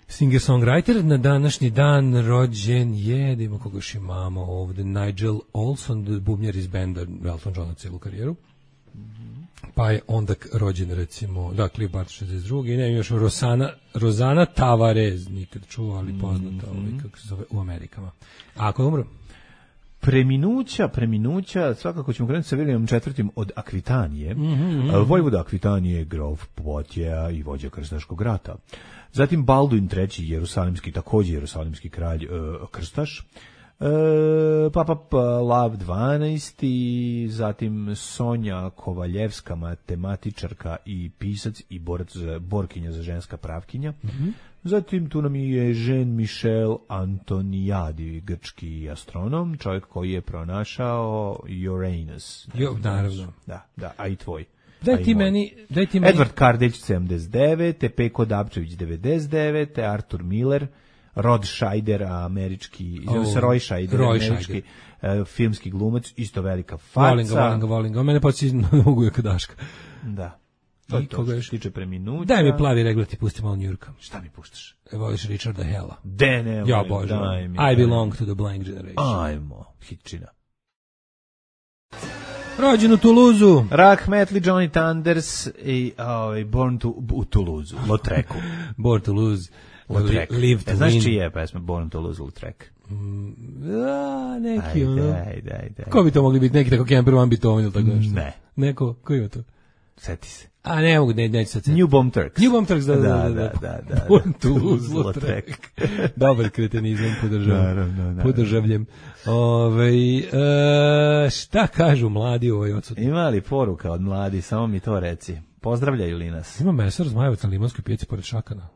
Singer-songwriter. Na današnji dan rođen je, da imamo koga još imamo ovde, Nigel Olson, bubnjar iz benda Elton Johna celu karijeru. Pa je onda rođen recimo, da, Cliff Barton 62. I ne, još Rosana Tavares, nikad čuo, ali poznata, kako se zove, u Amerikama. A ako je umro? Preminuća, svakako ćemo krenuti sa Williamom IV. Od Akvitanije. Vojvoda Akvitanije, grof Poitiers i vođa krstaškog rata. Zatim Balduin III. Jerusalimski, također jerusalimski kralj, krstaš. Papa Lav XII, zatim Sonja Kovaljevska, matematičarka i pisac i borkinja za ženska pravkinja. Zatim tu nam je Jean-Michel Antoniadi, grčki astronom, čovjek koji je pronašao Uranus. Naravno. Da, a i tvoj. Daj ti meni. Edward Kardelj 79, Peko Dabčević 99, Arthur Miller, Rod Scheider, američki, Roy Scheider, američki filmski glumac, isto velika faca. Volim ga. Mene podsjeća na Ugujaka Daška. Da. I koga još tiče preminuća. Daj mi plavi regler, ti pusti malo Njurka. Šta mi puštaš? Voliš Richarda Hella. Ne, ja bože. I belong to the blank generation. Ajmo, hitčina. Rođen u Toulouse-u. Rahmetli Johnny Thunders i Born u Toulouse-u, Lautrecu. Born Toulouse. Live to znaš čije je pesma Born Toulouse, Lautrec? Neki Daj. Ko bi to mogli biti? Neki tako Kemper Van Beethoven ili tako nešto? Ne. Neko, ko ima to? Seti se. A ne mogu, neću sad. New Bomb Turks. New Bomb Turks, da. Born Toulouse, Lautrec. Dobar kretenizam, podržavljem. Šta kažu mladi u ovoj odsutni? Ima li poruka od mladi, samo mi to reci. Pozdravljaju li nas? Ima mesar Zmajevac na Limanskoj pijaci pored Šakana.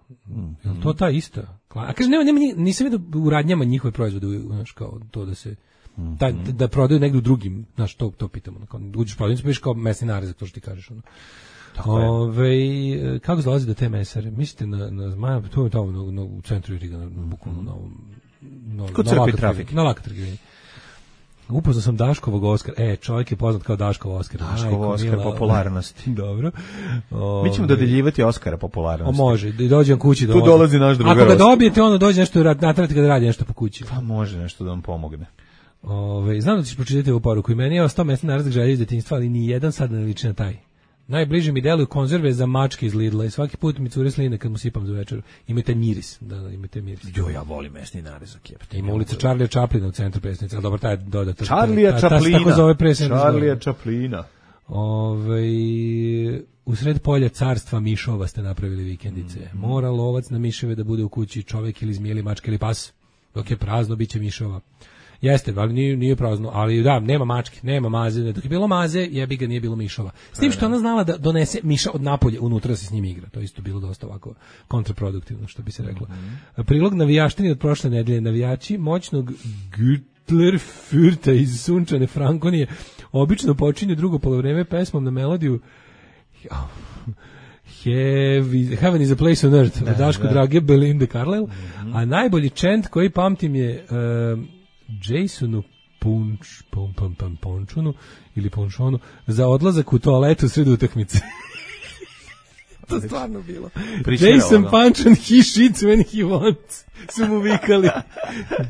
Je li to ta ista? A kaže, nisam vidio u radnjama njihove proizvode, znaš, kao to da se da prodaju negdje u drugim, znaš, to pitamo. Uđeš u prodavnicu, pišeš kao mesni narezak, to što ti kažeš. Kako dolazi do te mesare? Mislite na Zmajevac, to je tamo u centru Riga, bukvalno na ovom... Kod crpi trafik. Na laka trgovini. Upoznao sam Daškovog Oskara. Čovjek je poznat kao Daškov Oskar. Daškov Oskar popularnosti. Dobro. Mi ćemo dodeljivati Oskara popularnosti. Može, da dođem kući. Tu dolazi naš drugar. Ako ga dobijete, ono dođe nešto, natrati ga da radi nešto po kući. Pa može nešto da vam pomogne. Znam da ćeš pročitati ovu poruku. I meni je ostao mesni narazak želje iz detinjstva, ali ni jedan sad ne liči na taj. Najbliže mi deluju konzerve za mačke iz Lidla i svaki put mi cure sline kad mu sipam za večeru. Imate miris. Imate miris. Jo, ja volim mesni narezak. Ima ulica Charlija Chaplina u centru prestonice, ali dobro, taj je dodatan. Charlija Chaplina. Tako zove prestonice. Charlija Chaplina. U sred polja carstva mišova ste napravili vikendice. Mora lovac na miševe da bude u kući čovjek ili zmije ili mačka ili pas. Dok je prazno, bit će mišova. Jeste, ali nije prazno, ali da, nema mačke, nema maze, dok je bilo maze, jebi ga, nije bilo mišova. S tim što ona znala da donese miša od napolje unutra da se s njim igra, to isto bilo dosta ovako kontraproduktivno, što bi se reklo. Prilog navijaštini od prošle nedelje, navijači moćnog Gütlerfürta iz sunčane Frankonije obično počinju drugo polovreme pesmom na melodiju Heaven is a place on earth, od Daško Drage, Belinda Carlisle, a najbolji chant koji pamtim je Jasonu Pončunu ili Pončonu za odlazak u toaletu sred utakmice. To stvarno bilo. Jason Panchan, he shits when he wants. Su mu vikali.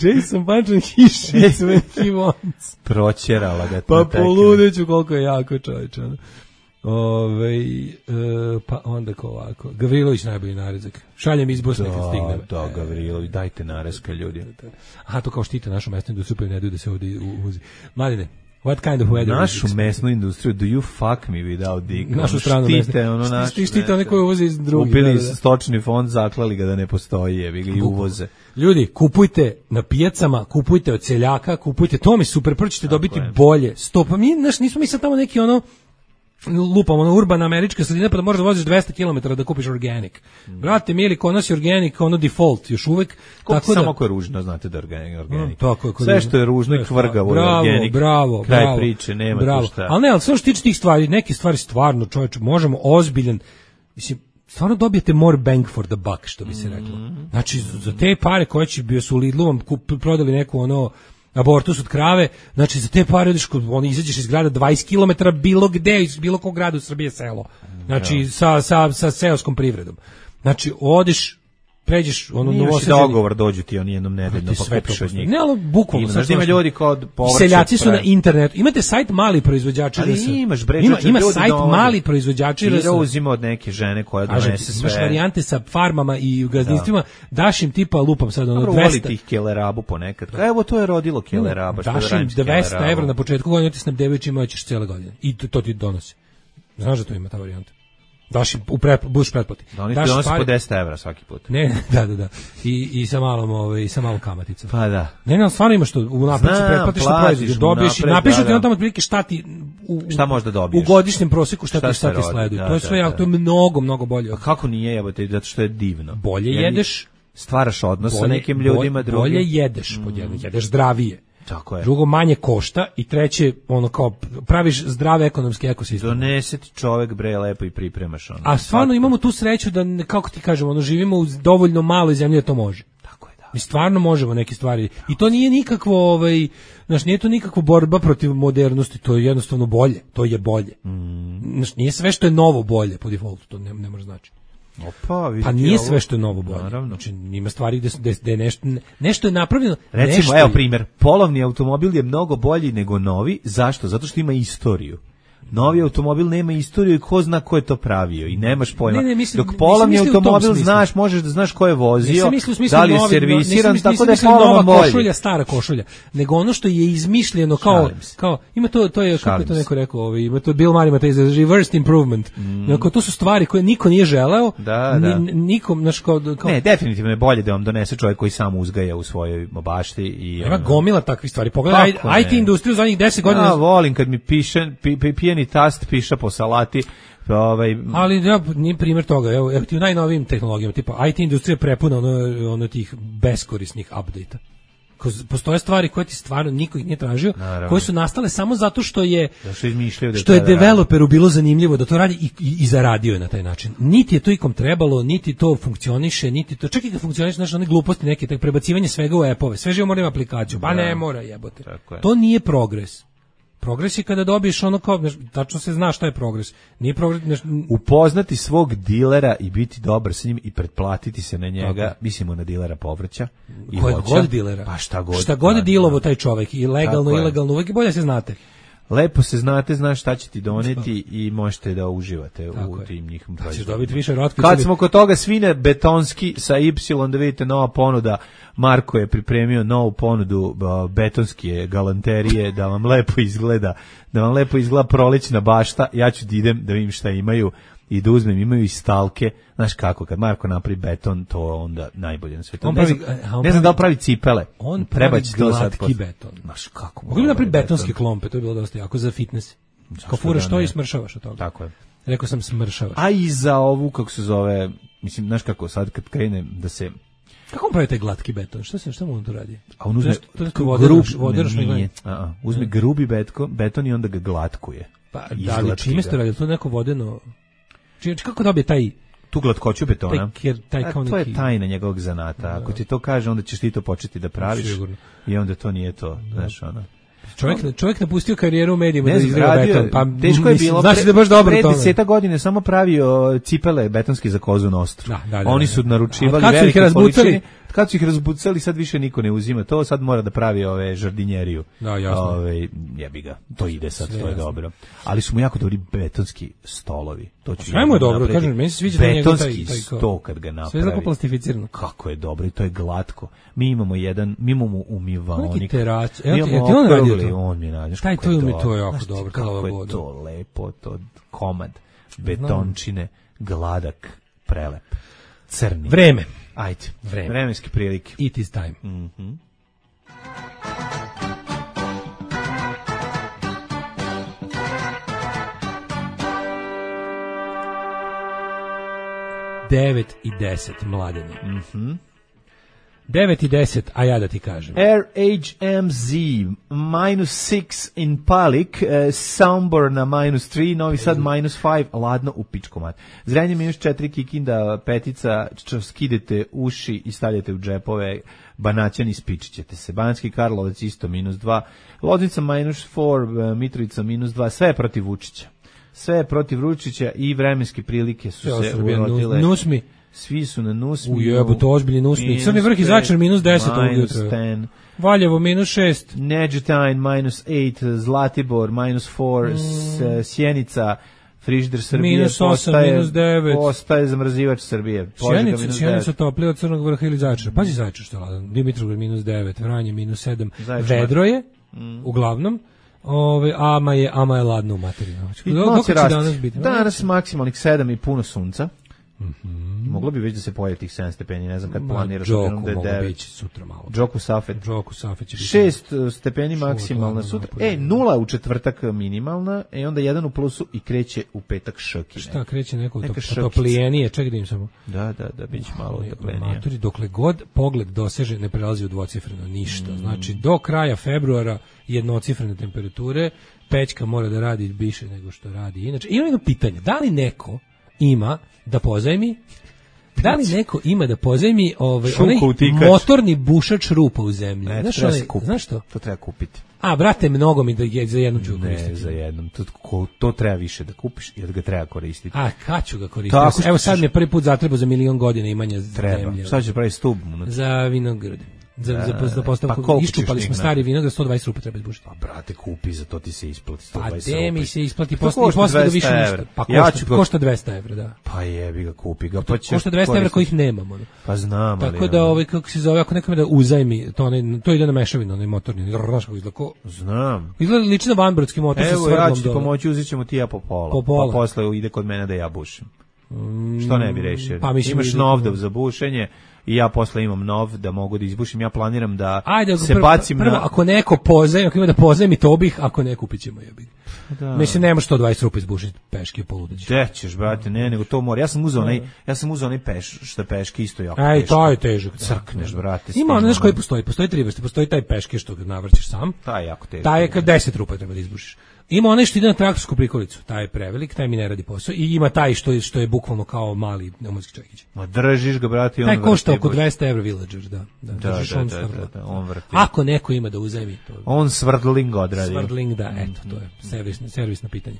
Jason Panchan, he shits when he wants. Proćerala ga. Pa poludeću koliko je jako čovječ. Pa onda ko ovako. Gavrilović najbolji narezak. Šaljem iz Bosne kad stigne. Da, Gavrilović, dajte narezka ljudi. Aha, to kao štite našu mesnu industriju, pa ne daju da se ovdje uvozi. Mladine, What kind of weather? Našu mesnu industriju, do you fuck me without dick? Našu stranu mesnu. Štite one koje uvoze iz drugih. Kupili stočni fond, zaklali ga da ne postoji, jebi ga i uvoze. Ljudi, kupujte na pijacama, kupujte od seljaka, kupujte, to mi super, prvo ćete dobiti bolje. Stopa, nismo mi sad tamo neki lupamo na urbana američka sredina pa da možeš da voziš 200 km da kupiš organic. Brate, mili, kod nas je organic default još uvek. Tako samo ako je ružno, znate da je organic. Sve što je ružno i kvrgavo je organic. Bravo. Kraj priče, nema tu šta. Ali sve što tiče tih stvari, neke stvari stvarno, čoveče, možemo ozbiljan, mislim, stvarno dobijete more bang for the buck, što bi se reklo. Znači, za te pare koje će bio su u Lidlu vam prodali neku abortus od krave, znači za te pare izađeš iz grada 20 km bilo gde, iz bilo kog grada u Srbiji je selo. Znači sa seoskom privredom. Znači odeš, pređeš dogovor, dođu ti oni jednom nedeljno pa kupiš od njih. Ne, ali bukvalno. Znaš, ima ljudi kod povrća. Seljaci su na internetu. Imate sajt mali proizvođači. Ali imaš, bre, ima sajt mali proizvođači. Ti uzima od neke žene koja donese sve. Imaš varijante sa farmama i gazdinstvima, daš im tipa, lupam sad, 200. Uvoli tih kelerabu ponekad. Evo, to je rodilo keleraba. Daš im 200 evra na početku godine, ti snabdevajući imaš cele godine. I to ti donosi. Znaš da to ima ta varijanta? Daš im buš pretplati. Da oni ti donose po 10 evra svaki put. Ne, da. I sa malom kamaticom. Pa da. Ne, stvarno imaš to. U napisu pretplatiš što proizvod. Dobiješ i napišu ti on tamo otprilike šta možda dobiješ. U godišnjem prosjeku šta ti sleduju. To je sve jako, to je mnogo bolje. A kako nije, evo te, zato što je divno. Bolje jedeš. Stvaraš odnos sa nekim ljudima drugim. Bolje jedeš, jedeš zdravije. Tako je. Drugo, manje košta i treće, kao praviš zdrave ekonomske ekosisteme. Donese ti čovek, bre, lepo i pripremaš . A stvarno imamo tu sreću da, kako ti kažemo, živimo u dovoljno maloj zemlji da to može. Tako je, da. Mi stvarno možemo neke stvari. I to nije nikakvo, nije to nikakva borba protiv modernosti, to je jednostavno bolje. To je bolje. Nije sve što je novo bolje po defaultu, to ne može znači. Pa nije sve što je novo bolje. Naravno. Znači, ima stvari gde je nešto je napravljeno. Recimo, evo primjer, polovni automobil je mnogo bolji nego novi. Zašto? Zato što ima istoriju. Novi automobil nema istoriju i ko zna ko je to pravio i nemaš pojma. Dok polovni automobil znaš, možeš da znaš ko je vozio, da li je servisiran, tako da je polovan bolji. Košulja, stara košulja, nego ono što je izmišljeno kao ima to je, kako je to neko rekao, ima to Bill Murray, ima taj reversed improvement. Dakle, to su stvari koje niko nije želeo, nikom, znaš, kao... Ne, definitivno je bolje da vam donese čovjek koji sam uzgaja u svojoj bašti. Ima gomila takvih stvari. Pogledaj, IT industriju zadnjih 10 godina... Ja volim kad mi pijeni tast piša po salati. Ali nije primjer toga. Evo ti u najnovijim tehnologijama, tipa IT industrija prepuna ono tih beskorisnih update-a. Postoje stvari koje ti stvarno niko ih nije tražio, koje su nastale samo zato što je developeru bilo zanimljivo da to radi i zaradio je na taj način. Niti je to ikom trebalo, niti to funkcioniše, niti to, čak i kad funkcioniše, znaš, one gluposti neke, tak prebacivanje svega u appove, sve živo mora ima aplikaciju, pa ne mora, jebote. To nije progres. Progres je kada dobiješ ono kao, tačno se zna šta je progres. Nije progres... Upoznati svog dilera i biti dobar s njim i pretplatiti se na njega, mislimo na dilera povrća i voća. Kojeg god dilera. Pa šta god. Šta god je dilovo taj čovek, i legalno, ilegalno, uvijek bolje se znate. Lepo se znate, znaš šta će ti doneti i možete da uživate u tim njihovim proizvodima. Kad smo kod toga, svine betonski sa Y, da vidite nova ponuda. Marko je pripremio novu ponudu betonske galanterije da vam lepo izgleda prolećna bašta. Ja ću da idem da vidim šta imaju i da uzmem, imaju i stalke. Znaš kako, kad Marko napravi beton, to onda najbolje na svetu. Ne znam da li pravi cipele. On pravi glatki beton. Znaš kako. Mogu li napravi betonske klompe, to je bilo dosta jako za fitness. Kao furaš to i smršavaš od toga. Tako je. Rekao sam smršavaš. A i za ovu, kako se zove, mislim, znaš kako, sad kad krene da se... Kako on pravi taj glatki beton? Šta mu on to radi? A on uzme uzme grubi beton i onda ga glatkuje. Pa da li čime ste radi? To je neko vodeno... Kako dobije taj... Tu glatkoću betona? To je tajna njegovog zanata. Ako ti to kaže, onda ćeš ti to početi da praviš. I onda to nije to. Znaš, ono... Čovjek napustio karijeru u medijima da izgleda beton. Pa teško je bilo. Znači da baš dobro pre 10 godina samo pravio cipele betonski za Kozu Nostru. Oni su naručivali velike količine. Kad su ih razbucali, sad više niko ne uzima to, sad mora da pravi žardinjeriju. Da, jasno. Jebi ga, to ide sad, to je dobro. Ali su mu jako dobri betonski stolovi. To ću sve mu je dobro, kažem, meni se sviđa betonski sto kad ga napravi. Sve je tako plastificirano. Kako je dobro i to je glatko. Mi imamo umivaonik. Ti on radio Ili on mi nađeš. Taj to mi to je jako dobro. Kako je to lepo, to komad betončine, gladak, prelep, crni. Vreme. Ajde, vremenske prilike. It is time. Mhm. 9:10 mladene. 9:10, a ja da ti kažem. RHMZ, -6 in Palik, Sombor na -3, Novi Sad -5, ladno u pičkomat. Zrenje -4, Kikinda, Petica, skidete uši i stavljate u džepove, Banaćani spičićete se. Banatski Karlovac isto -2, Loznica -4, Mitrovica -2, sve je protiv Vučića. Sve je protiv Vučića i vremenske prilike su se urotile. Nusmi. Svi su na Nusmi. Ujebote, ozbiljni Nusmi. Crni vrh i Zaječar -10 ovog jutra. Valjevo -6. Neđetajn -8, Zlatibor -4, Sjenica, frižider Srbije -8, postaje zamrzivač Srbije. Sjenica toplije od Crnog vrha ili Zaječara. Pazi Zaječar što je ladan. Dimitrovgrad -9, Vranje -7. Vedro je, uglavnom. Ama je ladno u materiju. Dok će danas biti? Danas maksimalnih 7 i puno sunca. Moglo bi već da se pojavi tih 7 stepeni, ne znam kad planiraš. Džoku moglo bići sutra malo. Džoku Safet će biti 6 stepeni maksimalna sutra. 0 u četvrtak minimalna, onda 1 u plusu i kreće u petak šoki. Šta kreće neko toplijenije, čekaj da im samo. Da, biće malo toplenije. Dokle god pogled doseže, ne prelazi u dvocifreno ništa. Znači, do kraja februara jednocifrene temperature, pećka mora da radi više nego što radi. Inače, ima jedno pitanje, da li neko ima da pozajmi onaj motorni bušač rupa u zemlji? Znaš što? To treba kupiti. Brate, mnogo mi da je za jednom ću koristiti. Ne, za jednom. To treba više da kupiš i da ga treba koristiti. Kad ću ga koristiti? Evo sad mi je prvi put zatrebo za 1.000.000 godina imanja zemlje. Sad ćeš pravi stub. Za vinograd. Za postavku iščupali smo stari vinograd, 120 rupa treba izbušiti. Brate, kupi, za to ti se isplati 120 rupa. Gde mi se isplati posle da više ništa. Košta 200 evra, da. Pa jebi ga, kupi ga. Košta 200 evra kojih nemamo. Pa znam, ali... Tako da, kako se zove, ako nekome da uzajmi, to ide na mešavinu, onaj motorni, znaš kako izgleda. Znam. Izgleda liči na vanbrodski motor sa svrdlom dole. Evo, ja ću ti pomoći, uzet ćemo ti ja po pola. Pa posle ide kod mene da ja bušim. Što ne bi rešio? Imaš novdov za bušenje i ja posle imam nov da mogu da izbušim. Ja planiram da se bacim prvo, ako neko pozajmi, ako ima da pozajmi, to bih, ako ne kupit ćemo jebi. Mislim, nema 120 rupa izbušiti peške poludeći. Gde ćeš, brate, ne, nego to mora. Ja sam uzeo onaj što peške isto jako teško. To je težak. Crkneš, brate. Ima ono, znaš koji postoji? Postoji 3 vrste. Postoji taj peške što ga navrćeš sam. Taj je jako teško. Taj je kad 10 rupa treba da izbušiš. Ima onaj što ide na traktorsku prikolicu, taj je prevelik, taj mi ne radi posao, i ima taj što je bukvalno kao mali pneumatski čekić. Ma držiš ga, brate, i on vrti. Taj košta oko 200 evra Villager, da. On vrti. Ako neko ima da uzajmi to. On svrdling odradi. Svrdling, da, eto, to je servisno pitanje.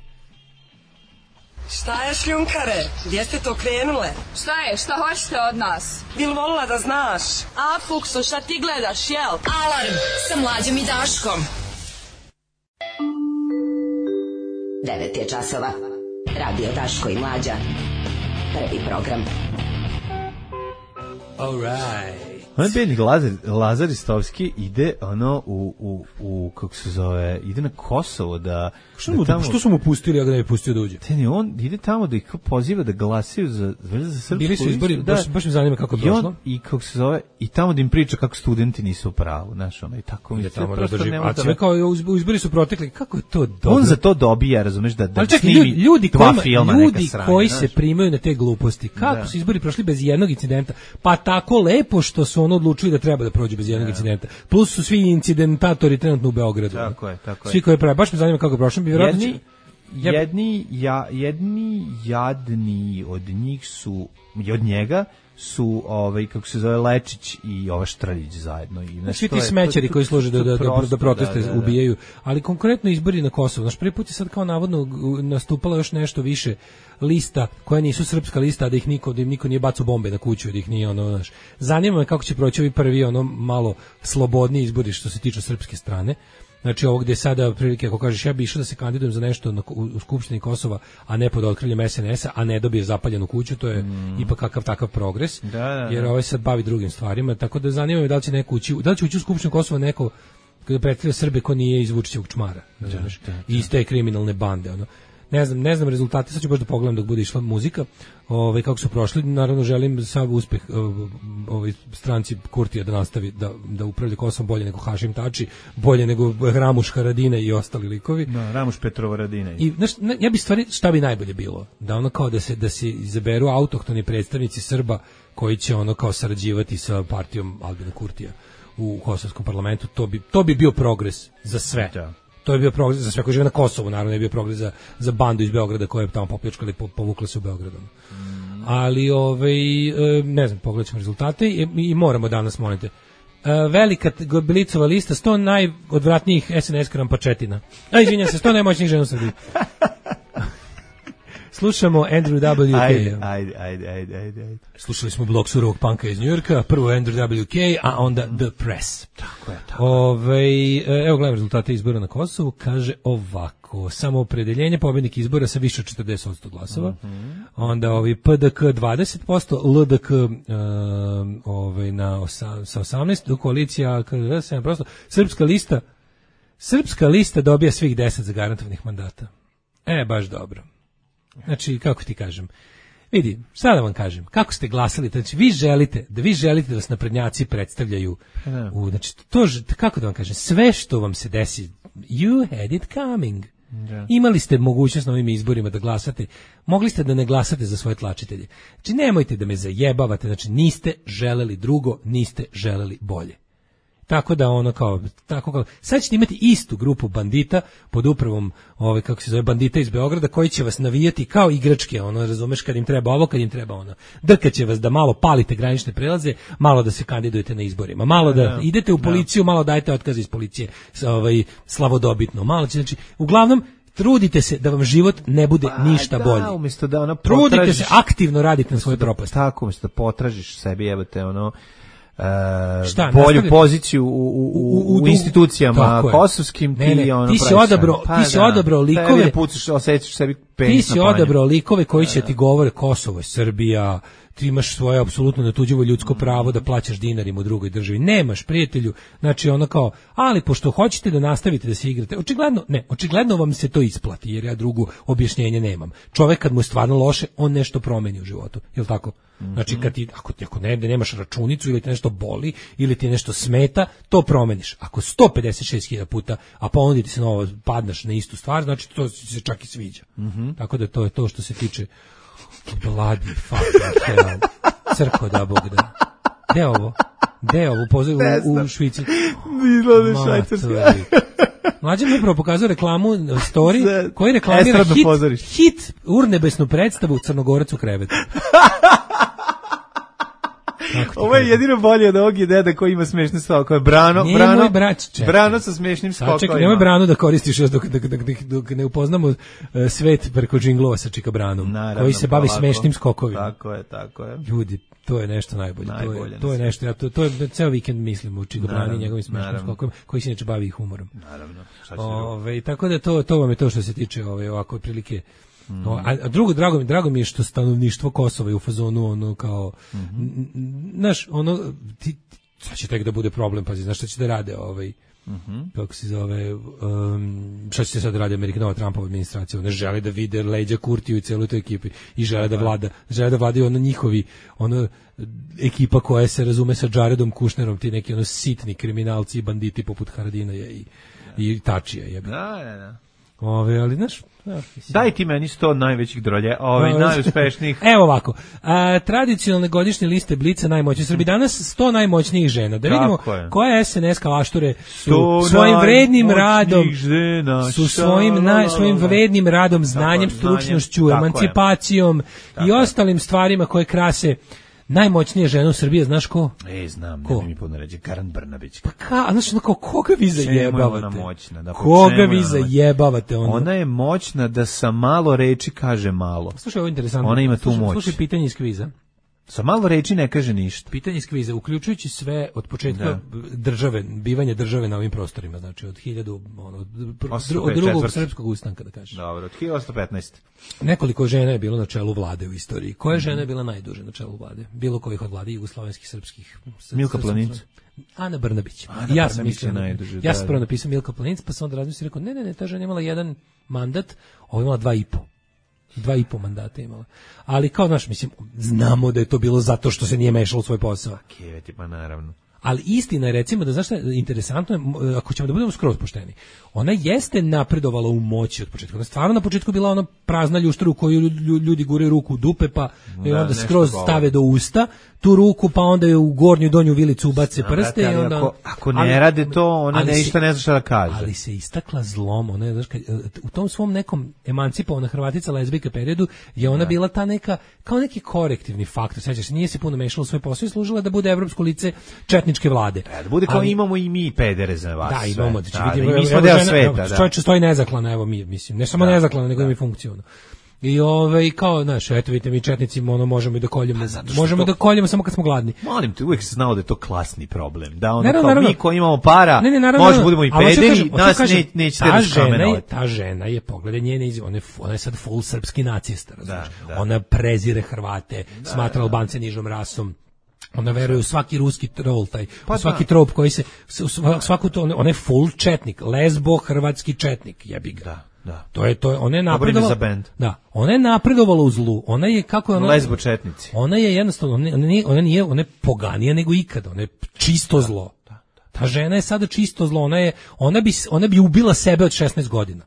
Šta je, šljunkare? Gdje ste to krenule? Šta je? Šta hoćete od nas? Bil volila da znaš? A, Fukso, šta ti gledaš, jel? Alarm sa Mlađom i Daškom. 9 je časova. Radio Daško i Mlađa. Prvi program. All right. On bednik Lazar Istovski ide u kako se zove, ide na Kosovo da što su mu pustili, a ga ne pustio da uđe? On ide tamo da ih poziva da glasaju za srpsku. Bili su izbori, baš me zanima kako je prošlo. I kako se zove, i tamo da im priča kako studenti nisu u pravu, znaš, i tako mi je tamo da drži. A sve kao izbori su protekli, kako je to dobro. On za to dobija, razumeš, da snimi dva filma neka sranja. Koji se primaju na te gluposti, kako su izbori prošli bez jednog incidenta, pa tako lepo što su odlučili da treba da prođu bez jednog incidenta. Plus su svi incidentatori trenutno u Beogradu. Tako je. Svi koji prave, baš me zanima kako je prošlo. Jedni jadni od njih su, od njega su, kako se zove, Lečić i ova Štrljić zajedno. Svi ti smećari koji služe da proteste ubijaju. Ali konkretno izbori na Kosovo. Naš prvi put je sad kao navodno nastupala još nešto više lista koja nisu srpska lista, da im niko nije bacao bombe na kuću, da ih nije zanima me kako će proći ovi prvi malo slobodniji izbori što se tiče srpske strane. Znači ovo gdje sada prilike, ako kažeš ja bi išao da se kandidujem za nešto u Skupštini Kosova, a ne pod otkriljem SNS-a, a ne dobije zapaljenu kuću, to je ipak kakav takav progres, jer ovaj se bavi drugim stvarima, tako da zanima me da li će neko ući u Skupštinu Kosova neko kada predstavlja Srbe ko nije iz Vučićevog čmara, znaš, iz te kriminalne bande, ono. Ne znam rezultate, sad ću baš da pogledam dok bude išla muzika, kako su prošli, naravno želim sav uspeh stranci Kurtija da nastavi da upravlja Kosovom bolje nego Hašim Tači, bolje nego Ramuš Haradine i ostali likovi. Da, Ramuš Petrova Radina. I znaš, ja bi stvari, šta bi najbolje bilo? Da ono kao da se izaberu autohtoni predstavnici Srba koji će ono kao sarađivati sa partijom Albina Kurtija u kosovskom parlamentu, to bi bio progres za sve. Da. To je bio progres za sve koji žive na Kosovu, naravno je bio progres za bandu iz Beograda koja je tamo popljačkala i povukla se u Beogradu. Ali, ne znam, pogledat ćemo rezultate i moramo danas, molite. Velika Blicova lista, 100 najodvratnijih SNS krampačetina. Izvinjam se, 100 najmoćnijih žena u Srbiji. Slušamo Andrew WK. Ajde. Slušali smo blok surovog panka iz Njujorka, prvo Andrew WK, a onda The Press. Tako je. Evo gledam rezultate izbora na Kosovu, kaže ovako, samoopredeljenje, pobednik izbora sa više od 40% glasova, onda PDK 20%, LDK sa 18%, koalicija 7%, Srpska lista dobija svih 10 zagarantovanih mandata. Baš dobro. Znači, kako ti kažem, vidi, šta da vam kažem, kako ste glasali, znači vi želite da vas naprednjaci predstavljaju, znači, kako da vam kažem, sve što vam se desi, you had it coming. Imali ste mogućnost na ovim izborima da glasate, mogli ste da ne glasate za svoje tlačitelje. Znači, nemojte da me zajebavate, znači, niste želeli drugo, niste želeli bolje. Tako da sad ćete imati istu grupu bandita pod upravom kako se zove, bandita iz Beograda koji će vas navijati kao igračke, razumeš, kad im treba ovo, kad im treba ono. Drkaće vas da malo palite granične prelaze, malo da se kandidujete na izborima, malo da idete u policiju, malo dajete otkaze iz policije, slavodobitno, malo će, znači, uglavnom trudite se da vam život ne bude ništa bolji. Umjesto da trudite se, aktivno radite na svojoj propasti. Tako, umjesto da potražiš sebi, evo te bolju poziciju u institucijama kosovskim, ti si odabrao likove, osjećaš sebi ti si odabrao likove koji će ti govore Kosovo je Srbija, ti imaš svoje apsolutno netuđivo ljudsko pravo da plaćaš dinarima u drugoj državi. Nemaš, prijatelju, znači ali pošto hoćete da nastavite da se igrate, očigledno vam se to isplati, jer ja drugo objašnjenje nemam. Čovek kad mu je stvarno loše, on nešto promeni u životu, je li tako? Znači, ako nemaš računicu ili te nešto boli, ili ti nešto smeta, to promeniš. Ako 156.000 puta, a ponuditi se novo, padneš na istu stvar, znači to se čak i sviđa. Tako da to je to što se tiče bloody fucking hell. Crko da Bog da. Gde je ovo? U Švici. Bilo Švajcarska. Mlađe mi upravo pokazao reklamu story koji reklamira hit urnebesnu predstavu Crnogorac u krevetu. Ovo je jedino bolje od ovog deda koji ima smešne skokove. Brano sa smešnim skokovima. Čekaj, nemoj Branu da koristiš dok ne upoznamo svet preko džinglova sa Čika Branom, koji se bavi smešnim skokovima. Tako je. Ljudi, to je nešto najbolje. To je nešto, to je ceo vikend mislim u Čika Brani i njegovim smešnim skokovima, koji se neće bavi humorom. Naravno. Tako da to vam je to što se tiče ovako otprilike. A drugo, drago mi je što stanovništvo Kosova je u fazonu kao znaš, sad će tek da bude problem, pazi, znaš šta će da rade kako se zove, šta će se sad radi Nova Trumpova administracija, ne žele da vide leđa Kurtiju i celu toj ekipi i žele da vladaju njihovi ekipa koja se razume sa Jaredom Kušnerom, ti neki sitni kriminalci i banditi poput Haradina i Tačija. Da. Ali znaš, daj ti meni 100 najvećih drolje, najuspešnijih. Evo ovako, tradicionalne godišnje liste Blica najmoćnijih Srbi. Danas 100 najmoćnijih žena. Da vidimo koje SNS kalašture su svojim vrednim radom, svojim vrednim radom, znanjem, stručnošću, emancipacijom i ostalim stvarima koje krase najmoćnija žena u Srbiji, znaš ko? Znam, ko? Ne mi puno reći, Karan Brnabić. Znaš, koga vi zajebavate? Koga vi zajebavate? Ona je moćna da sa malo reči kaže malo. Slušaj, ovo je interesantno. Ona ima tu moć. Slušaj pitanje iz kviza. Sa malo reči ne kaže ništa. Pitanje iz kviza, uključujući sve od početka države, bivanje države na ovim prostorima, znači od 1000, od drugog srpskog ustanka, da kažeš. Dobro, od 1815. Nekoliko žena je bilo na čelu vlade u istoriji. Koja žena je bila najduže na čelu vlade? Bilo kojih od vlade jugoslovenskih, srpskih? Milka Planinc. Ana Brnabić. Ja sam mislio najduže. Ja sam prvo napisao Milka Planinc, pa sam onda razmislio i rekao, ne, ta žena imala jedan mandat, ovo imala 2,5 mandata imala. Ali kao, znaš, mislim, znamo da je to bilo zato što se nije mešalo u svoj posao. Keveti, pa naravno. Ali istina je, recimo, da znaš šta je interesantno, ako ćemo da budemo skroz pošteni, ona jeste napredovala u moći od početka. Ona stvarno na početku bila ona prazna ljuštra u koju ljudi guraju ruku u dupe, pa i onda skroz stave do usta tu ruku, pa onda je u gornju donju vilicu ubace prste. I onda, ako ne rade to, ona ništa ne zna šta da kaže. Ali se istakla zlom. Ona je, znaš, u tom svom nekom emancipovana Hrvatica lezbijka periodu je ona bila ta neka, kao neki korektivni faktor. Sećaš se, nije se puno mešala u svoj posao i služila da bude evropsko lice četničke vlade. Da bude kao imamo i mi pedere za vas. Da, imamo. Mi smo deo sveta. Čovječe stoji nezaklana, evo mi, mislim, ne samo nezaklana, nego i funkcionalno. I kao, znaš, eto vidite, mi četnici možemo i da koljemo. Možemo da koljemo samo kad smo gladni. Molim te, uvijek se znao da je to klasni problem. Da ono kao mi koji imamo para, možemo budemo i pederi, nas nećete raskamenovati. Ta žena je, pogledaj njene izjave, ona je sad full srpski nacista, razumiješ. Ona prezire Hrvate, smatra Albance nižom rasom. Ona veruje u svaki ruski trol, u svaki trop koji se, svaku to, ona je full četnik, lesbo hrvatski četnik, jebi ga. Da. To je, ona je napredovala. Da, ona je napredovala u zlu. Ona je kako je ona lesbo četnici. Ona je jednostavno ona je poganija nego ikada, ona je čisto zlo. Ta žena je sada čisto zlo, ona bi ubila sebe od 16 godina.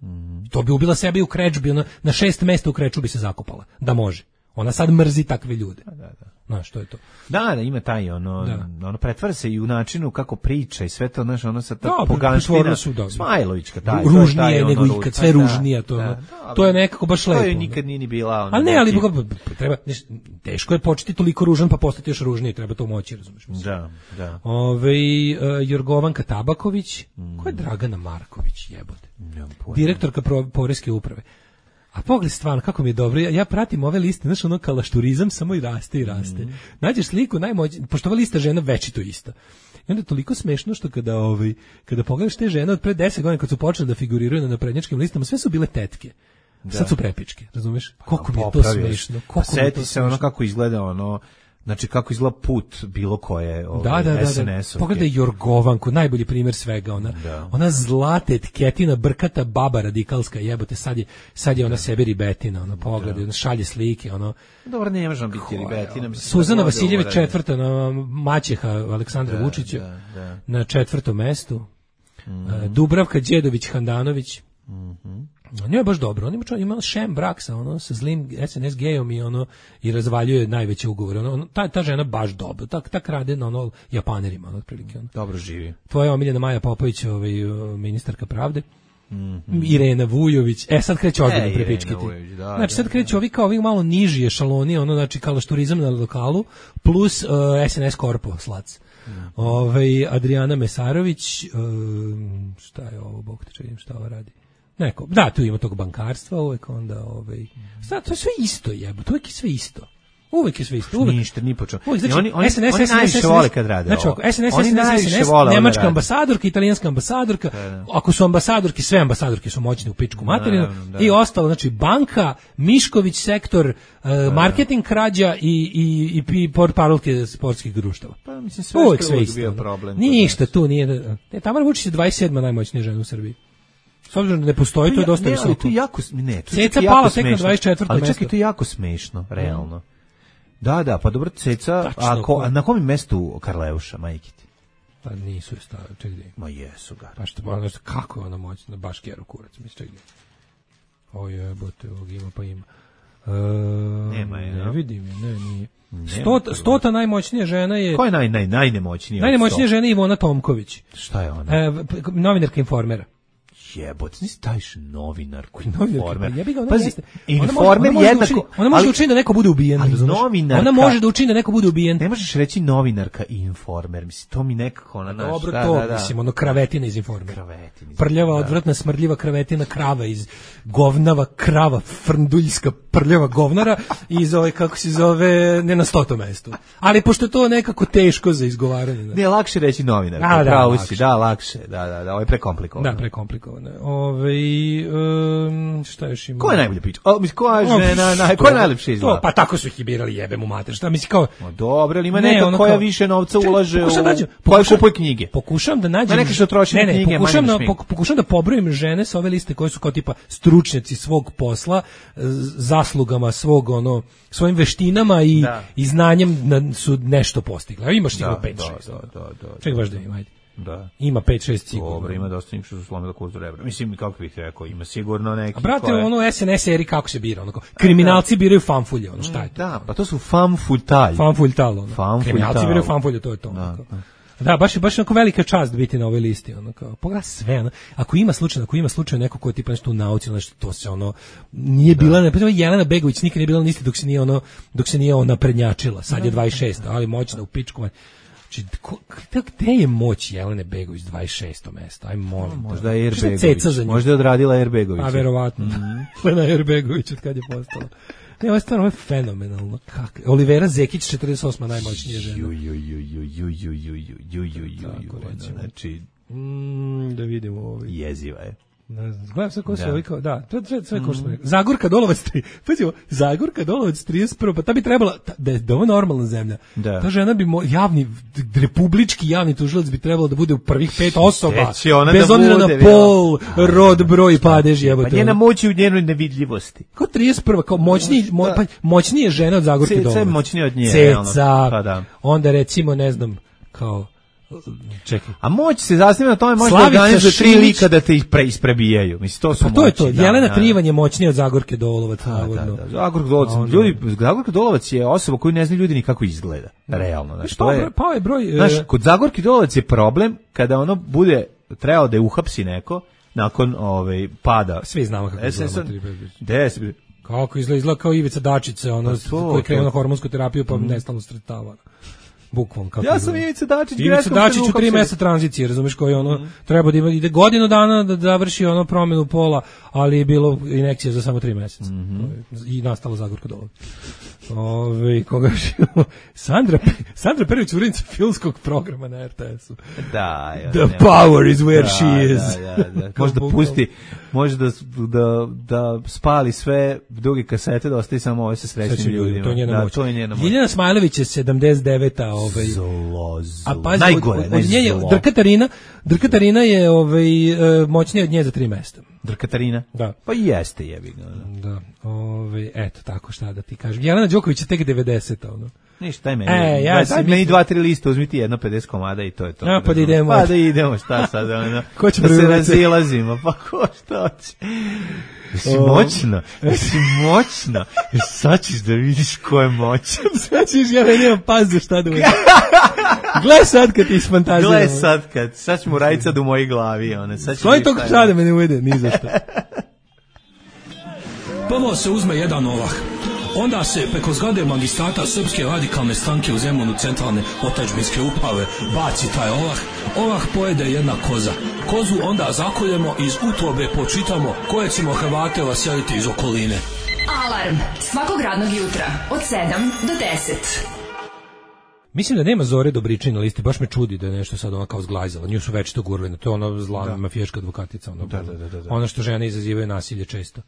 To bi ubila sebe i u krečbi, ona na 6 mesta u kreču bi se zakopala, da može. Ona sad mrzi takve ljude. Da. Znaš, što je to? Da, ima taj ono pretvara se i u načinu kako priča i sve to, znaš, ono sa ta poganština. Smajlovićka taj. Ružnije nego ikad, sve ružnija to. To je nekako baš lepo. To je nikad nije ni bila. Ali ne, ali treba, teško je početi toliko ružan pa postati još ružniji, treba to moći, razumiješ? Da. Jorgovanka Tabaković, ko je Dragana Marković, jebote? Direktorka poreske uprave. A pogledaj stvarno, kako mi je dobro, ja pratim ove liste, znaš, ono kalašturizam samo i raste i raste. Nađeš sliku najmoćnije, pošto ova lista žena večito ista. I onda je toliko smešno što kada pogledaš te žene od pre 10 godina kad su počele da figuriraju na naprednjačkim listama, sve su bile tetke. Sad su prepičke, razumeš? Koliko mi je to smešno. Seti se ono kako izgleda ono, znači kako izgleda put bilo koje SNS-ovke. Pogledaj Jorgovanku, najbolji primjer svega, ona zlata etiketina, brkata baba radikalska, jebote, sad je ona sebi ribetina, ona pogledaj, ona šalje slike, ono. Dobro, ne možemo biti ribetina. Suzana Vasiljević četvrta, maćeha Aleksandra Vučića, na 4. mestu. Dubravka Đedović Handanović. On je baš dobro, on ima šem brak sa zlim SNS gejom i razvaljuje najveće ugovore. Ta žena baš dobro, tak rade na Japanerima, otprilike. Dobro živi. Tvoja omiljena Maja Popović, ministarka pravde. Irena Vujović. Sad kreće ozbiljno prepičkiti. Znači sad kreće ovi malo niži ešaloni, znači kalašturizam na lokalu, plus SNS Korpo, slac. Adriana Mesarović, šta je ovo, bog te čujem, šta ovo radi? Neko, da, tu ima tog bankarstva, uvek onda, to je sve isto, jebote, uvek je sve isto. Uvek je sve isto. Ništa, ni po čemu. Oni najviše vole kad rade ovo. Znači, SNS, nemačka ambasadorka, italijanska ambasadorka, ako su ambasadorki, sve ambasadorke su moćne u pičku materinu, i ostalo, znači, banka, Mišković sektor, marketing krađa i portparolke sportskih društava. Pa, mislim, sve što je bio problem. Ništa tu nije. Tamara Vučić je 27. najmoćnija žena u Srbiji. S obzirom da ne postoji, to je dosta visoko. To je jako, Ceca pala tek na 24. Ali čekaj, to je jako smešno, realno. Da, pa dobro, Ceca, a na kom mestu Karleuša, majke ti? Pa nisu je stavili, ček gdje. Ma jesu ga. Pa što, kako je ona moćna, baš keru kurac, misli, ček gdje. Ovo je, bote, ovog ima pa ima. Nema je, ne vidim je, nije. Stota najmoćnija žena je... Ko je najnemoćnija? Najnemoćnija žena je Ivona Tomković. Šta je ona? Novinarka Informera. Jebote, nisi staviš novinarku. Informer. Pazi, Informer jednako... Ona može da učini da neko bude ubijen. Ona može da učini da neko bude ubijen. Ne možeš reći novinarka i Informer. Mislim, to mi nekako... Dobro, mislim, ono kravetina iz Informera. Prljava, odvratna, smrdljiva kravetina krava iz govnava krava, frnduljska prljava govnara iz ove, kako se zove, ne na 100. mestu. Ali pošto je to nekako teško za izgovaranje. Ne, lakše reći novinarka. Lakše. Da, ovo je prekomplikovano. Da, prekomplikovano. Šta još ima? Ko je najbolje priča? Koja žena, koja je najlepša izgleda? Pa tako su ih i birali, jebe mu mater. Šta misli kao... Dobro, ali ima neka koja više novca ulaže koja kupuje knjige. Pokušavam da nađem... Neki što troši knjige, pokušavam da pobrojim žene sa ove liste koje su kao tipa stručnjaci svog posla, zaslugama svog, svojim veštinama i znanjem su nešto postigli. A imaš sigurno 5-6. Čekaj baš da im, ajde. Da. Ima 5-6 sigurno. Dobro, ima dosta njih što su slomili kostu rebra. Mislim, kako bih rekao, ima sigurno neki... A brate, SNS eri kako se bira? Kriminalci biraju fanfulje, šta je to? Da, pa to su fanfultalj. Fanfultal, kriminalci biraju fanfulje, to je to. Da, baš onako velika čast biti na ovoj listi, pogledaj sve, ako ima slučaj neko ko je tipa nešto u nauci, nešto, to se nije bila, Jelena Begović nikad nije bila na listi dok se nije ona prednjačila, sad je 26, ali moćna u pičku. Znači, gde je moć Jelene Begović 26. mjesto? Aj molim. Možda je Begović. Možda je odradila Begović. A verovatno. Jelena Begović od kad je postala. Ne, ovo je stvarno fenomenalno. Olivera Zekić 48. najmoćnija žena. Znači, da vidimo ovo. Jeziva je. Gledam sve ko se ovikao, da, to je sve ko što smo rekli. Zagorka Dolovac, Zagorka Dolovac 31, pa ta bi trebala, da je ovo normalna zemlja, ta žena bi, republički javni tužilac bi trebalo da bude u prvih 5 osoba, bez obzira na pol, rod, broj i padež, jebote. Pa njena moć je u njenoj nevidljivosti. Kao 31, kao moćnije žena od Zagorke Dolovac. Ceca je moćnije od nje. Ceca, onda recimo, ne znam, kao... Čekaj. A moć se zasniva na tome, može da organizuje 3 lika da te ih preisprebijaju. Mislim, to su moći. To je to. Jelena Trivan je moćnija od Zagorke Dolovac. Zagorka Dolovac je osoba koju ne znaju ljudi ni kako izgleda. Realno. Pao je broj... Kod Zagorke Dolovac je problem kada ono bude trebao da je uhapsi neko nakon pada. Svi znamo kako izgleda. Kako izgleda kao Ivica Dačić, koji je krenuo na hormonsku terapiju pa nestalno sretava. Bukvalno kako. Ja sam Ivica Dačić, Ivica Dačić u 3 mjeseca tranzicije, razumeš, koji treba da ide godinu dana da završi promjenu pola, ali je bilo injekcija za samo 3 mjeseca. I nastala Zagorka Dolovac. Koga Sandra Perić, urednica filmskog programa na RTS-u. Da, The power is where she is. Možda pusti, može da spali sve druge kasete, da ostaje samo ove sa srećnim ljudima. To je njena moć. Ljiljana Smajlović je 79. A pazi, Drkatarina je moćnija od nje za 3 mjesta. Drkatarina? Da. Pa jeste jebi ga. Da. Eto, tako šta da ti kažem. Jelena Đoković je tek 90. Ništa, daj meni. Meni 2-3 liste, uzmi ti jedno 50 komada i to je to. Pa da idemo. Pa da idemo, šta sad? Da se razilazimo, pa ko šta hoće? Jesi moćna. Sad ćeš da vidiš ko je moćan. Sad ćeš, ja nemam pas za šta da uđe. Gle sad kad ti isfantaziramo. Sad ćemo raditi sad u mojoj glavi. Svoji toliko sada me ne uvede, ni za što. Prvo se uzme jedan ovah. Onda se preko zgrade magistrata Srpske radikalne stranke u Zemunu centralne otadžbinske uprave baci taj ovah. Ovah pojede jedna koza. Kozu onda zakoljemo, iz utrobe počitamo koje ćemo Hrvate vaseliti iz okoline. Alarm svakog radnog jutra od 7 do 10. Mislim da nema Zore Dobričin na listi, baš me čudi da je nešto sad ona kao zglajzala. Nju su već to gurali, to je ona zla mafijaška advokatica. Ono što žene izazivaju nasilje često.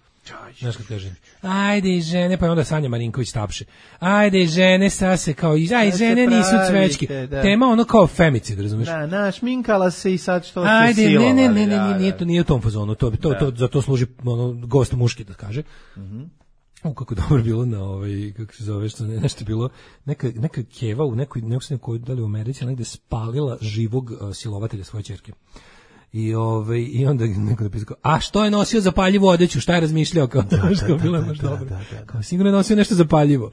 Znaš kad kaže, ajde žene, pa onda Sanja Marinković tapše. Ajde žene, sad se kao, aj žene nisu cvečki. Tema ono kao femicid, razumiješ? Da, našminkala se i sad što se silovali. Ajde, nije u tom fazonu, za to služi gost muški da kaže. Kako dobro bilo na kako se zove, što nešto bilo, neka keva u nekoj da li u Americi, negde spalila živog silovatelja svoje ćerke. I onda neko napisao, a što je nosio zapaljivu odeću, šta je razmišljao, kao bilo je baš dobro. Kao sigurno je nosio nešto zapaljivo.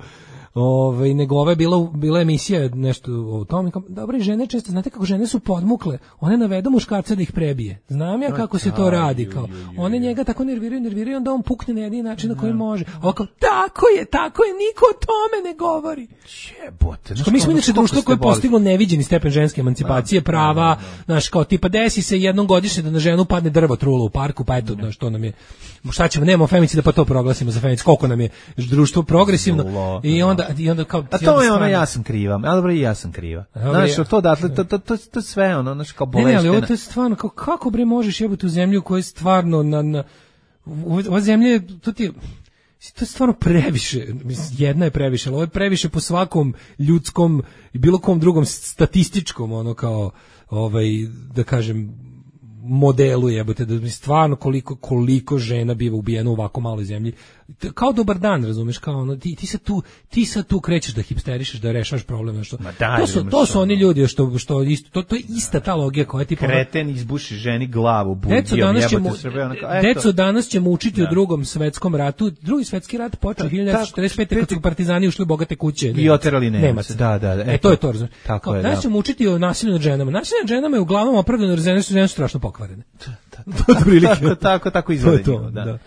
nego ova je bila emisija nešto o tome. Dobre žene često, znate kako žene su podmukle, one navedu muškarca da ih prebije. Znam ja kako se to radi, kao one njega tako nerviraju, onda on pukne na jedini način na koji može. A kao, tako je, niko o tome ne govori. Jebote. Mi smo inače društvo koje je postiglo neviđeni stepen ženske emancipacije, prava, znaš, kao tipa desi se jednom godišnje da na ženu padne drvo trulo u parku, pa eto, što nam je, šta ćemo, nemamo femicida, pa to proglasimo za femicid, koliko nam je društvo progresivno, i onda kao... A to je ono, ja sam kriva, ali dobro i ja sam kriva. Znaš, to datle, to sve ono, znaš, kao boleštena. Ne, ali ovo to je stvarno, kako bre možeš jebati u zemlju koja je stvarno ova zemlja je, to je stvarno previše, jedna je previše, ali ovo je previše po svakom ljudskom i bilo kom drugom statističkom, ono kao, da kažem, modelu jebote, da mi stvarno koliko žena biva ubijeno u ovako maloj zemlji. Kao dobar dan, razumeš, kao ono, ti sad tu krećeš da hipsterišeš, da rešavaš problem, nešto. To su oni ljudi što isto, to je ista ta logika koja je tipa kreten izbuši ženi glavu bundijom, deco danas ćemo učiti o Drugom svetskom ratu. Drugi svetski rat počeo 1945 kad su partizani ušli u bogate kuće i oterali Nemaca. Da. To je to, razumeš. Danas ćemo učiti o nasilju nad ženama. Nasilje nad ženama je uglavnom opravdano jer žene su strašno pokvarene. Tako izgleda. Da.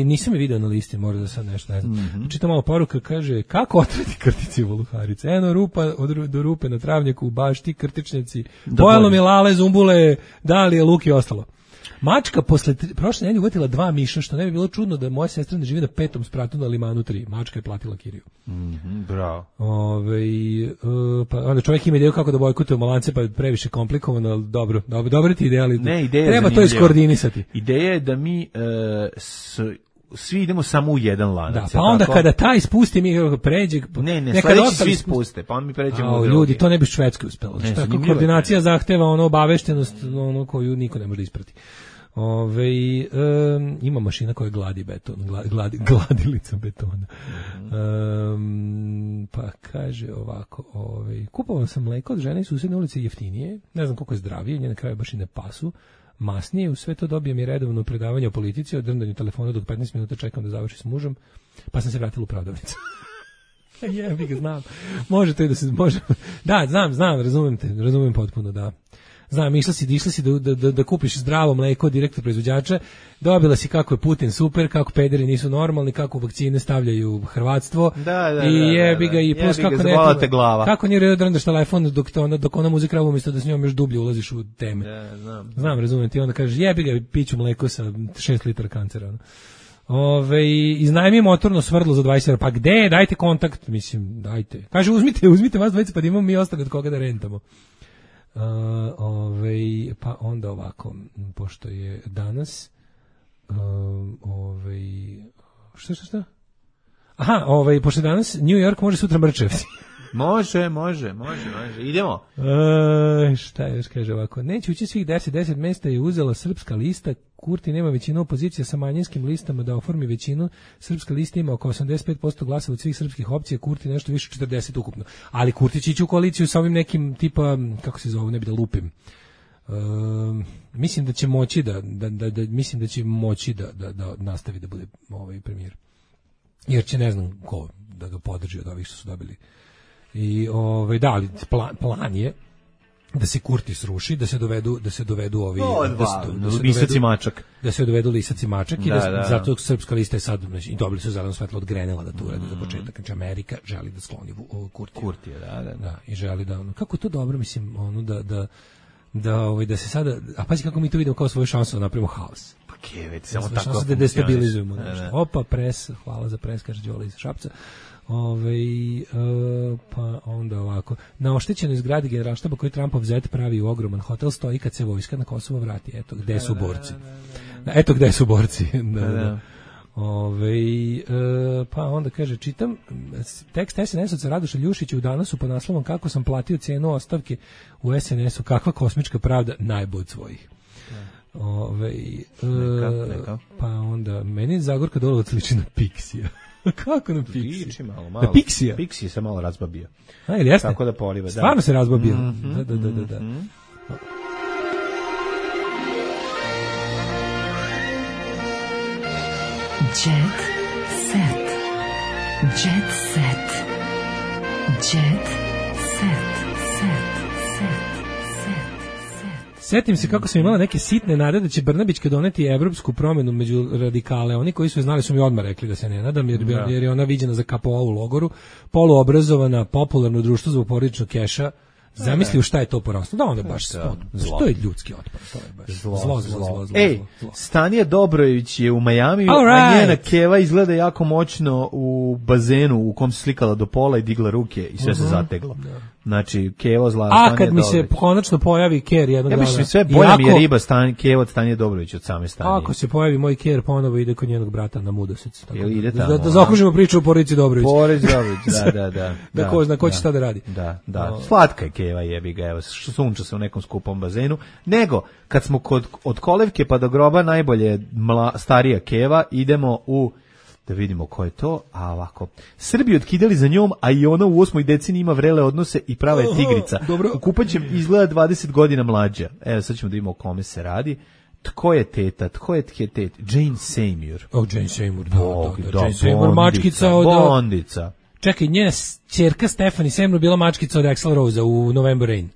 Nisam je video na listi, možda da sad nešto ne znam. Čitam malo poruka, kaže, kako otrati krtici voluharice? Eno rupa do rupe na travnjaku, baš ti krtičnjaci, pojelo mi lale, zumbule, dalije, luk i ostalo. Mačka prošle nedelje uvatila 2 miša, što ne bi bilo čudno da moja sestra ne živi na 5. spratu na Limanu 3. Mačka je platila kiriju. Bravo. Pa onda čovjek ima ideju kako da bojkotuje Malance, pa je previše komplikovano, ali dobro ti ideja, ali treba to iskoordinisati. Ideja je da mi svi idemo samo u jedan lanac. Da, pa onda kada taj spusti mi pređe... Ne, sledeći svi spuste, pa onda mi pređemo u drugi. Ljudi, to ne bi Švedskoj uspelo. Tako koordinacija zahteva obaveštenost koju niko ne može da isprati. Ima mašina koja gladi beton, gladilica betona. Pa kaže ovako, kupovao sam mleko od žene iz susedne ulice jeftinije, ne znam koliko je zdravije, njene kraje baš i ne pasu, masnije, u sve to dobijem i redovno predavanje o politici, o drndanju telefona dok 15 minuta čekam da završi s mužem, pa sam se vratila u prodavnicu. Jebi ga, znam. Može to i da se može. Da, znam, razumem potpuno, da. Znam, išla si da kupiš zdravo mleko direktno proizvođača, dobila si kako je Putin super, kako pederi nisu normalni, kako vakcine stavljaju hrvatstvo, i jebi ga, i plus kako nije drndaš telefon dok ona muzi kravu umjesto da s njom još dublje ulaziš u teme. Znam, razumem ti, onda kažeš jebi ga, piću mleko sa 6 litara kancera. Iznajmi motorno svrdlo za 20 €, pa gde, dajte kontakt, mislim, dajte. Kaže, uzmite vas dvojice, pa da imamo mi ostali od koga da rentamo. Pa onda ovako, pošto je danas šta? Aha, pošto je danas New York, može sutra Mrčevci. Može. Idemo. Šta još kaže ovako? Neće ući svih 10 mesta je uzela Srpska lista. Kurti nema većinu opozicija sa manjinskim listama da oformi većinu. Srpska lista ima oko 85% glasa od svih srpskih opcija, Kurti nešto više 40 ukupno. Ali Kurti će ići u koaliciju sa ovim nekim tipa, kako se zove, ne bi da lupim. Mislim da će moći da nastavi da bude premijer. Jer će ne znam ko da ga podrži od ovih što su dobili. I ali plan je da se Kurti sruši, da se dovedu ovi lisac i mačak. Da se dovedu lisac i mačak i zato Srpska lista je sad i dobili su zeleno svetlo od Grenela da to urade za početak. Znači Amerika želi da skloni Kurtija. Da, i želi da kako je to dobro, mislim, da se sada, a pazi kako mi to vidimo kao svoju šansu da napravimo haos. Pa keveć, samo tako da destabilizujemo nešto. Opa, pres, hvala za pres, kaže Đole iz Šapca. Pa onda ovako, na oštećenoj zgradi Generalštaba koji Trumpov zet pravi u ogroman hotel stoji kad se vojska na Kosovo vrati. Eto gde su borci. Eto gde su borci. Pa onda kaže, čitam tekst SNS-ovca Radoša Ljušića u Danasu pod naslovom kako sam platio cijenu ostavke u SNS-u, kakva kosmička pravda, najbolj od svojih. Pa onda meni Zagorka Dolovac liči na Pixija. Kako na Pixija? Liči malo. Na Pixija? Pixija se malo razbabio. A, ili jeste? Tako da poliva. Stvarno se razbabio. Da. Jet set. Jet set. Jet set. Setim se kako sam imala neke sitne nade da će Brnabićka doneti evropsku promenu među radikale. Oni koji su je znali su mi odmah rekli da se ne nadam, jer je ona viđena za KPO u logoru, poluobrazovana, popularno društvo zbog porodičnog keša. Zamisli u šta je to poraslo. Da, onda je baš zlo. To je ljudski otpor. To je baš zlo. Ej, Stanija Dobrojević je u Majamiju, a njena keva izgleda jako moćno u bazenu u kom se slikala do pola i digla ruke i sve se zateglo. Znači, keva zla Stanija Dobrojević. A kad mi se konačno pojavi ker jednog dana. Ja sve bolja mi je riba keva od Stanije Dobrojević od same Stanije. Ako se pojavi moj ker, ponovo ide kod njenog brata na Mudosec. Ide tamo. Da zaokružimo priču o porodici Dobrojević. Porodici Dobrojević, da. Da ko zna ko će šta da radi. Da. Slatka je keva, jebi ga, evo, sunča se u nekom skupom bazenu. Nego, kad smo od kolevke pa do groba najbolje starija keva, idemo u, da vidimo ko je to, a ovako, Srbi otkidali za njom, a i ona u 8. deceniji ima vrele odnose i prava je tigrica. U kupaćem izgleda 20 godina mlađa. Evo, sad ćemo da vidimo o kome se radi. Tko je teta? Jane Seymour. Jane Seymour, da. Jane Seymour, mačkica od... Bondica. Čekaj, njena ćerka Stephanie Seymour bila mačkica od Axl Rose u November Rain.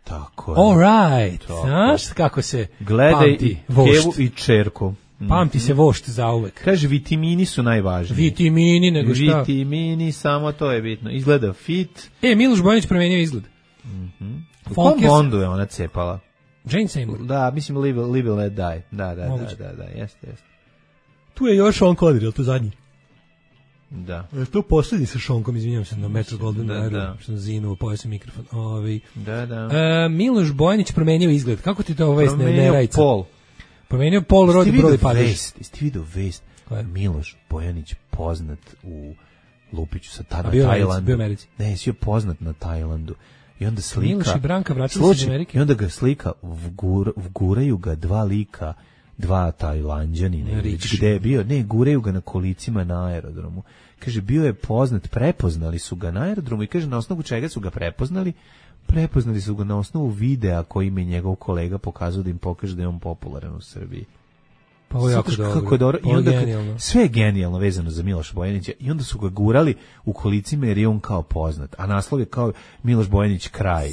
Tako je. All right. Znaš kako se gledaj kevu i čerku. Pamti se vošt zauvek. Kaže, vitamini su najvažniji. Vitamini, nego šta? Vitamini, samo to je bitno. Izgleda fit. Miloš Bojanić promenio izgled. U kom Bondu je ona cepala? Jane Seymour. Da, mislim Live and Let Die. Da, jeste. Tu je još Sean Connery, je li to zadnji? Da. Je to posljednji sa Šonkom, izvinjam se, na Metro Golden Air, što na zinu, pojao mikrofon. Da. Miloš Bojanić promenio izgled. Kako ti to vest ne rajca? Promenio pol rodi broj padež. Jeste vidio vest? Miloš Bojanić poznat u Lupiću sa tada Tajlandu. Bio Americi. Ne, si je poznat na Tajlandu. I onda slika... Miloš i Branka vratili se iz Amerike. I onda ga slika, vguraju ga dva Tajlanđanina, gde je bio, guraju ga na kolicima na aerodromu. Kaže, bio je poznat, prepoznali su ga na aerodromu i kaže, na osnovu čega su ga prepoznali? Prepoznali su ga na osnovu videa koji im je njegov kolega pokazao da im pokaže da je on popularan u Srbiji. Pa ovo je jako dobro. Kako je dobro. I onda genijalno. Sve je genijalno vezano za Miloša Bojanića i onda su ga gurali u kolicima jer je on kao poznat. A naslov je kao Miloš Bojanić kralj.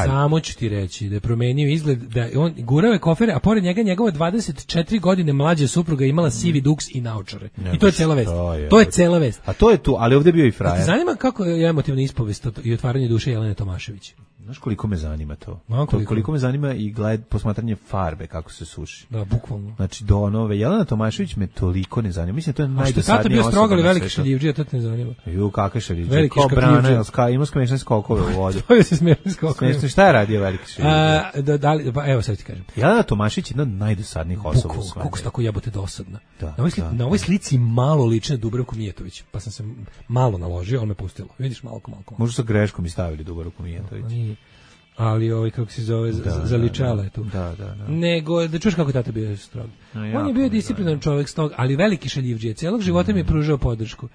Samo ću ti reći da je promenio izgled, da on gurao je kofere, a pored njega njegova 24 godine mlađa supruga imala sivi duks i naočare. I to je cela vest. To je cela vest. A to je tu, ali ovdje je bio i frajer. A ti zanima kako je emotivna ispovest i otvaranje duše Jelene Tomašević? Znaš koliko me zanima to? Koliko me zanima i posmatranje farbe, kako se suši. Da, bukvalno. Znači, do nove. Jelena Tomašević me toliko ne zanima. Mislim, to je najdosadnija osoba. A što tata bio strogali veliki šaljivđija, to te ne zanima. Kakve šaljivđije? Kao brana, ima smešne skokove u vodu. To je se smešne skokove. Šta je radio veliki šaljivđija? Evo sad ti kažem. Jelena Tomašević je jedna od najdosadnijih osoba u svemu. Kako se tako jebote dosadna. Na ovoj slici malo liči na Dubravku Mijatović, pa sam se malo naložio, on me pustilo. Vidiš, malo. Možda sa greškom i stavili Dubravku Mijatović. Ali kako se zove, zaličala je tu. Da. Nego, da čuš kako je tata bio strog. On je bio disciplinovan čovjek strog, ali veliki šaljivđije. Cijelog života mi je pružao podršku.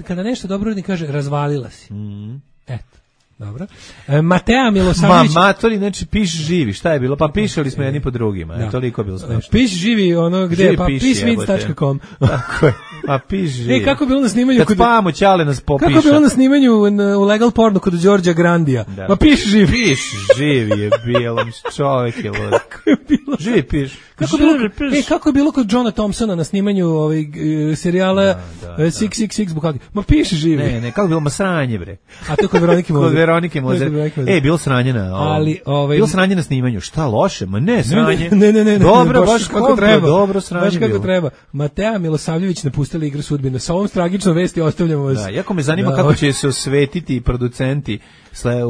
Kada nešto dobro ne kaže, razvalila si. Eto. Dobro. Matea Milosavljević. Matori, znači piš živi. Šta je bilo? Pa pišali smo jedni po drugima. Toliko je bilo smešno. Piš živi, ono gde? Pa pisvic.com. Tako je. Pa piš živi. Kako je bilo na snimanju? Kad spavamo, Ćale nas popiša. Kako je bilo na snimanju u Legal Porno kod Đorđa Grandija? Pa piš živi. Piš živi je bilo. Čovjek je lud. Kako je bilo? Živi piš. Kako je bilo kod Johna Thompsona na snimanju serijala 666 Bukaki? Ma piš živi. Ne, kako je bilo masranje, bre. A to kod Veronike Mozer. Bilo sranje na bilo sranje na snimanju. Šta loše? Ma ne, sranje. Ne. Dobro, baš kako treba. Dobro sranje. Baš kako treba. Matea Milosavljević napustila Igru sudbine. Sa ovom tragičnom vesti ostavljamo vas. Da, jako me zanima kako će se osvetiti producenti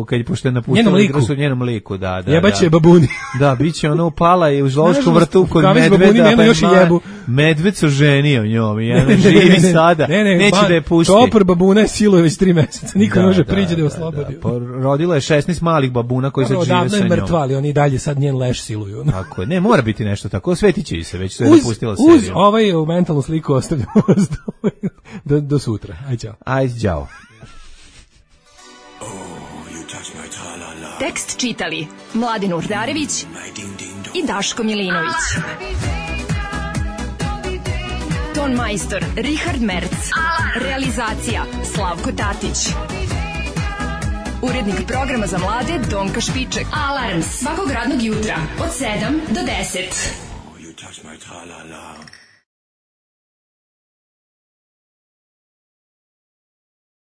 kad pošto je napustila Igru sudbine njenom liku, da. Jebaće babuni. Da, biće ona upala i u zoološkom vrtu kod medveda. Medved se ženio njom i ona živi sada. Neće da je pusti. Čopor babuna je siluje već 3 meseca. Niko ne može priđe da je oslobodi. Rodila je 16 malih babuna koji sad žive sa njom. Odavno je mrtva, ali oni dalje sad njen leš siluju. Tako je. Ne, mora biti nešto tako. Osvetiće i se, već se je napustila seriju. Uz ovaj mentalnu sliku ostavljamo vas do sutra. Ajde, ćao. Tekst čitali Mladin Urdarević i Daško Milinović. ton majstor Richard Merc. Realizacija Slavko Tatić. Urednik programa za mlade Donka Špiček. Alarms svakog radnog jutra od 7 do 10. You touch my tra-la-la.